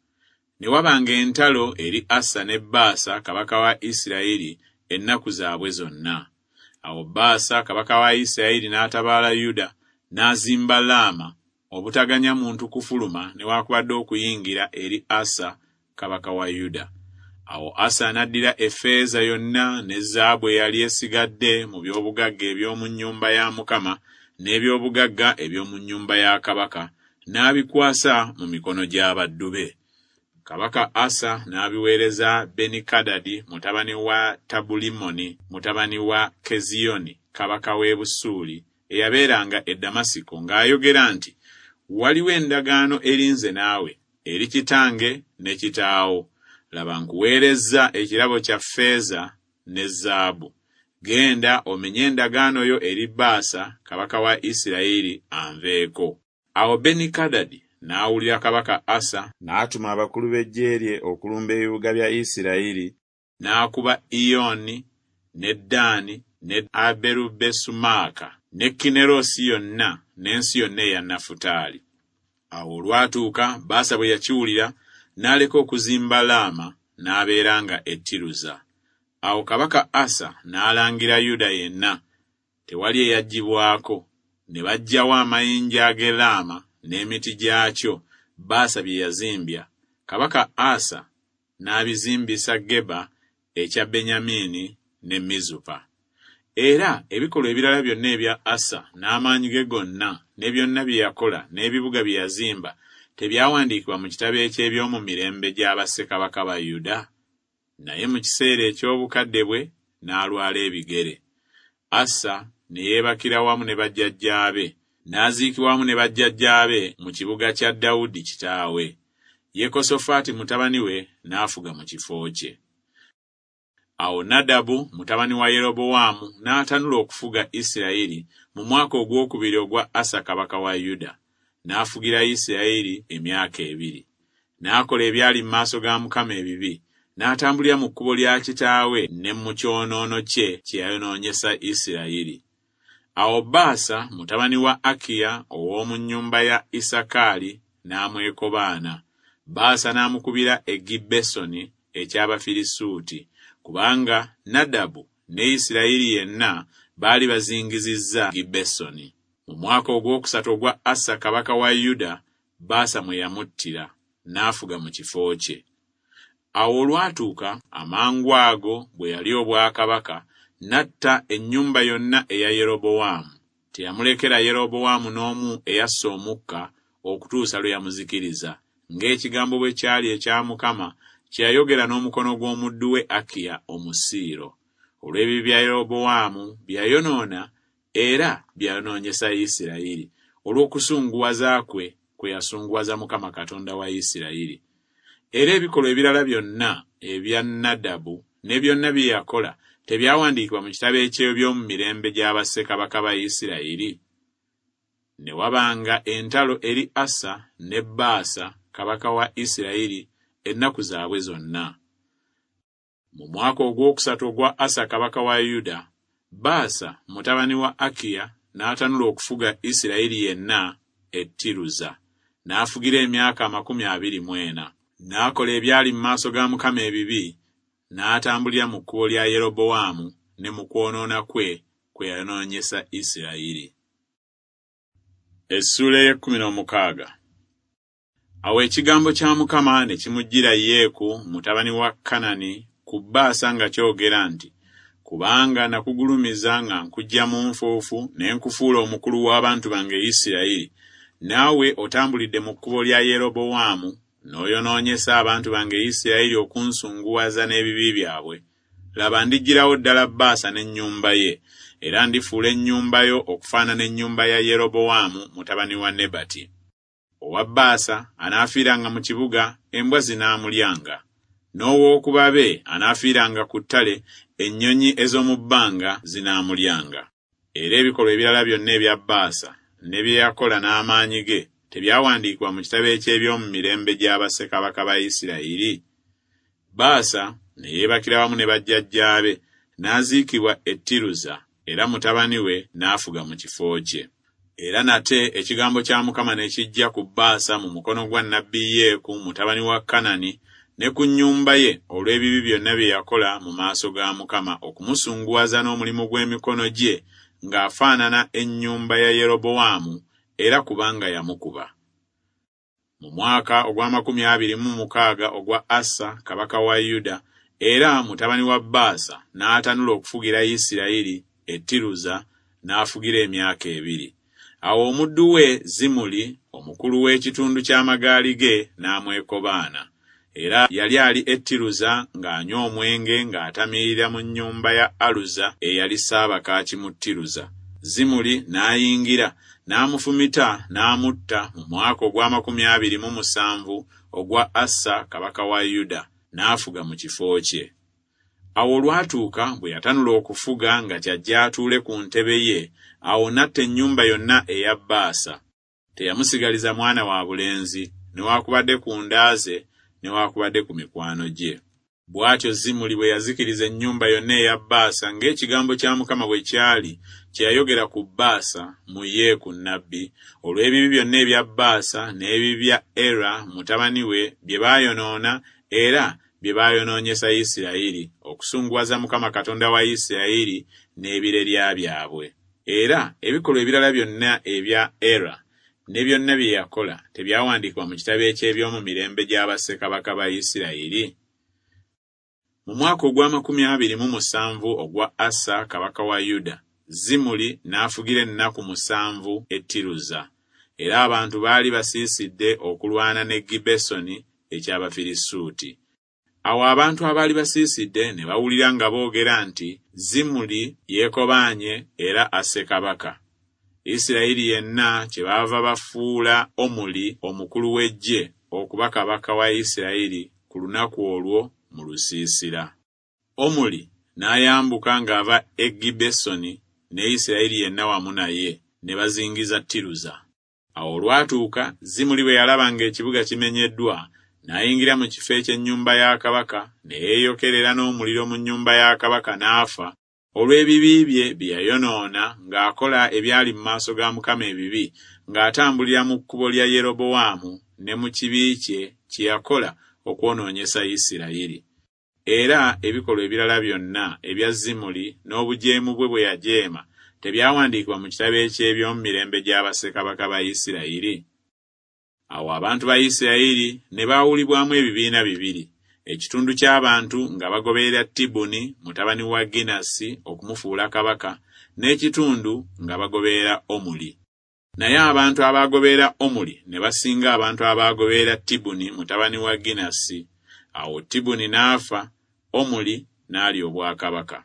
Ne wabanga entalo eri Asa ne Baasa kabaka wa Isirayiri ennaku zaabwe zonna. Awo Baasa kabaka wa Isirayiri n'atabaala Yuda, n'azimba Laama, obutaganya muntu kufuluma newaakubadde okuyingira eri Asa kabaka wa Yuda. Awo Asa n'addira effeeza yonna ne zaabu eyali esigadde mu by'obugagga eby'omu nnyumba ya Mukama n'eby'obugagga eby'omu nnyumba ya kabaka, n'abikwasa mu mikono gy'abaddu be. Kabaka Asa n'abiweereza Benikadadi mutabani wa Tabulimoni mutabani wa Keziyoni kabaka w'e Busuuli eyabeeranga e Damasiko, ng'ayogera nti, Waliwo endagaano eri nze naawe, eri kitange ne kitaawo. Laba nkuweerezza ekirabo kya ffeeza ne zaabu. Genda omenye endagaano yo eri Baasa kabaka wa Isirayiri anveeko. Awo Benikadadi n'awulira kabaka Asa n'atuma abakulu b'eggye lye okulumba ebibuga bya Isirayiri, n'akuba Iyoni ne Ddaani ne Aberubesumaaka ne Kinerosi yonna n'ensi yonna eya Nafutaali. Awo olwatuuka Baasa bwe yakiwulira n'aleka okuzimba Laama n'abeeranga e Tiruza. Awo kabaka Asa n'alangira Yuda yenna, tewali eyaggyibwako, ne baggyawo amayinja ag'e Laama n'emiti gyakyo Baasa bye yazimbya. Kabaka Asa n'abizimbisa Geba ekya Benyamini ne Mizupa. Era ebikolwa ebirala byonna ebya Asa n'amaanyi ge gonna ne byonna bye yakola n'ebibuga bye yazimba tebyawandiikibwa mu kitabo eky'eby'omu mirembe gya bassekabaka ba Yuda? Naye mu kiseera eky'obukadde bwe n'alwala ebigere. Asa ne yeebakira wamu ne bajjajjaabe, n'aziikibwa wamu ne bajjajjaabe mu kibuga kya Dawudi kitaawe. Yekosofaati mutabani we n'afuga mu kifo kye. Awo Nadabu mutabani wa Yerobowaamu n'atanula okufuga Isirayiri mu mwaka ogwokubiri ogwa Asa kabaka wa Yuda. N'afugira Isirayiri emyaka ebiri. N'akola ebyali mu maaso ga Mukama ebibi, N'atambulira mu kkubo lya kitaawe ne mu kyonoono kye kye yayonoonyesa Isirayiri. Awo Baasa mutabani wa Akiya ow'omu nnyumba ya Isakaali n'amwekobaana. Baasa n'amukubira e Gibbesoni eky'Abafirisuuti, kubanga Nadabu ne Isirayiri yenna baali bazingizizza Gibbesoni. Mu mwaka ogwokusatu ogwa Asa kabaka wa Yuda, Baasa mwe yamuttira, n'afuga mu kifo kye. Awo olwatuuka amangu ago bwe yali obwakabaka, n'atta ennyumba yonna eya Yerobowaamu. Teyamulekera Yerobowaamu n'omu eyassa omukka okutuusa lwe yamuzikiriza, ng'ekigambo bwe kyali ekya Mukama kye yayogera n'omukono gw'omuddu we Akiya Omusiiro. Olw'ebibi bya Yerobowaamu bye yayonoona era bye yayonoonyesa Isirayiri, olw'okusunguwaza kwe kwe yasunguwaza Mukama Katonda wa Isirayiri. Era ebikolwa ebirala byonna ebya Nadabu ne byonna bye yakola tebyawandiikibwa mu kitabo eky'eby'omu mirembe gya bassekabaka ba Isirayiri? Ne wabanga entalo eri Asa ne Baasa kabaka wa Isirayiri ennaku zaabwe zonna. Mu mwaka ogwokusatu ogwa Asa kabaka wa Yuda, Baasa mutabani wa Akiya n'atanula okufuga Isirayiri yenna e Tiruza, n'afugira emyaka amakumi abiri mu ena. N'akola ebyali mu maaso ga Mukama ebibi, n'atambulira mu kkubo lya Yerobowaamu ne mu kwonoona kwe kwe yayonoonyesa Isirayiri. Essuula ey'ekkumi n'omukaaga. Awo ekigambo kya Mukama ne kimujjira Yeeku mutabani wa Kanani ku Baasa nga kyogera nti, Kubanga nakugulumiza nga nkuggya mu nfuufu ne nkufuula omukulu w'abantu bange Isirayiri, naawe otambulidde mu kkubo lya Yerobowaamu n'oyonoonyesa abantu bange Isirayiri okunsunguwaza n'ebibi byabwe. Laba ndiggyirawo ddala Baasa n'ennyumba ye, era ndifuula ennyumba yo okufaanana ennyumba ya Yerobowaamu mutabani wa Nebati. Owa Baasa anaafiiranga mu kibuga, embwa zinaamulyanga. N'ow'oku babe anaafiiranga ku ttale, ennyonyi ez'omu bbanga zinaamulyanga. Era ebikolwa ebirala byonna ebya Baasa ne bye yakola n'amaanyi ge tebyawandiikibwa mu kitabo eky'eby'omu mirembe gya bassekabaka ba Isirayiri? Baasa ne yeebakira wamu ne bajjajjaabe, n'aziikibwa e Tiruza, era mutabani we n'afuga mu kifo kye. Era nate ekigambo kya Mukama ne kijja ku Baasa mu mukono gwa nnabbi Yeeku mutabani wa Kanani ne ku nnyumba ye olw'ebibi byonna bye yakola mu maaso ga Mukama okumusunguwaza n'omulimu gw'emikono gye ng'afaanana ennyumba ya Yerobowaamu, era kubanga yamukuba. Mu mwaka ogw'amakumi abiri mu mukaaga ogwa Asa kabaka wa Yuda, era mutabani wa Baasa n'atanula okufugira Isirayiri e Tiruza, n'afugira emyaka ebiri. Awo omuddu we Zimuli omukulu w'ekitundu ky'amagaali ge n'amwekobaana. Era yali ali e Tiruza ng'anywa omwenge ng'atamiirira mu nnyumba ya Aluza eyali Ssaabakaaki mu Tiruza. Zimuli n'ayingira n'amufumita n'amutta mu mwaka ogw'amakumi abiri mu musanvu ogwa Asa kabaka wa Yuda, n'afuga mu kifo kye. Awo olwatuuka bwe yatanula okufuga nga kyajja atuule ku ntebe ye, awo n'atta ennyumba yonna eya Baasa. Teyamusigaliza mwana wa bulenzi, newaakubadde ku nda ze, newaakubadde ku mikwano gye. Bw'atyo Zimuli bwe yazikiriza ennyumba yonna eya Baasa ng'ekigambo kya Mukama bwe kyali kye yayogera ku Baasa mu Yeeku nnabbi, olw'ebibi byonna ebya Baasa n'ebibi bya Era mutabani we bye baayonoona era bye baayonoonyesa Isirayiri, okusunguwaza Mukama Katonda wa Isirayiri n'ebirerya byabwe. Era ebikolwa ebirala byonna ebya Era ne byonna bye yakola tebyawandiikibwa mu kitabo eky'eby'omu mirembe gya bassekabaka ba Isirayiri? Mu mwaka ogw'amakumi abiri mu musanvu ogwa Asa kabaka wa Yuda, Zimuli n'afugira ennaku musanvu e Tiruza. Era abantu baali basiisidde okulwana ne Gibbesoni eky'Abafirisuuti. Awo abantu abaali basiisidde ne bawulira nga boogera nti Zimuli yeekobaanye era asse kabaka. Isirayiri yenna kyebaava bafuula Omuli omukulu w'eggye okuba kabaka wa Isirayiri ku lunaku olwo mu lusiisira. Omuli n'ayambuka ng'ava e Gibbesoni ne Isirayiri yenna wamu naye, ne bazingiza Tiruza. Awo olwatuuka Zimuli bwe yalaba ng'ekibuga kimenyeddwa, N'ayingira mu kifo eky'ennyumba ya kabaka, ne yeeyokerera n'omuliro mu nnyumba ya kabaka n'afa, olw'ebibi bye bye yayonoona ng'akola ebyali mu maaso ga Mukama ebibi, ng'atambulira mu kkubo lya Yerobowaamu ne mu kibi kye kye yakola okwonoonyesa Isirayiri. Era ebikolwa ebirala byonna ebya Zimuli n'obujeemu bwe bwe yajeema tebyawandiikibwa mu kitabo eky'eby'omu mirembe gya bassekabaka ba Isirayiri? Awo abantu ba Isirayiri ne baawulibwamu ebibiina bibiri, ekitundu ky'abantu nga bagoberera Tibuni mutabani wa Ginasi okumufuula kabaka, n'ekitundu nga bagoberera Omuli. Naye abantu abaagoberera Omuli ne basinga abantu abaagoberera Tibuni mutabani wa Ginasi. Awo Tibuni n'afa, Omuli n'alya obwakabaka.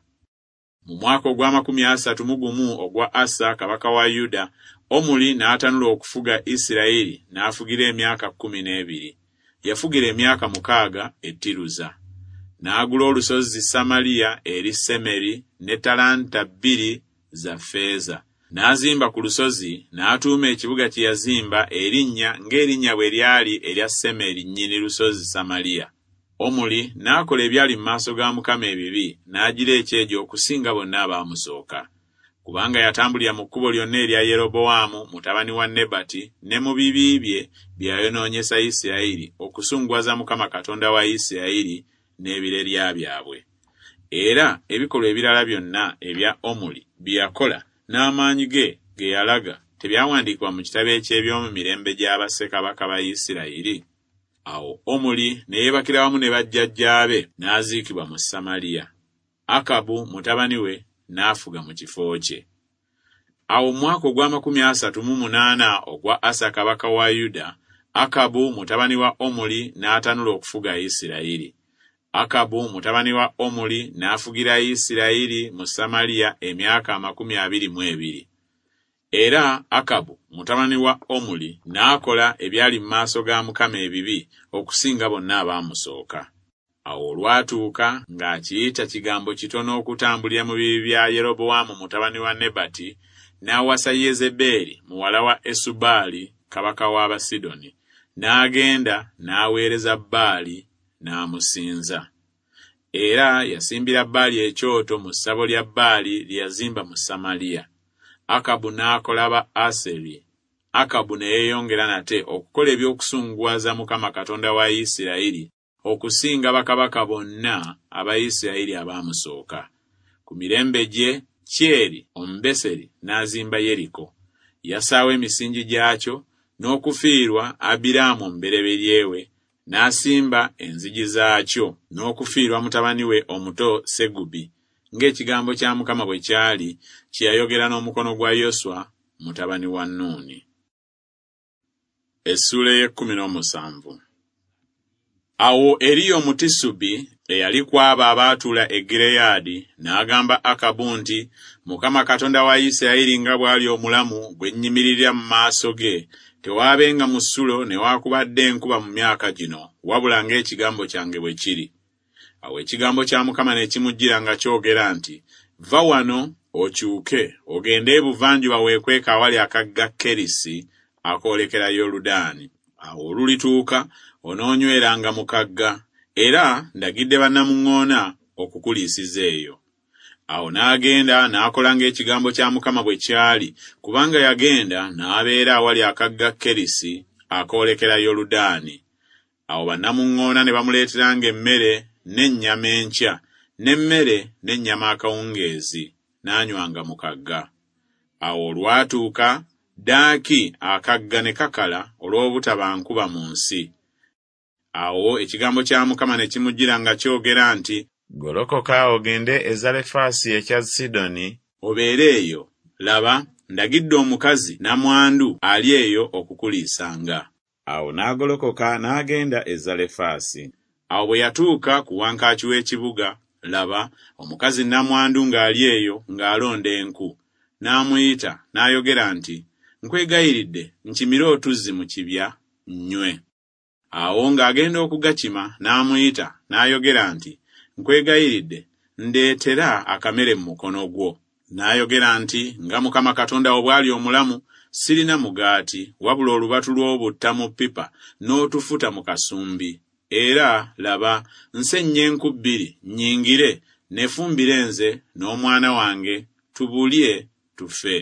Mu mwaka ogw'amakumi asatu mu gumu ogwa Asa kabaka wa Yuda, Omuli n'atanula okufuga Isirayiri n'afugira emyaka kkumi n'ebiri. Yafugira emyaka mukaaga e Tiruza. N'agula olusozi Samaliya eri Semeri ne talanta bbiri za ffeeza. N'azimba ku lusozi, n'atuuma ekibuga kye yazimba erinnya ng'erinnya bwe lyali erya Semeri nnyini lusozi Samaliya. Omuli n'akola ebyali mu maaso ga Mukama ebibi, n'agira ekyejo okusinga bonna abaamusooka. Kubanga yatambulira mu kkubo lyonna erya Yerobowaamu mutabani wa Nebati ne mu bibi bye bye yayonoonyesa Isirayiri okusunguwaza Mukama Katonda wa Isirayiri n'ebirerya byabwe. Era ebikolwa ebirala byonna ebya Omuli bye yakola n'amaanyi ge ge yalaga tebyawandiikibwa mu kitabo eky'eby'omu mirembe gya bassekabaka ba Isirayiri? Awo Omuli ne yeebakira wamu ne bajjajjaabe n'aziikibwa mu Samaliya. Akabu mutabani we n'afuga mu kifo kye. Awo mu mwaka ogw'amakumi asatu mu munaana ogwa Asa kabaka wa Yuda, Akabu mutabani wa Omuli n'atanula okufuga Isirayiri. Akabu mutabani wa Omuli n'afugira Isirayiri mu Samaliya emyaka amakumi abiri mu ebiri. Era Akabu mutabani wa Omuli n'akola ebyali mu maaso ga Mukama ebibi okusinga bonna abaamusooka. Awo olwatuuka ng'akiyita kigambo kitono okutambulira mu bibi bya Yerobowaamu mutabani wa Nebati, n'awasa Yezebeeri muwala wa Esubaali kabaka w'Abasidoni, n'agenda n'aweereza Baali n'amusinza. Era yasimbira Baali ekyoto mu ssabo lya Baali lye yazimba mu Samaliya. Akabu n'akola ba Aseri. Akabu ne yeeyongera nate okukola eby'okusunguwaza Mukama Katonda wa Isirayiri okusinga bakabaka bonna aba Isirayiri abaamusooka. Ku mirembe gye, Kyeri Omubeseri n'azimba Yeriko. Yassaawo emisingi gyakyo n'okufiirwa Abiraamu omubereberye we, n'asimba enzigi zaakyo n'okufiirwa mutabani we omuto Segubi, ng'ekigambo kya Mukama bwe kyali kye yayogera n'omukono gwa Yoswa mutabani wa Nuuni. Essuula ey'ekkumi n'omusanvu. Awo Eriya Omutisubi eyali ku abo abaatuula e Gireyaadi n'agamba Akabu nti, Mukama Katonda wa Isirayiri nga bw'ali omulamu gwe nnyimiririra mu maaso ge, tewaabenga musulo newaakubadde enkuba mu myaka gino, wabula ng'ekigambo kyange bwe kiri. Awo ekigambo kya Mukama ne kimujjira nga kyogera nti, Va wano okyuke ogende ebuvanjuba weekweke awali akagga Kerisi akoolekera Yoludaani. Awo olulituuka onoonyweranga mu kagga, era ndagidde bannamuŋŋoona okukuliisiza eyo. Awo n'agenda n'akola ng'ekigambo kya Mukama bwe kyali, kubanga yagenda n'abeera awali akagga Kerisi akoolekera Yoludaani. Awo bannamuŋŋoona ne bamuleeteranga emmere n'ennyama enkya, n'emmere n'ennyama akawungeezi, n'anywanga mu kagga. Awo olwatuuka ddaaki akagga ne kakala olw'obutaba nkuba mu nsi. Awo ekigambo kya Mukama ne kimujjira nga kyogera nti, Golokoka ogende e Zalefaasi ekya Sidoni, obeere eyo. Laba, ndagidde omukazi nnamwandu ali eyo okukuliisanga. Awo n'agolokoka n'agenda e Zalefaasi. Awo bwe yatuuka ku wankaaki w'ekibuga, laba, omukazi nnamwandu ng'ali eyo ng'alonda enku. N'amuyita n'ayogera nti, Nkwegayiridde nkimire otuzzi mu kibya nnywe. Awo ng'agenda okugakima n'amuyita n'ayogera nti, Nkwegayiridde ndeetera akamere mu mukono gwo. N'ayogera nti, Nga Mukama Katonda wo bw'ali omulamu, sirina mugaati, wabula olubatu lw'obutta mu ppipa n'otufuta mu kasumbi. Era, laba, nsennya enku bbiri, nnyingire, neefumbire nze n'omwana wange, tubulye, tufe.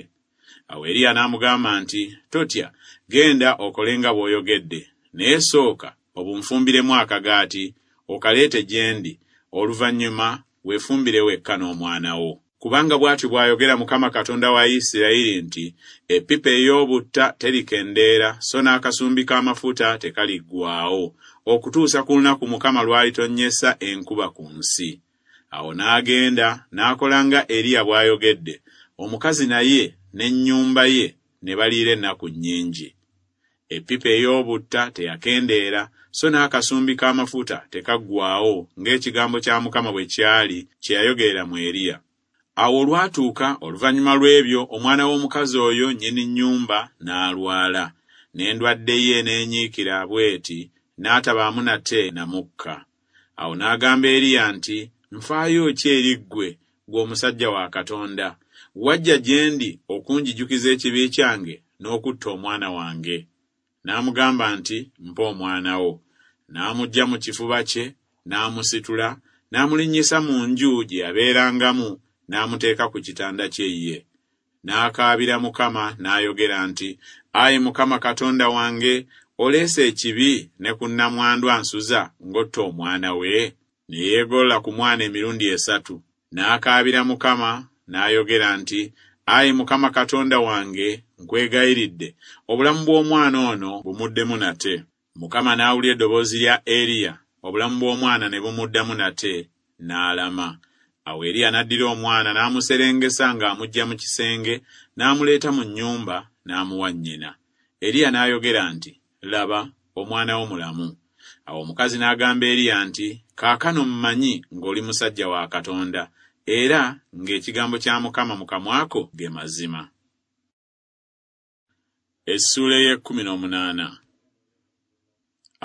Awo Eriya n'amugamba nti, Totya, genda okole nga bw'oyogedde, naye sooka obunfumbiremu akagaati, okaleete gye ndi, oluvannyuma weefumbire wekka n'omwana wo. Kubanga bw'atyo bw'ayogera Mukama Katonda wa Isirayiri nti, Eppipa ey'obutta terikendeera, so n'akasumbi k'amafuta tekaliggwaawo, okutuusa ku lunaku Mukama lw'alitonnyesa enkuba ku nsi. Awo n'agenda n'akola nga Eriya bw'ayogedde, omukazi naye n'ennyumba ye ne baliira ennaku nnyingi. Eppipa ey'obutta teyakendeera, so n'akasumbi k'amafuta tekaggwaawo, ng'ekigambo kya Mukama bwe kyali kye yayogerera mu Eriya. Awo olwatuuka oluvannyuma lw'ebyo omwana w'omukazi oyo nnyini nnyumba n'alwala, n'endwadde ye n'enyiikira bw'eti, n'atabaamu nate na mukka. Awo n'agamba Eriya nti, Nfaayo ki eri ggwe, ggwe omusajja wa Katonda? Wajja gye ndi okunjijukiza ekibi kyange n'okutta omwana wange. N'amugamba nti, Mpa omwana wo. N'amuggya mu kifuba kye, n'amusitula, n'amulinnyisa mu nju gye yabeerangamu, n'amuteeka ku kitanda kye ye. N'akaabira Mukama n'ayogera nti, Ayi Mukama Katonda wange, oleese ekibi ne ku nnamwandu ansuza ng'otta omwana we? Ne yeegolola ku mwana emirundi esatu. N'akaabira Mukama n'ayogera nti, Ayi Mukama Katonda wange, nkwegayiridde, obulamu bw'omwana ono bumuddemu nate. Mukama n'awulira eddoboozi lya Eriya, obulamu bw'omwana ne bumuddamu nate, n'alama. Awo Eriya n'addira omwana n'amuserengesa ng'amuggya mu kisenge, n'amuleeta mu nnyumba, n'amuwa nnyina. Eriya n'ayogera nti, Laba, omwana wo mulamu. Awo omukazi n'agamba Eriya nti, Kaakano mmanyi ng'oli musajja wa Katonda, era ng'ekigambo kya Mukama mu kamwa ko ge mazima. Essuula ey'ekkumi n'omunaana.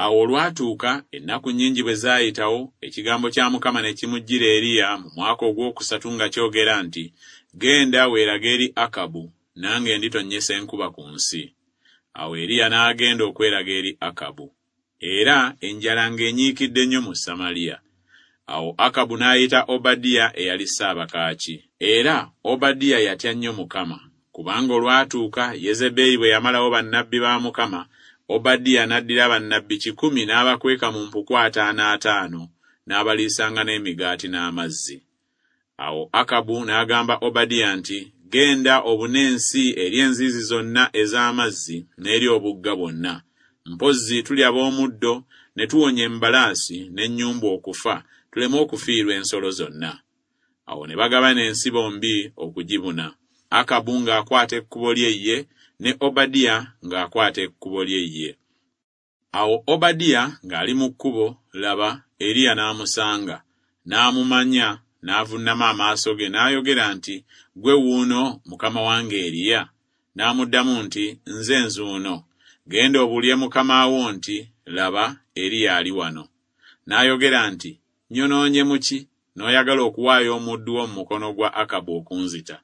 Awo olwatuuka ennaku nnyingi bwe zaayitawo, ekigambo kya Mukama ne kimujjira Eriya mu mwaka ogwokusatu nga kyogera nti, Genda weerage eri Akabu, nange nditonnyesa enkuba ku nsi. Awo Eriya n'agenda okweraga eri Akabu. Era enjala ng'enyiikidde nnyo mu Samaliya. Awo Akabu n'ayita Obadiya eyali ssaabakaaki. Era Obadiya yatya nnyo Mukama, kubanga olwatuuka Yezeberi bwe yamalawo bannabbi ba Mukama, Obadiya n'addira bannabbi kikumi n'abakweka mu mpuku ataano ataano, n'abaliisanga n'emigaati n'amazzi. Awo Akabu n'agamba Obadiya nti, Genda obune ensi eri enzizi zonna ez'amazzi n'eri obugga bwonna. Mpozzi tulya b'omuddo ne tuwonya embalaasi n'ennyumbu okufa, tuleme okufiirwa ensolo zonna. Awo ne bagabana ensi bombi okugibuna. Akabu ng'akwata ekkubo lye ye, ne Obadiya ng'akwata ekkubo lye ye. Awo Obadiya ng'ali mu kkubo, laba, Eriya n'amusanga, n'amumanya, n'avunnama amaaso ge n'ayogera nti, Ggwe wuuno, mukama wange Eriya? N'amuddamu nti, Nze nzuuno. Genda obuulire mukama wo nti, Laba, Eriya ali wano. N'ayogera nti, Nnyonoonye mu ki, n'oyagala okuwaayo omuddu wo mu mukono gwa Akabu okunzita?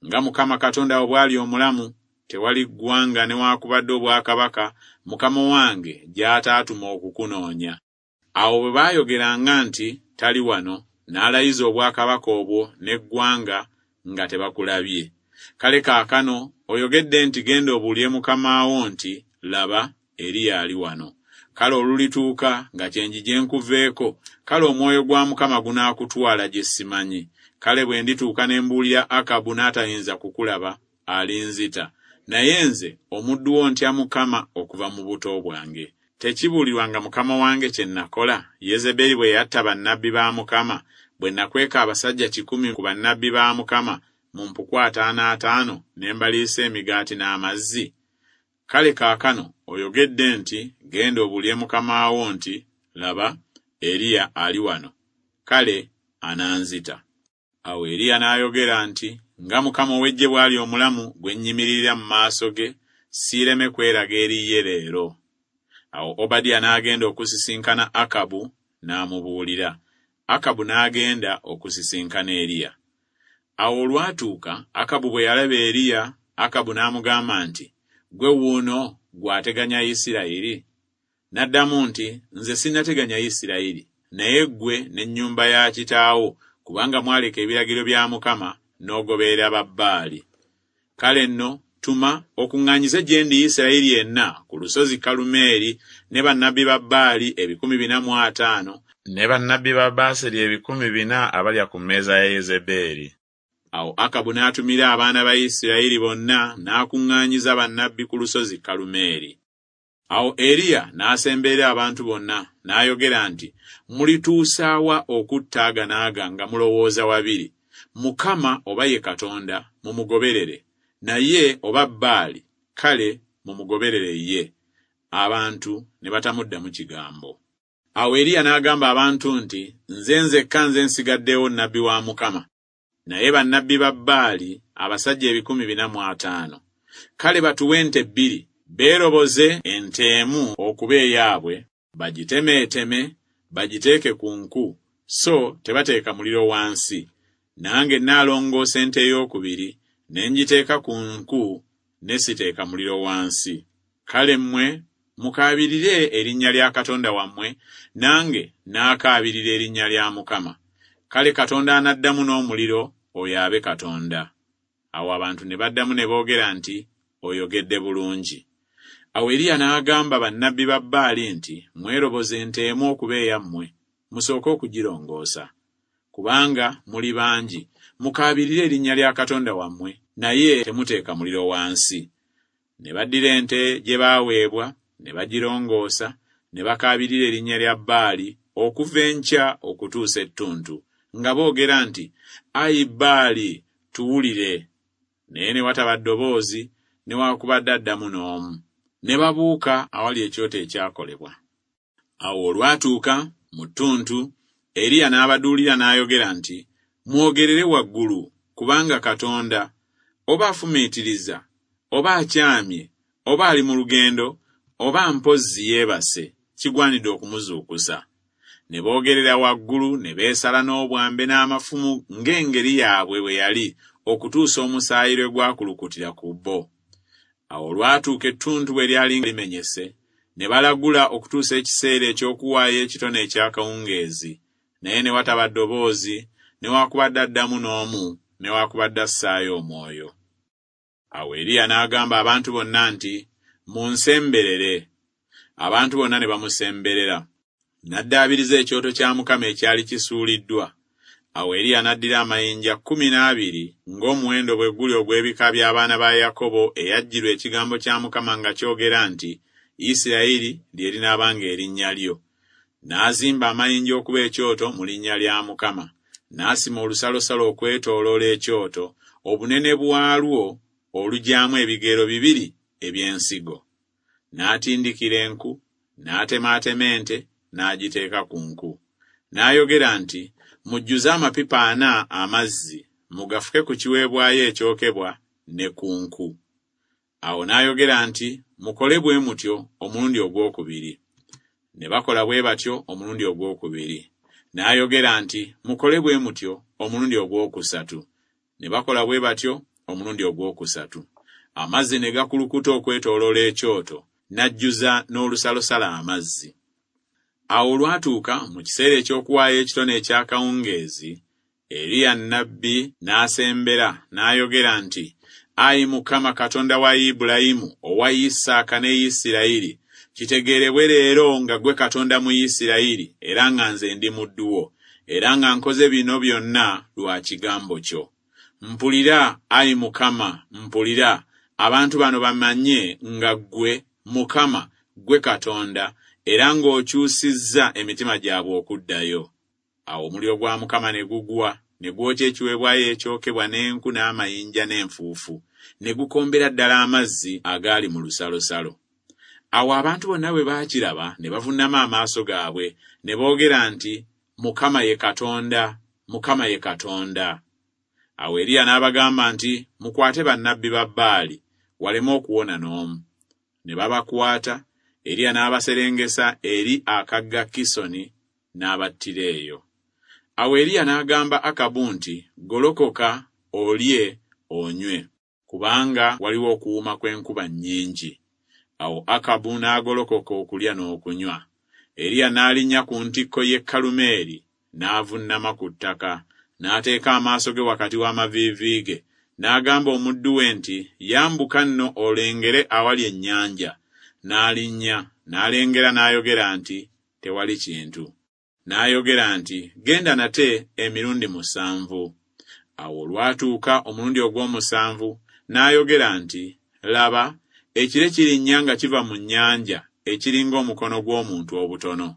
Nga Mukama Katonda wo bw'ali omulamu, tewali ggwanga newaakubadde obwakabaka mukama wange gy'ataatuma okukunoonya. Awo bwe baayogeranga nti, Tali wano, n'alayiza obwakabaka obwo n'eggwanga nga tebakulabye. Kale kaakano oyogedde nti, Genda obuulire mukama wo nti, Laba, Eriya ali wano. Kale olulituuka nga kyenjije nkuveeko, kale omwoyo gwa Mukama gunaakutwala gye simanyi. Kale bwe ndituuka ne mbuulira Akabu n'atayinza kukulaba, alinzita. Naye nze omuddu wo ntya Mukama okuva mu buto bwange. Tekibuulirwanga mukama wange kye nakola, Yezeberi bwe yatta bannabbi ba Mukama, bwe nakweka abasajja kikumi ku bannabbi ba Mukama mu mpuku ataano ataano ne mbaliisa emigaati n'amazzi? Kale kaakano oyogedde nti, Genda obuulire mukama wo nti, Laba, Eriya ali wano. Kale ananzita. Awo Eriya n'ayogera nti, Nga Mukama ow'eggye bw'ali omulamu gwe nnyimiririra mu maaso ge, siireme kweraga eri ye leero. Awo Obadiya n'agenda okusisinkana Akabu n'amubuulira. Akabu n'agenda okusisinkana Eriya. Awo olwatuuka Akabu bwe yalaba Eriya, Akabu n'amugamba nti, Ggwe wuuno gw'ateganya Isirayiri? N'addamu nti, Nze sinnateganya Isirayiri, naye ggwe n'ennyumba ya kitaawo, kubanga mwaleka ebiragiro bya Mukama n'ogoberera Babbaali. Kale nno tuma okuŋŋaanyize gye ndi Isirayiri yenna ku lusozi Kalumeeri ne bannabbi ba Bbaali ebikumi bina mu ataano ne bannabbi ba Baaseri ebikumi bina abalya ku mmeeza ya Yezebeeri. Awo Akabu n'atumira abaana ba Isirayiri bonna n'akuŋŋaanyiza bannabbi ku lusozi Kalumeeri. Awo Eriya n'asemberera abantu bonna n'ayogera nti, Mulituusa wa okutta aga n'aga nga mulowooza wabiri? Mukama oba ye Katonda, mumugoberere, naye oba Bbaali, kale mumugoberere ye. Abantu ne batamuddamu kigambo. Awo Eriya n'agamba abantu nti, Nze nzekka nze nsigaddewo nnabbi wa Mukama, naye bannabbi ba Bbaali abasajja ebikumi bina mu ataano. Kale batuwe ente bbiri, beeroboze ente emu okuba eyaabwe, bagitemeeteme, bagiteeke ku nku, so tebateeka muliro wansi. Nange nnaalongoosa ente eyookubiri, ne ngiteeka ku nku, ne siteeka muliro wansi. Kale mmwe mukaabirire erinnya lya Katonda wammwe, nange naakaabirira erinnya lya Mukama. Kale Katonda anaddamu n'omuliro, oyo abe Katonda. Awo abantu ne baddamu ne boogera nti, Oyogedde bulungi. Awo Eriya n'agamba bannabbi ba Bbaali nti, Mweroboze ente emu okuba eyammwe, musooke okugirongoosa. Kubanga muli bangi, mukaabirire erinnya lya Katonda wammwe, naye temuteeka muliro wansi. Ne baddira ente gye baaweebwa, ne bagirongoosa, ne bakaabirira erinnya lya Bbaali okuva enkya okutuusa ettuntu, nga boogera nti, Ayi Bbaali, tuwulire. Naye ne wataba ddoboozi, newaakubadde addamu n'omu. Ne babuuka awali ekyoto ekyakolebwa. Awo olwatuuka mu ttuntu, Eriya n'abaduulira n'ayogera nti, Mwogerere waggulu, kubanga Katonda oba afumiitiriza, oba akyamye, oba ali mu lugendo, oba mpozzi yeebase, kigwanidde okumuzuukusa. Ne boogerera waggulu, ne beesala n'obwambe n'amafumu ng'engeri yaabwe bwe yali, okutuusa omusaayi lwe gwakulukutira ku bo. Awo olwatuuka ettuntu bwe lyali limenyese, ne balagula okutuusa ekiseera eky'okuwaayo ekitone eky'akawungeezi, naye ne wataba ddoboozi, newaakubadde addamu n'omu, newaakubadde assaayo omwoyo. Awo Eriya n'agamba abantu bonna nti, Munsemberere. Abantu bonna ne bamusemberera. N'addaabiriza ekyoto kya Mukama ekyali kisuuliddwa. Awo Eriya n'addira amayinja kkumi n'abiri ng'omuwendo bwe guli ogw'ebika by'abaana ba Yakobo eyajjirwa ekigambo kya Mukama nga kyogera nti, Isirayiri lye linaabanga erinnya lyo. N'azimba amayinja okuba ekyoto mu linnya lya Mukama. N'asima olusalosalo okwetooloola ekyoto, obunene bwalwo olugyamu ebigero bibiri eby'ensigo. N'atindikira enku, n'atemaatema ente, n'agiteeka ku nku. N'ayogera nti, Mujjuze amapipa ana amazzi, mugafuke ku kiweebwayo ekyokebwa ne ku nku. Awo n'ayogera nti, Mukole bwe mutyo omulundi ogwokubiri. Ne bakola bwe batyo omulundi ogwokubiri. N'ayogera nti, Mukole bwe mutyo omulundi ogwokusatu. Ne bakola bwe batyo omulundi ogwokusatu. Amazzi ne gakulukuta okwetooloola ekyoto, n'ajjuza n'olusalosalo amazzi. Awo olwatuuka mu kiseera eky'okuwaayo ekitone eky'akawungeezi, Eriya nnabbi n'asembera n'ayogera nti, Ayi Mukama Katonda wa Ibulayimu, owa Isaaka ne Isirayiri, kitegeerebwe leero nga ggwe Katonda mu Isirayiri, era nga nze ndi muddu wo, era nga nkoze bino byonna lwa kigambo kyo. Mpulira, ayi Mukama, mpulira, abantu bano bamanye nga ggwe, Mukama, ggwe Katonda, era ng'okyusizza emitima gyabwe okuddayo. Awo omuliro gwa Mukama ne gugwa, ne gwokya ekiweebwayo ekyokebwa n'enku n'amayinja n'enfuufu, ne gukombera ddala amazzi agaali mu lusalosalo. Awo abantu bonna bwe baakiraba ne bavuunama amaaso gaabwe, ne boogera nti, Mukama ye Katonda, Mukama ye Katonda. Awo Eriya n'abagamba nti, Mukwate bannabbi ba Bbaali, waleme okuwona n'omu. Ne babakwata, Eriya n'abaserengesa eri akagga Kisoni, n'abattira eyo. Awo Eriya n'agamba Akabu nti, Golokoka, olye, onywe, kubanga waliwo okuwuuma kw'enkuba nnyingi. Awo Akabu n'agolokoka okulya n'okunywa. Eriya n'alinnya ku ntikko y'e Kalumeeri, n'avunnama ku ttaka, n'ateeka amaaso ge wakati w'amaviivi ge, n'agamba omuddu we nti, Yambuka nno olengere awali ennyanja. N'alinnya, n'alengera n'ayogera nti, Tewali kintu. N'ayogera nti, Genda nate emirundi musanvu. Awo olwatuuka omulundi ogw'omusanvu, n'ayogera nti, Laba, ekire kirinnya nga kiva mu nnyanja, ekiringa omukono gw'omuntu obutono.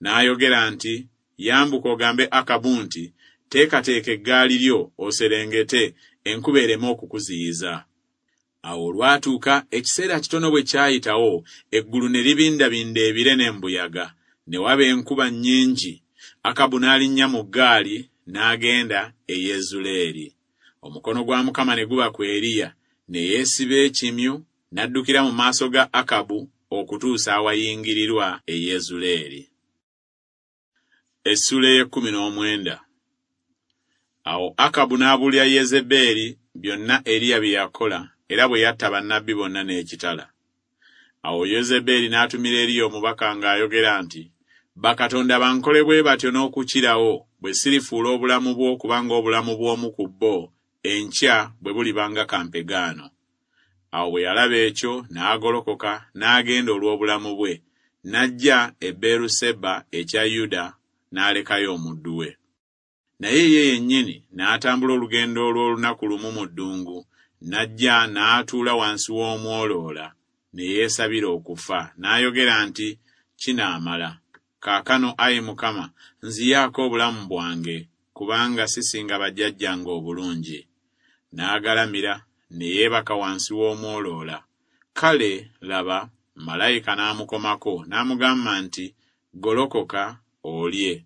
N'ayogera nti, Yambuka ogambe Akabu nti, Teekateeka eggaali lyo oserengete, enkuba ereme okukuziyiza. Awo olwatuuka ekiseera kitono bwe kyayitawo, eggulu ne libindabinda ebire n'embuyaga, ne waba enkuba nnyingi. Akabu n'alinnya mu ggaali n'agenda e Yezuleeri. Omukono gwa Mukama ne guba ku Eriya, ne yeesiba ekimyu, n'addukira mu maaso ga Akabu okutuusa awayingirirwa e Yezuleeri. Essuula ey'ekkumi n'omwenda. Awo Akabu n'abuulira Yezebeeri byonna Eriya bye yakola era bwe yatta bannabbi bonna n'ekitala. Awo Yezebeeri n'atumira Eriya omubaka ng'ayogera nti, Bakatonda bankole bwe batyo n'okukirawo, bwe sirifuula obulamu bwo kubanga obulamu bw'omu ku bo enkya bwe buliba nga kampegaano. Awo bwe yalaba ekyo n'agolokoka n'agenda olw'obulamu bwe, n'ajja e Beeruseba ekya Yuda n'alekayo omuddu we. Naye ye yennyini n'atambula olugendo olw'olunaku lumu mu ddungu, n'ajja n'atuula wansi w'omwoloola, ne yeesabira okufa, n'ayogera nti, Kinaamala. Kaakano, ayi Mukama, nziyaako obulamu bwange, kubanga sisinga bajjajjange obulungi. N'agalamira, ne yeebaka wansi w'omwoloola. Kale, laba, malayika n'amukomako, n'amugamba nti, Golokoka, olye.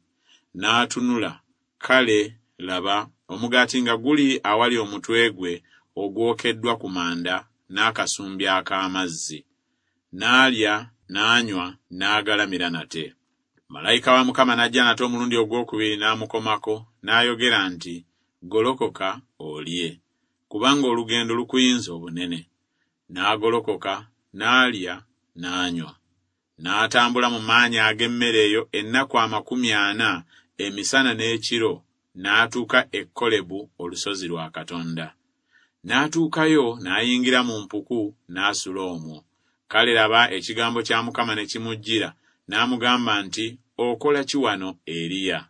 N'atunula, kale, laba, omugaati nga guli awali omutwe gwe ogwokeddwa ku manda n'akasumbi ak'amazzi. N'alya, n'anywa, n'agalamira nate. Malayika wa Mukama n'ajja nate omulundi ogwokubiri n'amukomako, n'ayogera nti, Golokoka, olye, kubanga olugendo lukuyinza obunene. N'agolokoka, n'alya, n'anywa. N'atambula mu maanyi ag'emmere eyo ennaku amakumi ana, emisana n'ekiro, n'atuuka e Kolebu, olusozi lwa Katonda. N'atuukayo n'ayingira mu mpuku, n'asula omwo. Kale laba, ekigambo kya Mukama ne kimujjira, n'amugamba nti, Okola ki wano, Eriya?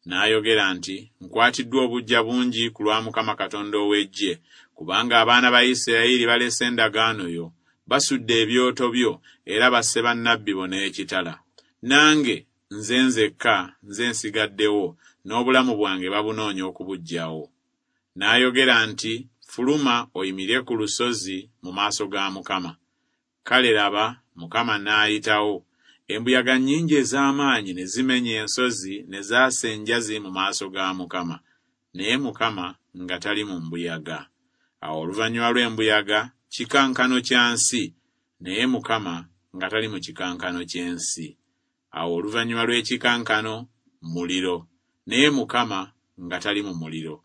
N'ayogera nti, Nkwatiddwa obuggya bungi ku lwa Mukama Katonda ow'eggye, kubanga abaana ba Isirayiri balese endagaano yo, basudde ebyoto byo, era basse bannabbi bo n'ekitala. Nange nze nzekka nze nsigaddewo, n'obulamu bwange babunoonya okubuggyawo. N'ayogera nti, Fuluma oyimirire ku lusozi mu maaso ga Mukama. Kale laba, Mukama n'ayitawo. Embuyaga nnyingi ez'amaanyi ne zimenya ensozi ne zaasa enjazi mu maaso ga Mukama. Naye Mukama nga tali mu mbuyaga. Awo oluvannyuma lw'embuyaga kikankano kya nsi, naye Mukama nga tali mu kikankano ky'ensi. Awo oluvannyuma lw'ekikankano muliro, naye Mukama nga tali mu muliro.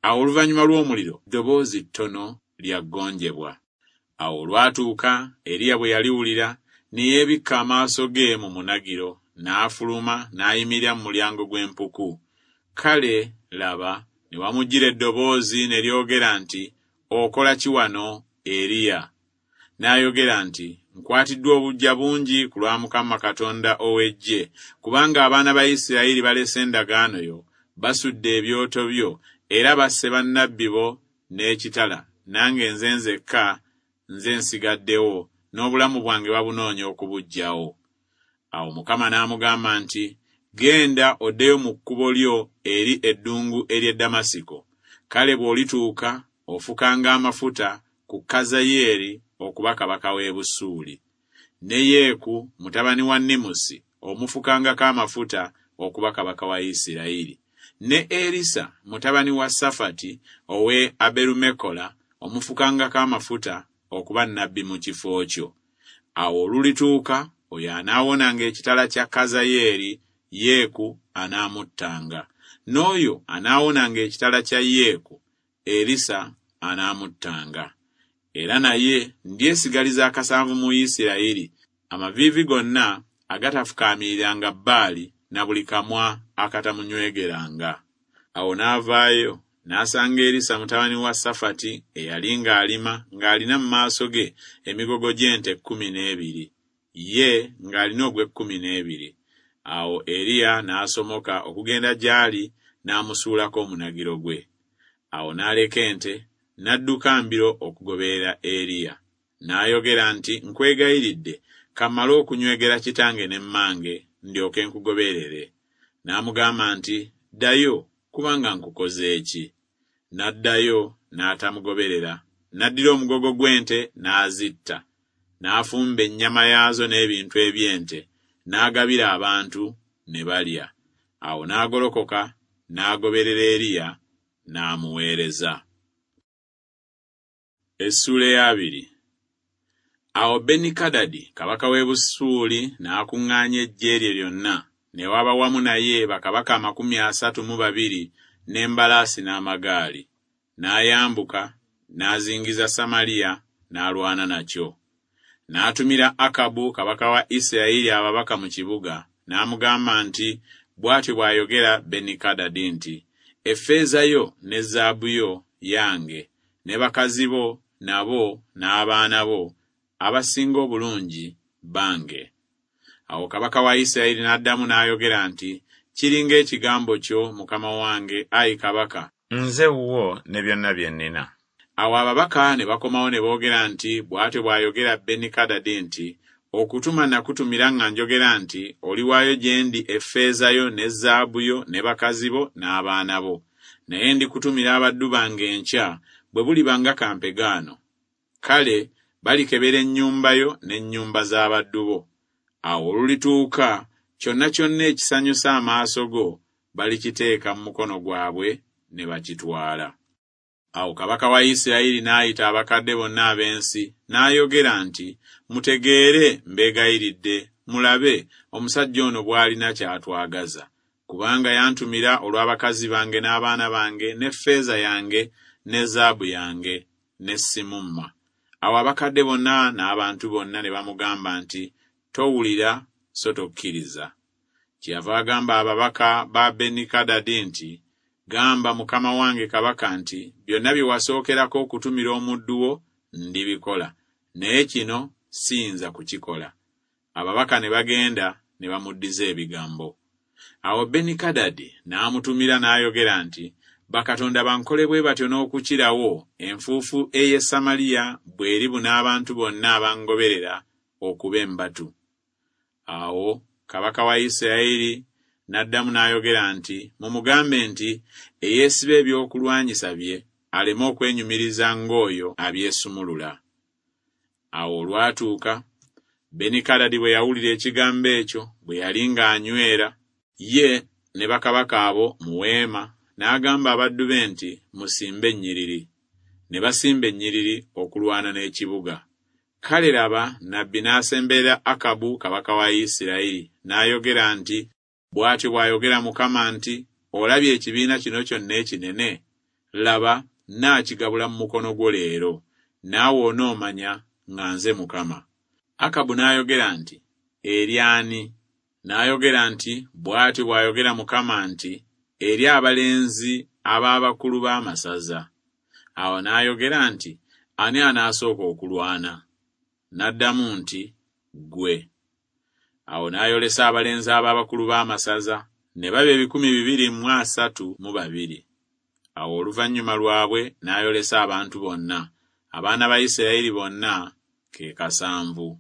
Awo oluvannyuma lw'omuliro ddoboozi ttono lya ggonjebwa. Awo olwatuuka Eriya bwe yaliwulira, ne yeebikka amaaso ge mu munagiro, n'afuluma n'ayimirira mu mulyango gw'empuku. Kale laba, ne wamujjira eddoboozi ne lyogera nti, Okola ki wano, Eriya? N'ayogera nti, Nkwatiddwa obuggya bungi ku lwa Mukama Katonda ow'eggye, kubanga abaana ba Isirayiri balese endagaano yo, basudde ebyoto byo, era basse bannabbi bo n'ekitala, nange nze nzekka nze nsigaddewo, n'obulamu bwange babunoonya okubuggyawo. Awo Mukama n'amugamba nti, Genda oddeyo mu kkubo lyo eri eddungu ery'e Damasiko. Kale bw'olituuka, ofukanga amafuta ku Kazayeeri okuba kabaka w'e Busuuli. Ne Yeeku mutabani wa Nimusi omufukangako amafuta okuba kabaka wa Isirayiri. Ne Erisa mutabani wa Safati ow'e Aberumekola omufukangako amafuta okuba nnabbi mu kifo kyo. Awo olulituuka, oyo anaawonanga ekitala kya Kazayeeri, Yeeku anaamuttanga. N'oyo anaawonanga ekitala kya Yeeku, Erisa anaamuttanga. Era naye ndyesigaliza akasanvu mu Isirayiri, amaviivi gonna agatafukaamiriranga Baali na buli kamwa akatamunywegeranga. Awo n'avaayo n'asanga Erisa mutabani wa Safati eyali ng'alima ng'alina mu maaso ge emigogo gy'ente kkumi n'ebiri, ye ng'alina ogw'ekkumi n'ebiri. Awo Eriya n'asomoka okugenda gy'ali n'amusuulako omunagiro gwe. Awo n'aleka ente n'adduka mbiro okugoberera Eriya. N'ayogera nti, Nkwegayiridde, ka mmale okunywegera kitange ne mmange, ndyoke nkugoberere. N'amugamba nti, Ddayo, kubanga nkukoze ki? N'addayo n'atamugoberera. N'addira omugogo gw'ente n'azitta, n'afumba ennyama yaazo n'ebintu eby'ente, n'agabira abantu ne balya. Awo n'agolokoka n'agoberera Eriya n'amuweereza. Essuula ey'abiri. Awo Benikadadi kabaka w'e Busuuli n'akuŋŋaanya eggye lye lyonna, ne waba wamu naye bakabaka amakumi asatu mu babiri n'embalaasi n'amagaali. N'ayambuka n'azingiza Samaliya n'alwana nakyo. N'atumira Akabu kabaka wa Isirayiri ababaka mu kibuga, n'amugamba nti, Bw'atyo bw'ayogera Benikadadi nti, Effeeza yo ne zaabu yo yange, ne bakazi bo nabo n'abaana bo abasinga obulungi bange. Awo kabaka wa Isirayiri n'addamu n'ayogera nti, Kiri ng'ekigambo kyo, mukama wange, ayi kabaka, nze wuwo ne byonna bye nnina. Awo ababaka ne bakomawo ne boogera nti, Bw'atyo bw'ayogera Benikadadi nti, Okutuma nakutumira nga njogera nti, Oliwaayo gye ndi effeeza yo ne zaabu yo ne bakazi bo n'abaana bo. Naye ndikutumira abaddu bange enkya, bwe buliba nga kampegaano. Kale balikebera ennyumba yo n'ennyumba z'abaddu bo. Awo olulituuka, kyonna kyonna ekisanyusa amaaso go balikiteeka mu mukono gwabwe ne bakitwala. Awo kabaka wa Isirayiri n'ayita abakadde bonna ab'ensi, n'ayogera nti, Mutegeere, mbeegayiridde, mulabe omusajja ono bw'alina ky'atwagaza. Kubanga yantumira olw'abakazi bange n'abaana bange n'effeeza yange ne zaabu yange ne simumma. Awo abakadde bonna n'abantu bonna ne bamugamba nti, Towulira so tokkiriza. Kyeyava agamba ababaka ba Benikadadi nti, Gamba mukama wange kabaka nti, Byonna bye wasookerako okutumira omuddu wo ndibikola, naye kino siyinza kukikola. Ababaka ne bagenda ne bamuddiza ebigambo. Awo Benikadadi n'amutumira n'ayogera nti, Bakatonda bankole bwe batyo n'okukirawo, enfuufu ey'e Samaliya bw'eribuna abantu bonna abangoberera okuba embatu. Awo kabaka wa Isirayiri n'addamu n'ayogera nti, Mumugambe nti, Eyeesiba ebyokulwanyisa bye aleme okwenyumiriza ng'oyo abyesumulula. Awo olwatuuka, Benikadadi bwe yawulira ekigambo ekyo, bwe yali ng'anywera, ye ne bakabaka abo mu weema, n'agamba abaddu be nti, Musimbe ennyiriri. Ne basimba ennyiriri okulwana n'ekibuga. Kale laba, nnabbi n'asemberera Akabu kabaka wa Isirayiri, n'ayogera nti, Bw'atyo bw'ayogera Mukama nti, Olabye ekibiina kino kyonna ekinene? Laba, nnaakigabula mu mukono gwo leero, naawe onoomanya nga nze Mukama. Akabu n'ayogera nti, Eri ani? N'ayogera nti, Bw'atyo bw'ayogera Mukama nti, Eri abalenzi ab'abakulu b'amasaza. Awo n'ayogera nti, Ani anaasooka okulwana? N'addamu nti, Ggwe. Awo n'ayolesa abalenzi ab'abakulu b'amasaza, ne baba ebikumi bibiri mu asatu mu babiri. Awo oluvannyuma lwabwe n'ayolesa abantu bonna, abaana ba Isirayiri bonna, ke kasanvu.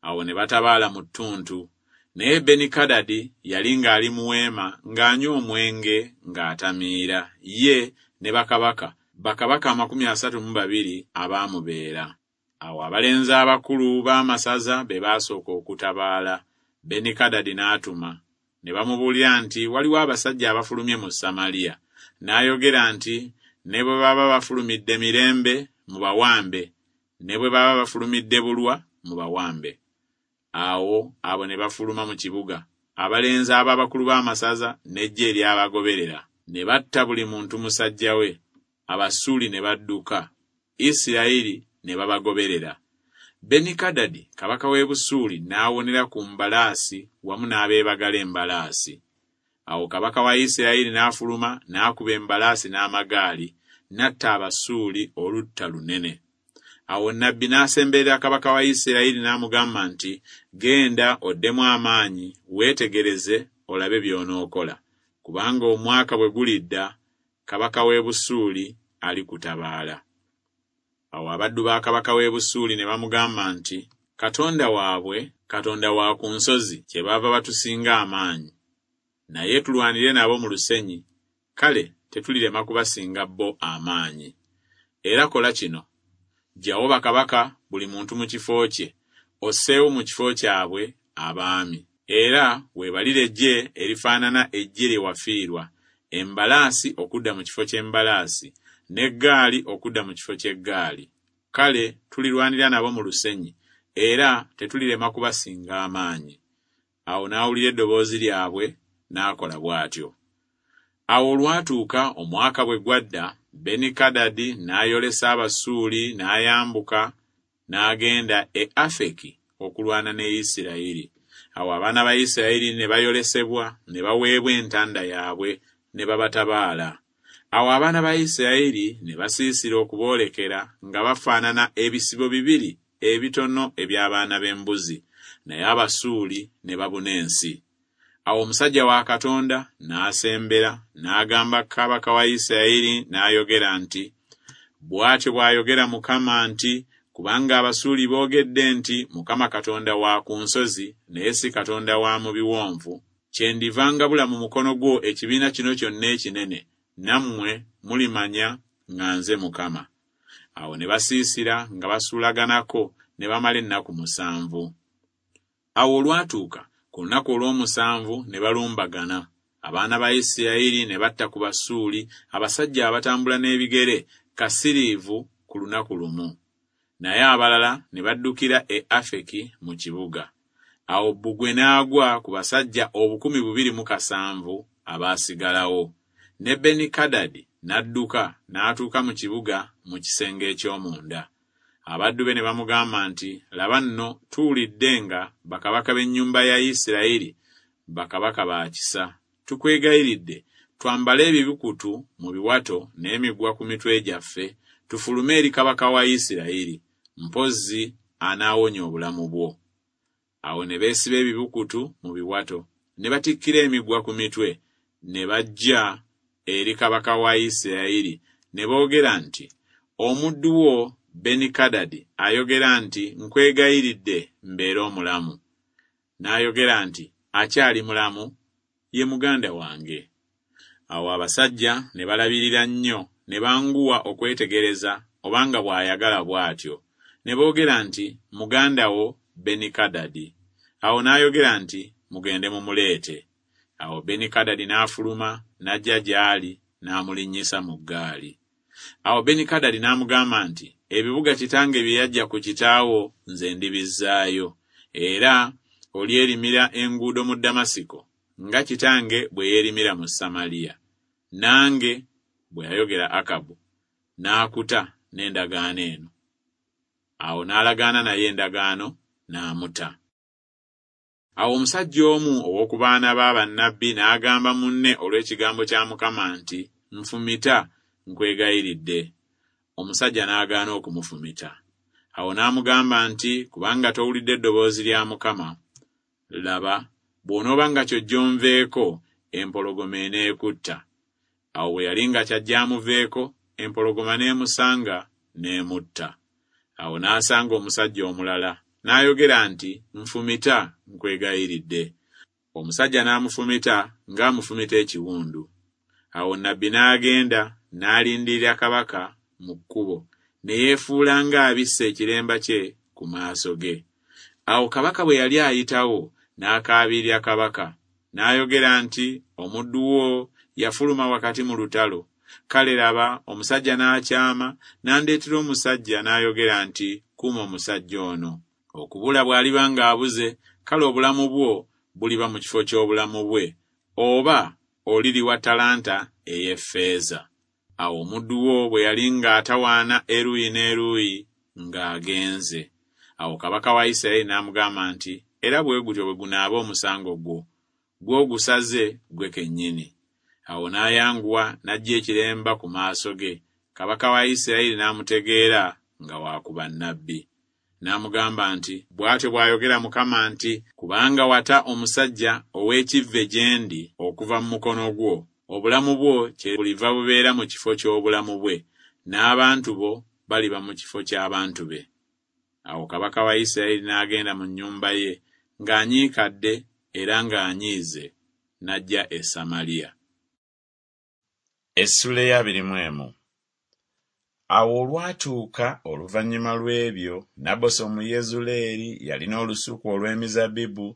Awo ne batabaala mu ttuntu. Naye Benikadadi yali ng'ali mu weema ng'anywa omwenge ng'atamiira, ye ne bakabaka, bakabaka amakumi asatu mu babiri abaamubeera. Awo abalenzi abakulu b'amasaza be baasooka okutabaala. Benikadadi n'atuma, ne bamubuulira nti waliwo abasajja abafulumye mu Samaliya. N'ayogera nti, Ne bwe baba bafulumidde mirembe, mubawambe, ne bwe baba bafulumidde bulwa, mubawambe. Awo abo ne bafuluma mu kibuga, abalenzi ab'abakulu b'amasaza n'eggye eryabagoberera, ne batta buli muntu musajja we. Abasuuli ne badduka, Isirayiri ne babagoberera. Benikadadi kabaka w'e Busuuli n'awonera ku mbalaasi wamu n'abeebagala embalaasi. Awo kabaka wa Isirayiri n'afuluma n'akuba embalaasi n'amagaali, n'atta Abasuuli olutta lunene. Awo nnabbi n'asemberera kabaka wa Isirayiri n'amugamba nti, Genda oddemu amaanyi, weetegereze olabe by'onookola, kubanga omwaka bwe gulidda, kabaka w'e Busuuli alikutabaala. Awo abaddu ba kabaka w'e Busuuli ne bamugamba nti, Katonda waabwe, Katonda wa ku nsozi, kyebaava batusinga amaanyi. Naye tulwanire nabo mu lusenyi, kale tetulirema kubasinga bo amaanyi. Era kola kino, ggyawo bakabaka buli muntu mu kifo kye, osseewo mu kifo kyabwe abaami. Era weebalire eggye erifaanana eggye lye wafiirwa, embalaasi okudda mu kifo ky'embalaasi, n'eggaali okudda mu kifo ky'eggaali. Kale tulirwanira nabo mu lusenyi, era tetulirema kubasinga amaanyi. Awo n'awulira eddoboozi lyabwe, n'akola bw'atyo. Awo olwatuuka omwaka bwe gwadda, Benikadadi n'ayolesa Abasuuli n'ayambuka n'agenda e Afeki okulwana ne Isirayiri. Awo abaana ba Isirayiri ne bayolesebwa, ne baweebwa entanda yaabwe, ne babatabaala. Awo abaana ba Isirayiri ne basiisira okuboolekera nga bafaanana ebisibo bibiri ebitono eby'abaana b'embuzi, naye Abasuuli ne babuna ensi. Awo omusajja wa Katonda n'asembera n'agamba kabaka wa Isirayiri n'ayogera nti, Bw'atyo bw'ayogera Mukama nti, kubanga Abasuuli boogedde nti Mukama Katonda wa ku nsozi, naye si Katonda wa mu biwonvu, kyendiva ngabula mu mukono gwo ekibiina kino kyonna ekinene, nammwe mulimanya nga nze Mukama. Awo ne basiisira nga basuulaganako ne bamala ennaku musanvu. Awo olwatuuka ku lunaku olw'omusanvu ne balumbagana. Abaana ba Isirayiri ne batta ku Basuuli abasajja abatambula n'ebigere kasiriivu ku lunaku lumu. Naye abalala ne baddukira e Afeki mu kibuga. Awo bbugwe n'agwa ku basajja obukumi bubiri mu kasanvu abaasigalawo. Ne Benikadadi n'adduka n'atuuka mu kibuga mu kisenge eky'omunda. Abaddu be ne bamugamba nti, Laba nno tuwulidde nga bakabaka b'ennyumba ya Isirayiri bakabaka ba kisa. Tukwegayiridde twambale ebibikutu mu biwato n'emigwa ku mitwe gyaffe, tufulume eri kabaka wa Isirayiri, mpozzi anaawonya obulamu bwo. Awo ne beesiba ebibukutu mu biwato, ne batikkira emigwa ku mitwe, ne bajja eri kabaka wa Isirayiri, ne boogera nti, Omuddu wo Benikadadi ayogera nti, Nkwegayiridde mbeere omulamu. N'ayogera nti, Akyali mulamu, ye muganda wange. Awo abasajja ne balabirira nnyo, ne banguwa okwetegereza obanga bw'ayagala bw'atyo. Ne boogera nti, Muganda wo Benikadadi. Awo n'ayogera nti, Mugende mumuleete. Awo Benikadadi n'afuluma n'ajja gy'ali n'amulinnyisa mu ggaali. Awo Benikadadi n'amugamba nti, Ebibuga kitange bye yaggya ku kitaawo nze ndibizzaayo, era olyerimira enguudo mu Damasiko nga kitange bwe yeerimira mu Samaliya. Nange, bwe yayogera Akabu, n'akuta n'endagaano eno. Awo n'alagaana naye endagaano n'amuta. Awo omusajja omu ow'oku baana ba bannabbi n'agamba munne olw'ekigambo kya Mukama nti, Nfumita, nkwegayiridde. Omusajja n'agaana okumufumita. Awo n'amugamba nti, Kubanga towulidde eddoboozi lya Mukama, laba, bw'onooba nga ky'ojja onveeko, empologoma eneekutta. Awo bwe yali nga ky'ajja amuveeko, empologoma n'emusanga n'emutta. Awo n'asanga omusajja omulala, n'ayogera nti, Nfumita, nkwegayiridde. Omusajja n'amufumita ng'amufumita ekiwundu. Awo nnabbi n'agenda n'alindirira kabaka mu kkubo, ne yeefuula ng'abisse ekiremba kye ku maaso ge. Awo kabaka bwe yali ayitawo, n'akaabirira kabaka, n'ayogera nti, Omuddu wo yafuluma wakati mu lutalo. Kale laba, omusajja n'akyama, n'andeetera omusajja n'ayogera nti, Kuuma omusajja ono. Okubula bw'aliba ng'abuze, kale obulamu bwo buliba mu kifo ky'obulamu bwe, oba oliriwa talanta ey'effeeza. Awo omuddu wo bwe yali ng'atawaana eruuyi n'eruuyi, ng'agenze. Awo kabaka wa Isirayiri n'amugamba nti, Era bwe gutyo bwe gunaaba omusango gwo, gw'ogusaze ggwe kennyini. Awo n'ayanguwa n'aggya ekiremba ku maaso ge. Kabaka wa Isirayiri n'amutegeera nga wa ku bannabbi. N'amugamba nti, Bw'atyo bw'ayogera Mukama nti, Kubanga wata omusajja ow'ekivve gye ndi okuva mu mukono gwo, obulamu bwo kyebuliva bubeera mu kifo ky'obulamu bwe, n'abantu bo baliba mu kifo ky'abantu be. Awo kabaka wa Isirayiri n'agenda mu nnyumba ye ng'anyiikadde era ng'anyiize, n'ajja e Samaliya. Essula ey'abiri mu emu. Awo olwatuuka oluvannyuma lw'ebyo, Nabosi Omuyezuleeri yalina olusuku olw'emizabbibu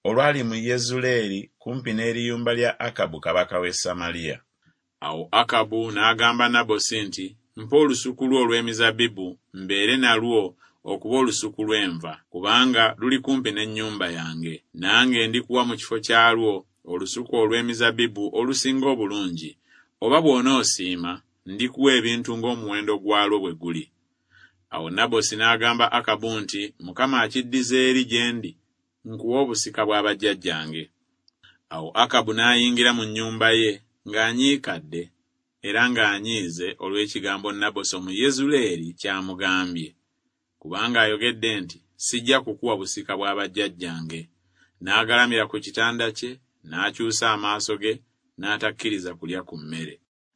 olwali mu Yezuleeri kumpi n'eriyumba lya Akabu kabaka w'e Samaliya. Awo Akabu n'agamba Nabosi nti, Mpa olusuku lwo olw'emizabbibu mbeere nalwo okuba olusuku lw'enva, kubanga luli kumpi n'ennyumba yange. Nange ndikuwa mu kifo kyalwo olusuku olw'emizabbibu olusinga obulungi. Oba bw'onoosiima, ndikuwa ebintu ng'omuwendo gwalwo bwe guli. Awo Nabosi n'agamba Akabu nti, Mukama akiddiza eri gye ndi, nkuwa obusika bwa bajjajjange. Awo Akabu n'ayingira mu nnyumba ye ng'anyiikadde era ng'anyiize olw'ekigambo Nabosi Omuyezuleeri ky'amugambye. Kubanga ayogedde nti, Sijja kukuwa busika bwa bajjajjange. N'agalamira ku kitanda kye, n'akyusa amaaso ge, n'atakkiriza kulya ku mmere.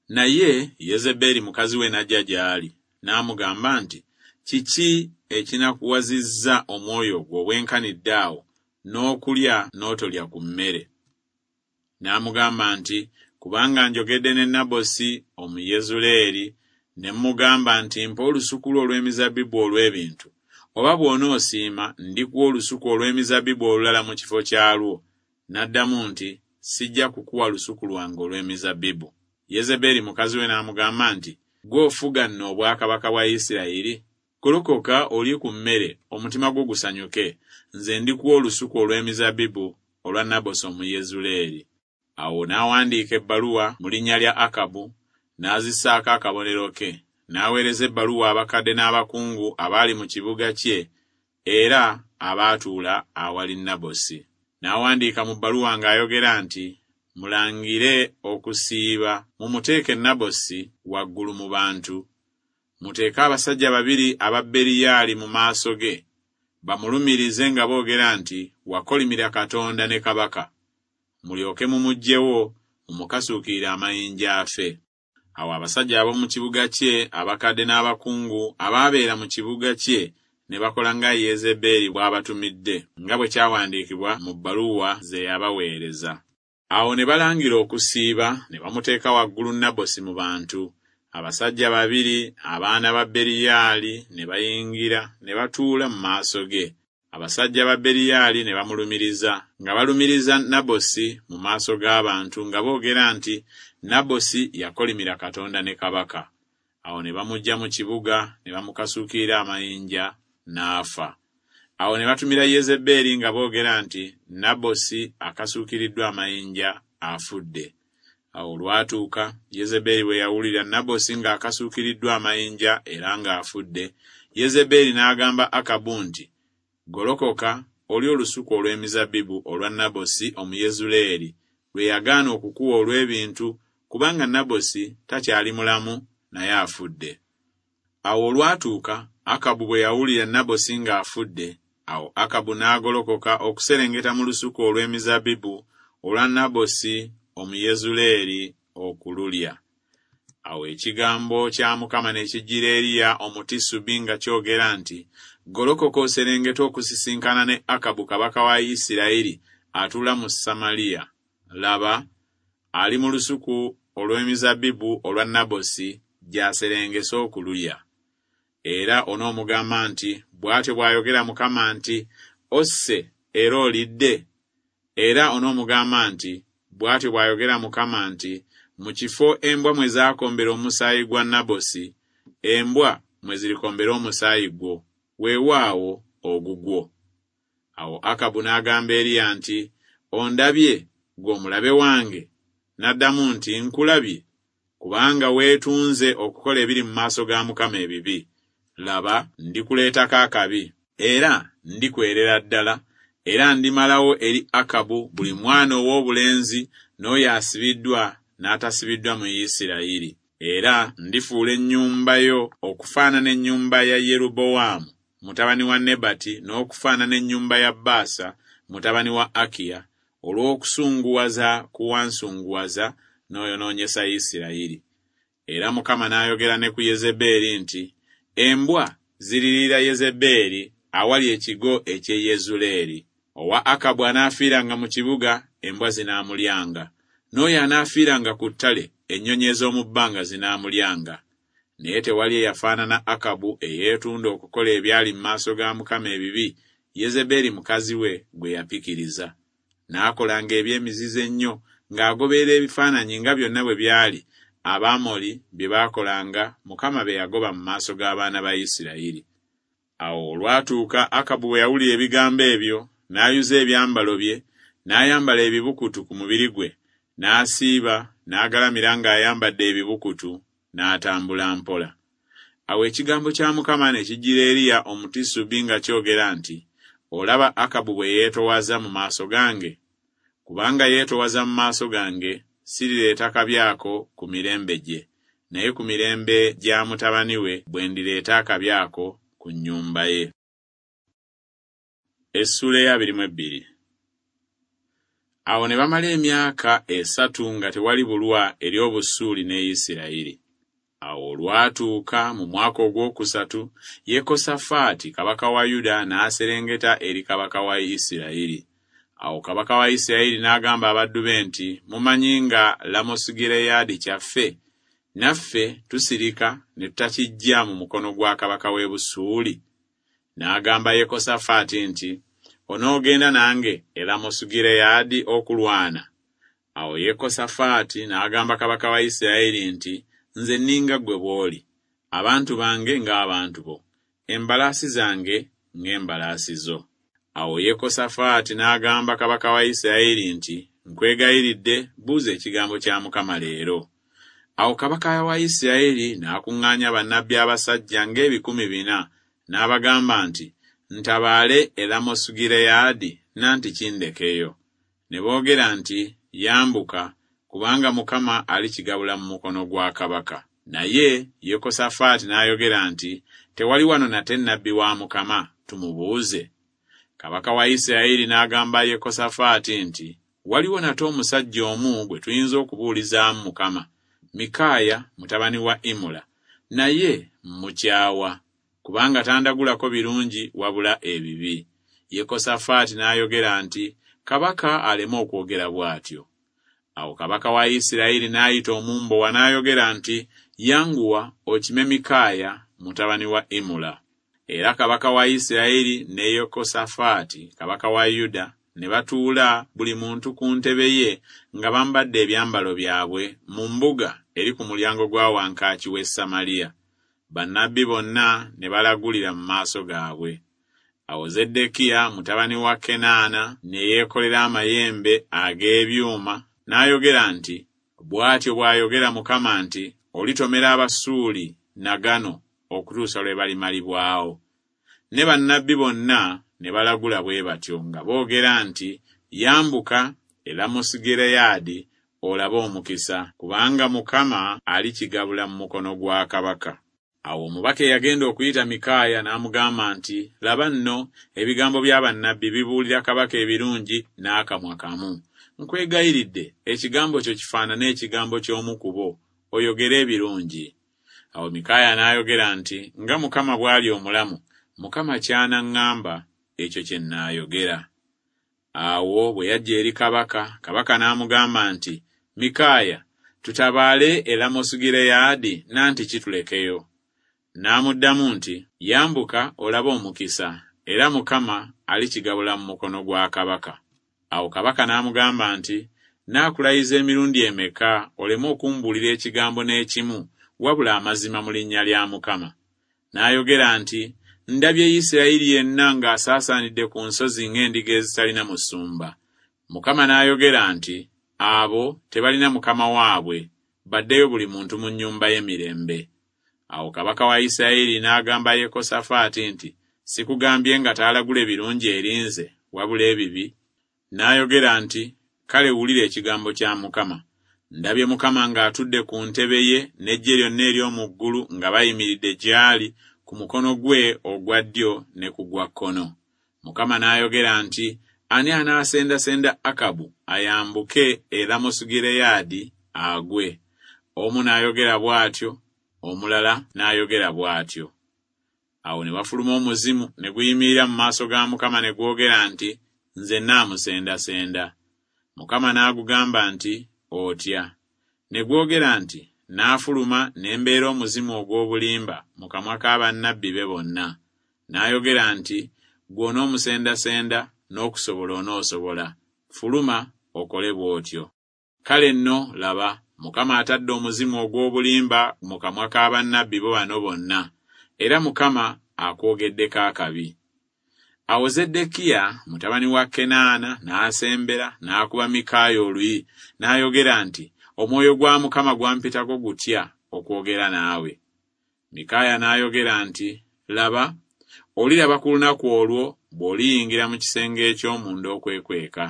Naye Yezeberi mukazi we n'ajja gy'ali, n'amugamba nti, Kiki ekinakuwazizza omwoyo gwo obwenkanidde awo, n'okulya n'otolya ku mmere? N'amugamba nti, Kubanga njogedde ne Nabosi Omuyezuleeri, ne mmugamba nti, Mpa olusuku lwo olw'emizabbibu olw'ebintu, oba bw'onoosiima ndikuwa olusuku olw'emizabbibu olulala mu kifo kyalwo. N'addamu nti, Sijja kukuwa lusuku lwange olw'emizabbibu. Yezeberi mukazi we n'amugamba nti, Ggwe ofuga nno obwakabaka bwa Isirayiri? Golokoka olye ku mmere, omutima gwo gusanyuke. Nze ndikuwa olusuku olw'emizabbibu olwa Nabosi Omuyezuleeri. Awo n'awandiika ebbaluwa mu linnya lya Akabu, n'azissaako akabonero ke, n'aweereza ebbaluwa abakadde n'abakungu abaali mu kibuga kye era abaatuula awali Nabosi. N'awandiika mu bbaluwa ng'ayogera nti, Mulangire okusiiba, mumuteeke Nabosi waggulu mu bantu. Muteeke abasajja babiri aba Beriyaali mu maaso ge, bamulumirize nga boogera nti, Wakolimira Katonda ne kabaka. Mulyoke mumuggyewo, mumukasuukirire amayinja afe. Awo abasajja ab'omu kibuga kye, abakadde n'abakungu abaabeera mu kibuga kye, ne bakola nga Yezeberi bw'abatumidde, nga bwe kyawandiikibwa mu bbaluwa ze yabaweereza. Awo ne balangira okusiiba, ne bamuteeka waggulu Nabosi mu bantu. Abasajja babiri abaana ba Beriyaali ne bayingira ne batuula mu maaso ge. Abasajja ba Beriyaali ne bamulumiriza, nga balumiriza Nabosi mu maaso g'abantu nga boogera nti, Nabosi yakolimira Katonda ne kabaka. Awo ne bamuggya mu kibuga ne bamukasuukirira amayinja, n'afa. Awo ne batumira Yezeberi nga boogera nti, Nabosi akasuukiriddwa amayinja, afudde. Awo olwatuuka, Yezeberi bwe yawulira Nabosi ng'akasuukiriddwa amayinja era ng'afudde, Yezeberi n'agamba Akabu nti, Golokoka olye olusuku olw'emizabbibu olwa Nabosi Omuyezuleeri lwe yagaana okukuwa olw'ebintu, kubanga Nabosi takyali mulamu naye afudde. Awo olwatuuka, Akabu bwe yawulira Nabosi ng'afudde, awo Akabu n'agolokoka okuserengeta mu lusuku olw'emizabbibu olwa Nabosi Omuyezuleeri okululya. Awo ekigambo kya Mukama ne kijjira Eriya Omutisubi nga kyogera nti, Golokoka oserengete okusisinkana ne Akabu kabaka wa Isirayiri atuula mu Samaliya. Laba, ali mu lusuku olw'emizabbibu olwa Nabosi gy'aserengese okululya. Era onoomugamba nti, Bw'atyo bw'ayogera Mukama nti, Osse era olidde? Era onoomugamba nti, Bw'atyo bw'ayogera Mukama nti, Mu kifo embwa mwe zaakombera omusaayi gwa Nabosi, embwa mwe zirikombera omusaayi gwo, weewaawo ogugwo. Awo Akabu n'agamba Eriya nti, Ondabye, ggwe omulabe wange? N'addamu nti, Nkulabye, kubanga weetunze okukola ebiri mu maaso ga Mukama ebibi. Laba, ndikuleetako akabi, era ndikwerera ddala, era ndimalawo eri Akabu buli mwana ow'obulenzi n'oyo asibiddwa n'atasibiddwa mu Isirayiri. Era ndifuula ennyumba yo okufaanana ennyumba ya Yerubowaamu mutabani wa Nebati n'okufaanana ennyumba ya Baasa mutabani wa Akiya, olw'okusunguwaza ku wansunguwaza n'oyonoonyesa Isirayiri. Era Mukama n'ayogera ne ku Yezebeeri nti, Embwa ziririira Yezebeeri awali ekigo eky'e Yezuleeri. Owa Akabu anaafiiranga mu kibuga, embwa zinaamulyanga, n'oyo anaafiiranga ku ttale, ennyonyi ez'omu bbanga zinaamulyanga. Naye tewali eyafaanana Akabu eyeetunda okukola ebyali mu maaso ga Mukama ebibi, Yezebeeri mukazi we gwe yapikiriza. N'akolanga eby'emizizo ennyo ng'agoberera ebifaananyi nga byonna bwe byali Abamoli bye baakolanga Mukama be yagoba mu maaso g'abaana ba Isirayiri. Awo olwatuuka Akabu bwe yawulira ebigambo ebyo, n'ayuza ebyambalo bye, n'ayambala ebibukutu ku mubiri gwe, n'asiiba, n'agalamira ng'ayambadde ebibukutu, n'atambula mpola. Awo ekigambo kya Mukama ne kijjira Eriya Omutisubi nga kyogera nti, Olaba Akabu bwe yeetowaza mu maaso gange? Kubanga yeetowaza mu maaso gange, sirireeta kabi ako ku mirembe gye, naye ku mirembe gya mutabani we bwe ndireeta akabi ako ku nnyumba ye. Essuula ey'abiri mu ebbiri. Awo ne bamala emyaka esatu nga tewali bulwa eri Obusuuli ne Isirayiri. Awo olwatuuka mu mwaka ogwokusatu, Yekosafaati kabaka wa Yuda n'aserengeta eri kabaka wa Isirayiri. Awo kabaka wa Isirayiri n'agamba abaddu be nti, Mumanyi nga Lamosugireyaadi kyaffe, naffe tusirika ne tutakiggya mu mukono gwa kabaka w'e Busuuli? N'agamba Yekosafaati nti, Onoogenda nange e Lamosugireyaadi okulwana? Awo Yekosafaati n'agamba kabaka wa Isirayiri nti, Nze nninga ggwe bw'oli, abantu bange ng'abantu bo, embalaasi zange ng'embalaasi zo. Awo Yekosafaati n'agamba kabaka wa Isirayiri nti, Nkwegayiridde, buuza ekigambo kya Mukama leero. Awo kabaka wa Isirayiri n'akuŋŋaanya bannabbi abasajja ng'ebikumi bina, n'abagamba nti, Ntabaale e Lamosugireyaadi nanti kindekeyo. Ne boogera nti, Yambuka, kubanga Mukama alikigabula mu mukono gwa kabaka. Naye Yekosafaati n'ayogera nti, Tewali wano nate nnabbi wa Mukama, tumubuuze. Kabaka wa Isirayiri n'agamba Yekosafaati nti, Waliwo nate omusajja omu gwe tuyinza okubuulizaamu Mukama, Mikaaya mutabani wa Imula, naye mmukyawa, kubanga tandagulako birungi wabula ebibi. Yekosafaati n'ayogera nti, Kabaka aleme okwogera bw'atyo. Awo kabaka wa Isirayiri n'ayita omumbowa n'ayogera nti, Yanguwa okime Mikaaya mutabani wa Imula. Era kabaka wa Isirayiri ne Yekosafaati kabaka wa Yuda ne batuula buli muntu ku ntebe ye nga bambadde ebyambalo byabwe mu mbuga eri ku mulyango gwa wankaaki w'e Samaliya. Bannabbi bonna ne balagulira mu maaso gaabwe. Awo Zeddekiya mutabani wa Kenaana ne yeekolera amayembe ag'ebyuma n'ayogera nti, Bw'atyo bw'ayogera Mukama nti, Olitomera Abasuuli nagano okutuusa lwe balimalibwawo. Ne bannabbi bonna ne balagula bwe batyo nga boogera nti, Yambuka e Lamosugireyaadi olabe omukisa, kubanga Mukama alikigabula mu mukono gwa kabaka. Awo omubaka eyagenda okuyita Mikaaya n'amugamba nti, Laba nno, ebigambo bya bannabbi bibuulira kabaka ebirungi n'akamwa kamu. Nkwegayiridde, ekigambo kyo kifaanane ekigambo ky'omu ku bo, oyogere ebirungi. Awo Mikaaya n'ayogera nti, Nga Mukama bw'ali omulamu, Mukama ky'anaŋŋamba, ekyo kye nnaayogera. Awo bwe yajja eri kabaka, kabaka n'amugamba nti, Mikaaya, tutabaale e Lamosugireyaadi nanti kitulekeyo. N'amuddamu nti, Yambuka olabe omukisa, era Mukama alikigabula mu mukono gwa kabaka. Awo kabaka n'amugamba nti, Naakulayiza emirundi emeka oleme okumbuulira ekigambo n'ekimu, wabula amazima mu linnya lya Mukama. N'ayogera nti, Ndabye Isirayiri yenna ng'asaasaanidde ku nsozi ng'endiga ezitalina musumba. Mukama n'ayogera nti, Abo tebalina mukama waabwe, baddeyo buli muntu mu nnyumba ye mirembe. Awo kabaka wa Isirayiri n'agamba Yekosafaati nti, Sikugambye nga taalagule birungi eri nze, wabula ebibi? N'ayogera nti, Kale wulira ekigambo kya Mukama. Ndabye Mukama ng'atudde ku ntebe ye n'eggye lyonna ery'omu ggulu nga bayimiridde gy'ali ku mukono gwe ogwa ddyo ne ku gwa kkono. Mukama n'ayogera nti, Ani anaasendasenda Akabu ayambuke e Lamosugireyaadi agwe? Omu n'ayogera bw'atyo, omulala n'ayogera bw'atyo. Awo ne wafuluma omuzimu ne guyimirira mu maaso ga Mukama ne gwogera nti, Nze nnaamusendasenda. Mukama n'agugamba nti, Otya? Ne gwogera nti, Naafuluma ne mbeera omuzimu ogw'obulimba mu kamwa ka bannabbi be bonna. N'ayogera nti, Ggwe onoomusendasenda, n'okusobola onoosobola. Fuluma okole bw'otyo. Kale nno laba, Mukama atadde omuzimu ogw'obulimba mu kamwa ka bannabbi bo bano bonna, era Mukama akwogeddeko akabi. Awo Zeddekiya mutabani wa Kenaana n'asembera n'akuba Mikaaya oluyi, n'ayogera nti, Omwoyo gwa Mukama gwampitako gutya okwogera naawe? Mikaaya n'ayogera nti, Laba, oliraba ku lunaku olwo bw'oliyingira mu kisenge eky'omunda okwekweka.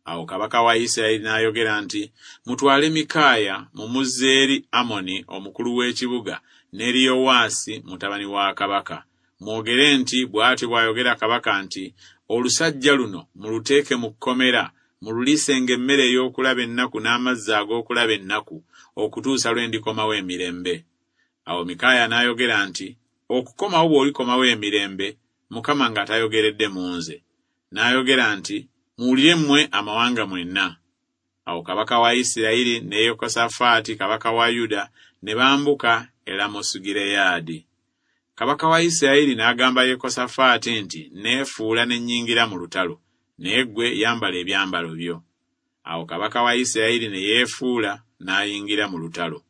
Awo kabaka wa Isirayiri n'ayogera nti, Mutwale Mikaaya mumuzze eri Amoni omukulu w'ekibuga n'eri Yowaasi mutabani wa kabaka. Mwogere nti, Bw'atyo bw'ayogera kabaka nti, Olusajja luno muluteeke mu kkomera, mululiisenga emmere ey'okulaba ennaku n'amazzi ag'okulaba ennaku, okutuusa lwe ndikomawo emirembe. Awo Mikaaya n'ayogera nti, Okukomawo bw'olikomawo emirembe, Mukama nga tayogeredde mu nze. N'ayogera nti, Muwulire mmwe amawanga mwenna. Awo kabaka wa Isirayiri ne Yekosafaati kabaka wa Yuda ne bambuka e Lamosugireyaadi. Kabaka wa Isirayiri n'agamba Yekosafaati nti, Neefuula ne nnyingira mu lutalo, naye ggwe yambala ebyambalo byo. Awo kabaka wa Isirayiri ne yeefuula n'ayingira mu lutalo.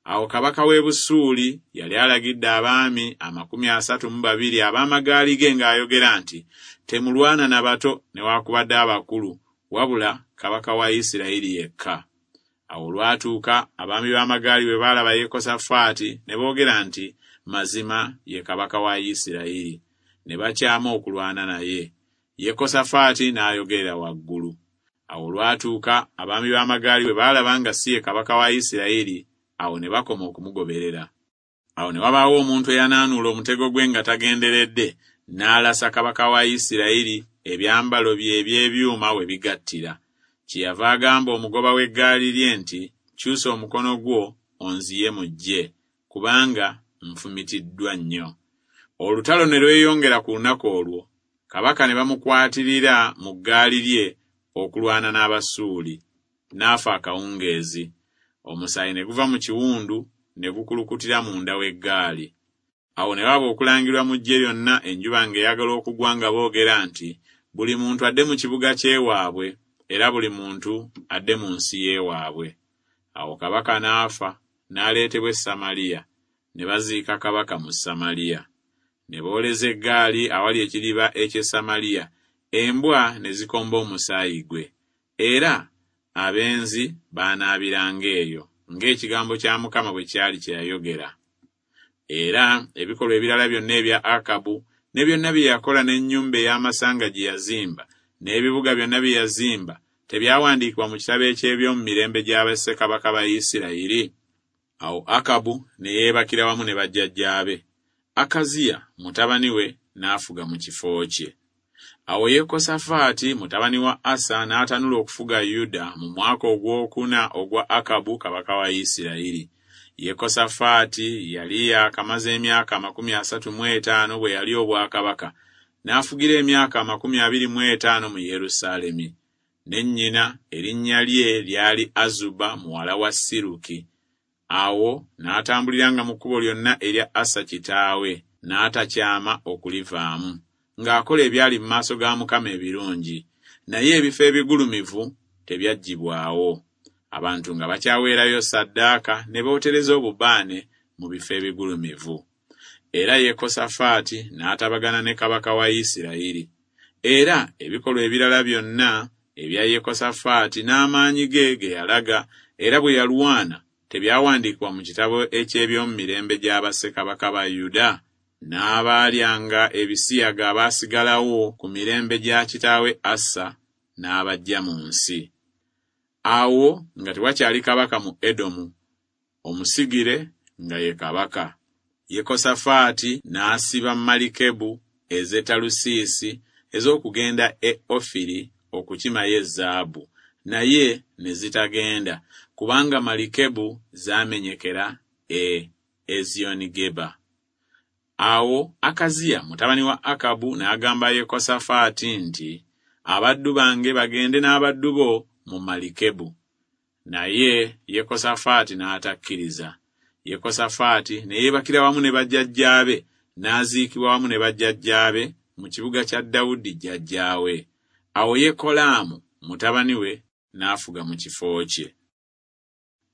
Awo kabaka w'e Busuuli yali alagidde abaami amakumi asatu mu babiri ab'amagaali ge ng'ayogera nti, Temulwana na bato newaakubadde abakulu, wabula kabaka wa Isirayiri yekka. Awo olwatuuka abaami b'amagaali bwe baalaba Yekosafaati ne boogera nti, Mazima ye kabaka wa Isirayiri. Ne bakyama okulwana naye. Yekosafaati n'ayogerera waggulu. Awo olwatuuka abaami b'amagaali bwe baalaba nga si ye kabaka wa Isirayiri, awo ne bakoma okumugoberera. Awo ne wabaawo omuntu eyanaanuula omutego gwe nga tagenderedde, n'alasa kabaka wa Isirayiri ebyambalo bye eby'ebyuma we bigattira. Kyeyava agamba omugoba w'eggaali lye nti, Kyusa omukono gwo onziye mu ggye, kubanga nfumitiddwa nnyo. Olutalo ne lweyongera ku lunaku olwo, kabaka ne bamukwatirira mu ggaali lye okulwana n'Abasuuli, n'afa akawungeezi. Omusaayi ne guva mu kiwundu ne gukulukutira munda w'eggaali. Awo ne waba okulangirwa mu ggye lyonna enjuba ng'eyagala okugwa nga boogera nti, Buli muntu adde mu kibuga ky'ewaabwe, era buli muntu adde mu nsi y'ewaabwe. Awo kabaka n'afa, n'aleetebwa e Samaliya, ne baziika kabaka mu Samaliya. Ne booleza eggaali awali ekidiba eky'e Samaliya, embwa ne zikomba omusaayi gwe. Era abenzi baanaabiranga eyo, ng'ekigambo kya Mukama bwe kyali kye yayogera. Era ebikolwa ebirala byonna ebya Akabu, ne byonna bye yakola n'ennyumba ey'amasanga gye yazimba, n'ebibuga byonna bye yazimba, tebyawandiikibwa mu kitabo eky'eby'omu mirembe gya bassekabaka ba Isirayiri? Awo Akabu ne yeebakira wamu ne bajjajjaabe. Akaziya mutabani we n'afuga mu kifo kye. Awo Yekosafaati mutabani wa Asa n'atanula okufuga Yuda mu mwaka ogwokuna ogwa Akabu kabaka wa Isirayiri. Yekosafaati yali yaakamaze emyaka amakumi asatu mu etaano bwe yali obwakabaka, n'afugira emyaka amakumi abiri mu etaano mu Yerusaalemi. Ne nnyina erinnya lye lyali Azuba muwala wa Siruki. Awo n'atambuliranga mu kkubo lyonna erya Asa kitaawe, n'atakyama okulivaamu, ng'akola ebyali mu maaso ga Mukama ebirungi. Naye ebifo ebigulumivu tebyaggyibwawo. Abantu nga bakyaweerayo ssaddaaka ne bootereza obubaane mu bifo ebigulumivu. Era Yekosafaati n'atabagana ne kabaka wa Isirayiri. Era ebikolwa ebirala byonna ebya Yekosafaati n'amaanyi ge ge yalaga, era bwe yalwana Tebyawandiikibwa mu kitabo eky'eby'omu mirembe gya bassekabaka ba Yuda? N'abaalyanga ebisiyaga abaasigalawo ku mirembe gya kitaawe Asa n'abaggya mu nsi. Awo nga tewakyali kabaka mu Edomu, omusigire nga ye kabaka. Yekosafaati n'asiba malikebu ez'e Talusiisi ez'okugenda e Ofiri okukimayo ezaabu, naye ne zitagenda, kubanga malikebu zaamenyekera e Eziyonigeba. Awo Akaziya mutabani wa Akabu n'agamba Yekosafaati nti, Abaddu bange bagende n'abaddu bo mu malikebu. Naye Yekosafaati n'atakkiriza. Yekosafaati ne yeebakira wamu ne bajjajjaabe, n'aziikibwa wamu ne bajjajjaabe mu kibuga kya Dawudi jjajjaawe. Awo Yekolaamu mutabani we n'afuga mu kifo kye.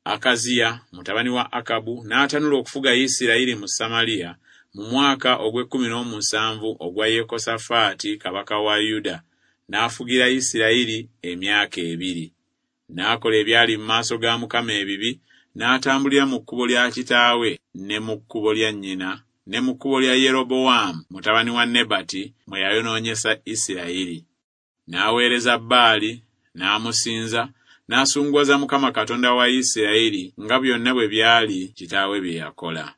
Akaziya mutabani wa Akabu n'atanula okufuga Isirayiri mu Samaliya mu mwaka ogw'ekkumi n'omusanvu ogwa Yekosafaati kabaka wa Yuda, n'afugira Isirayiri emyaka ebiri. N'akola ebyali mu maaso ga Mukama ebibi, n'atambulira mu kkubo lya kitaawe ne mu kkubo lya nnyina ne mu kkubo lya Yerobowaamu mutabani wa Nebati mwe yayonoonyesa Isirayiri. N'aweereza Baali, n'amusinza, n'asunguwaza Mukama Katonda wa Isirayiri nga byonna bwe byali kitaawe bye yakola.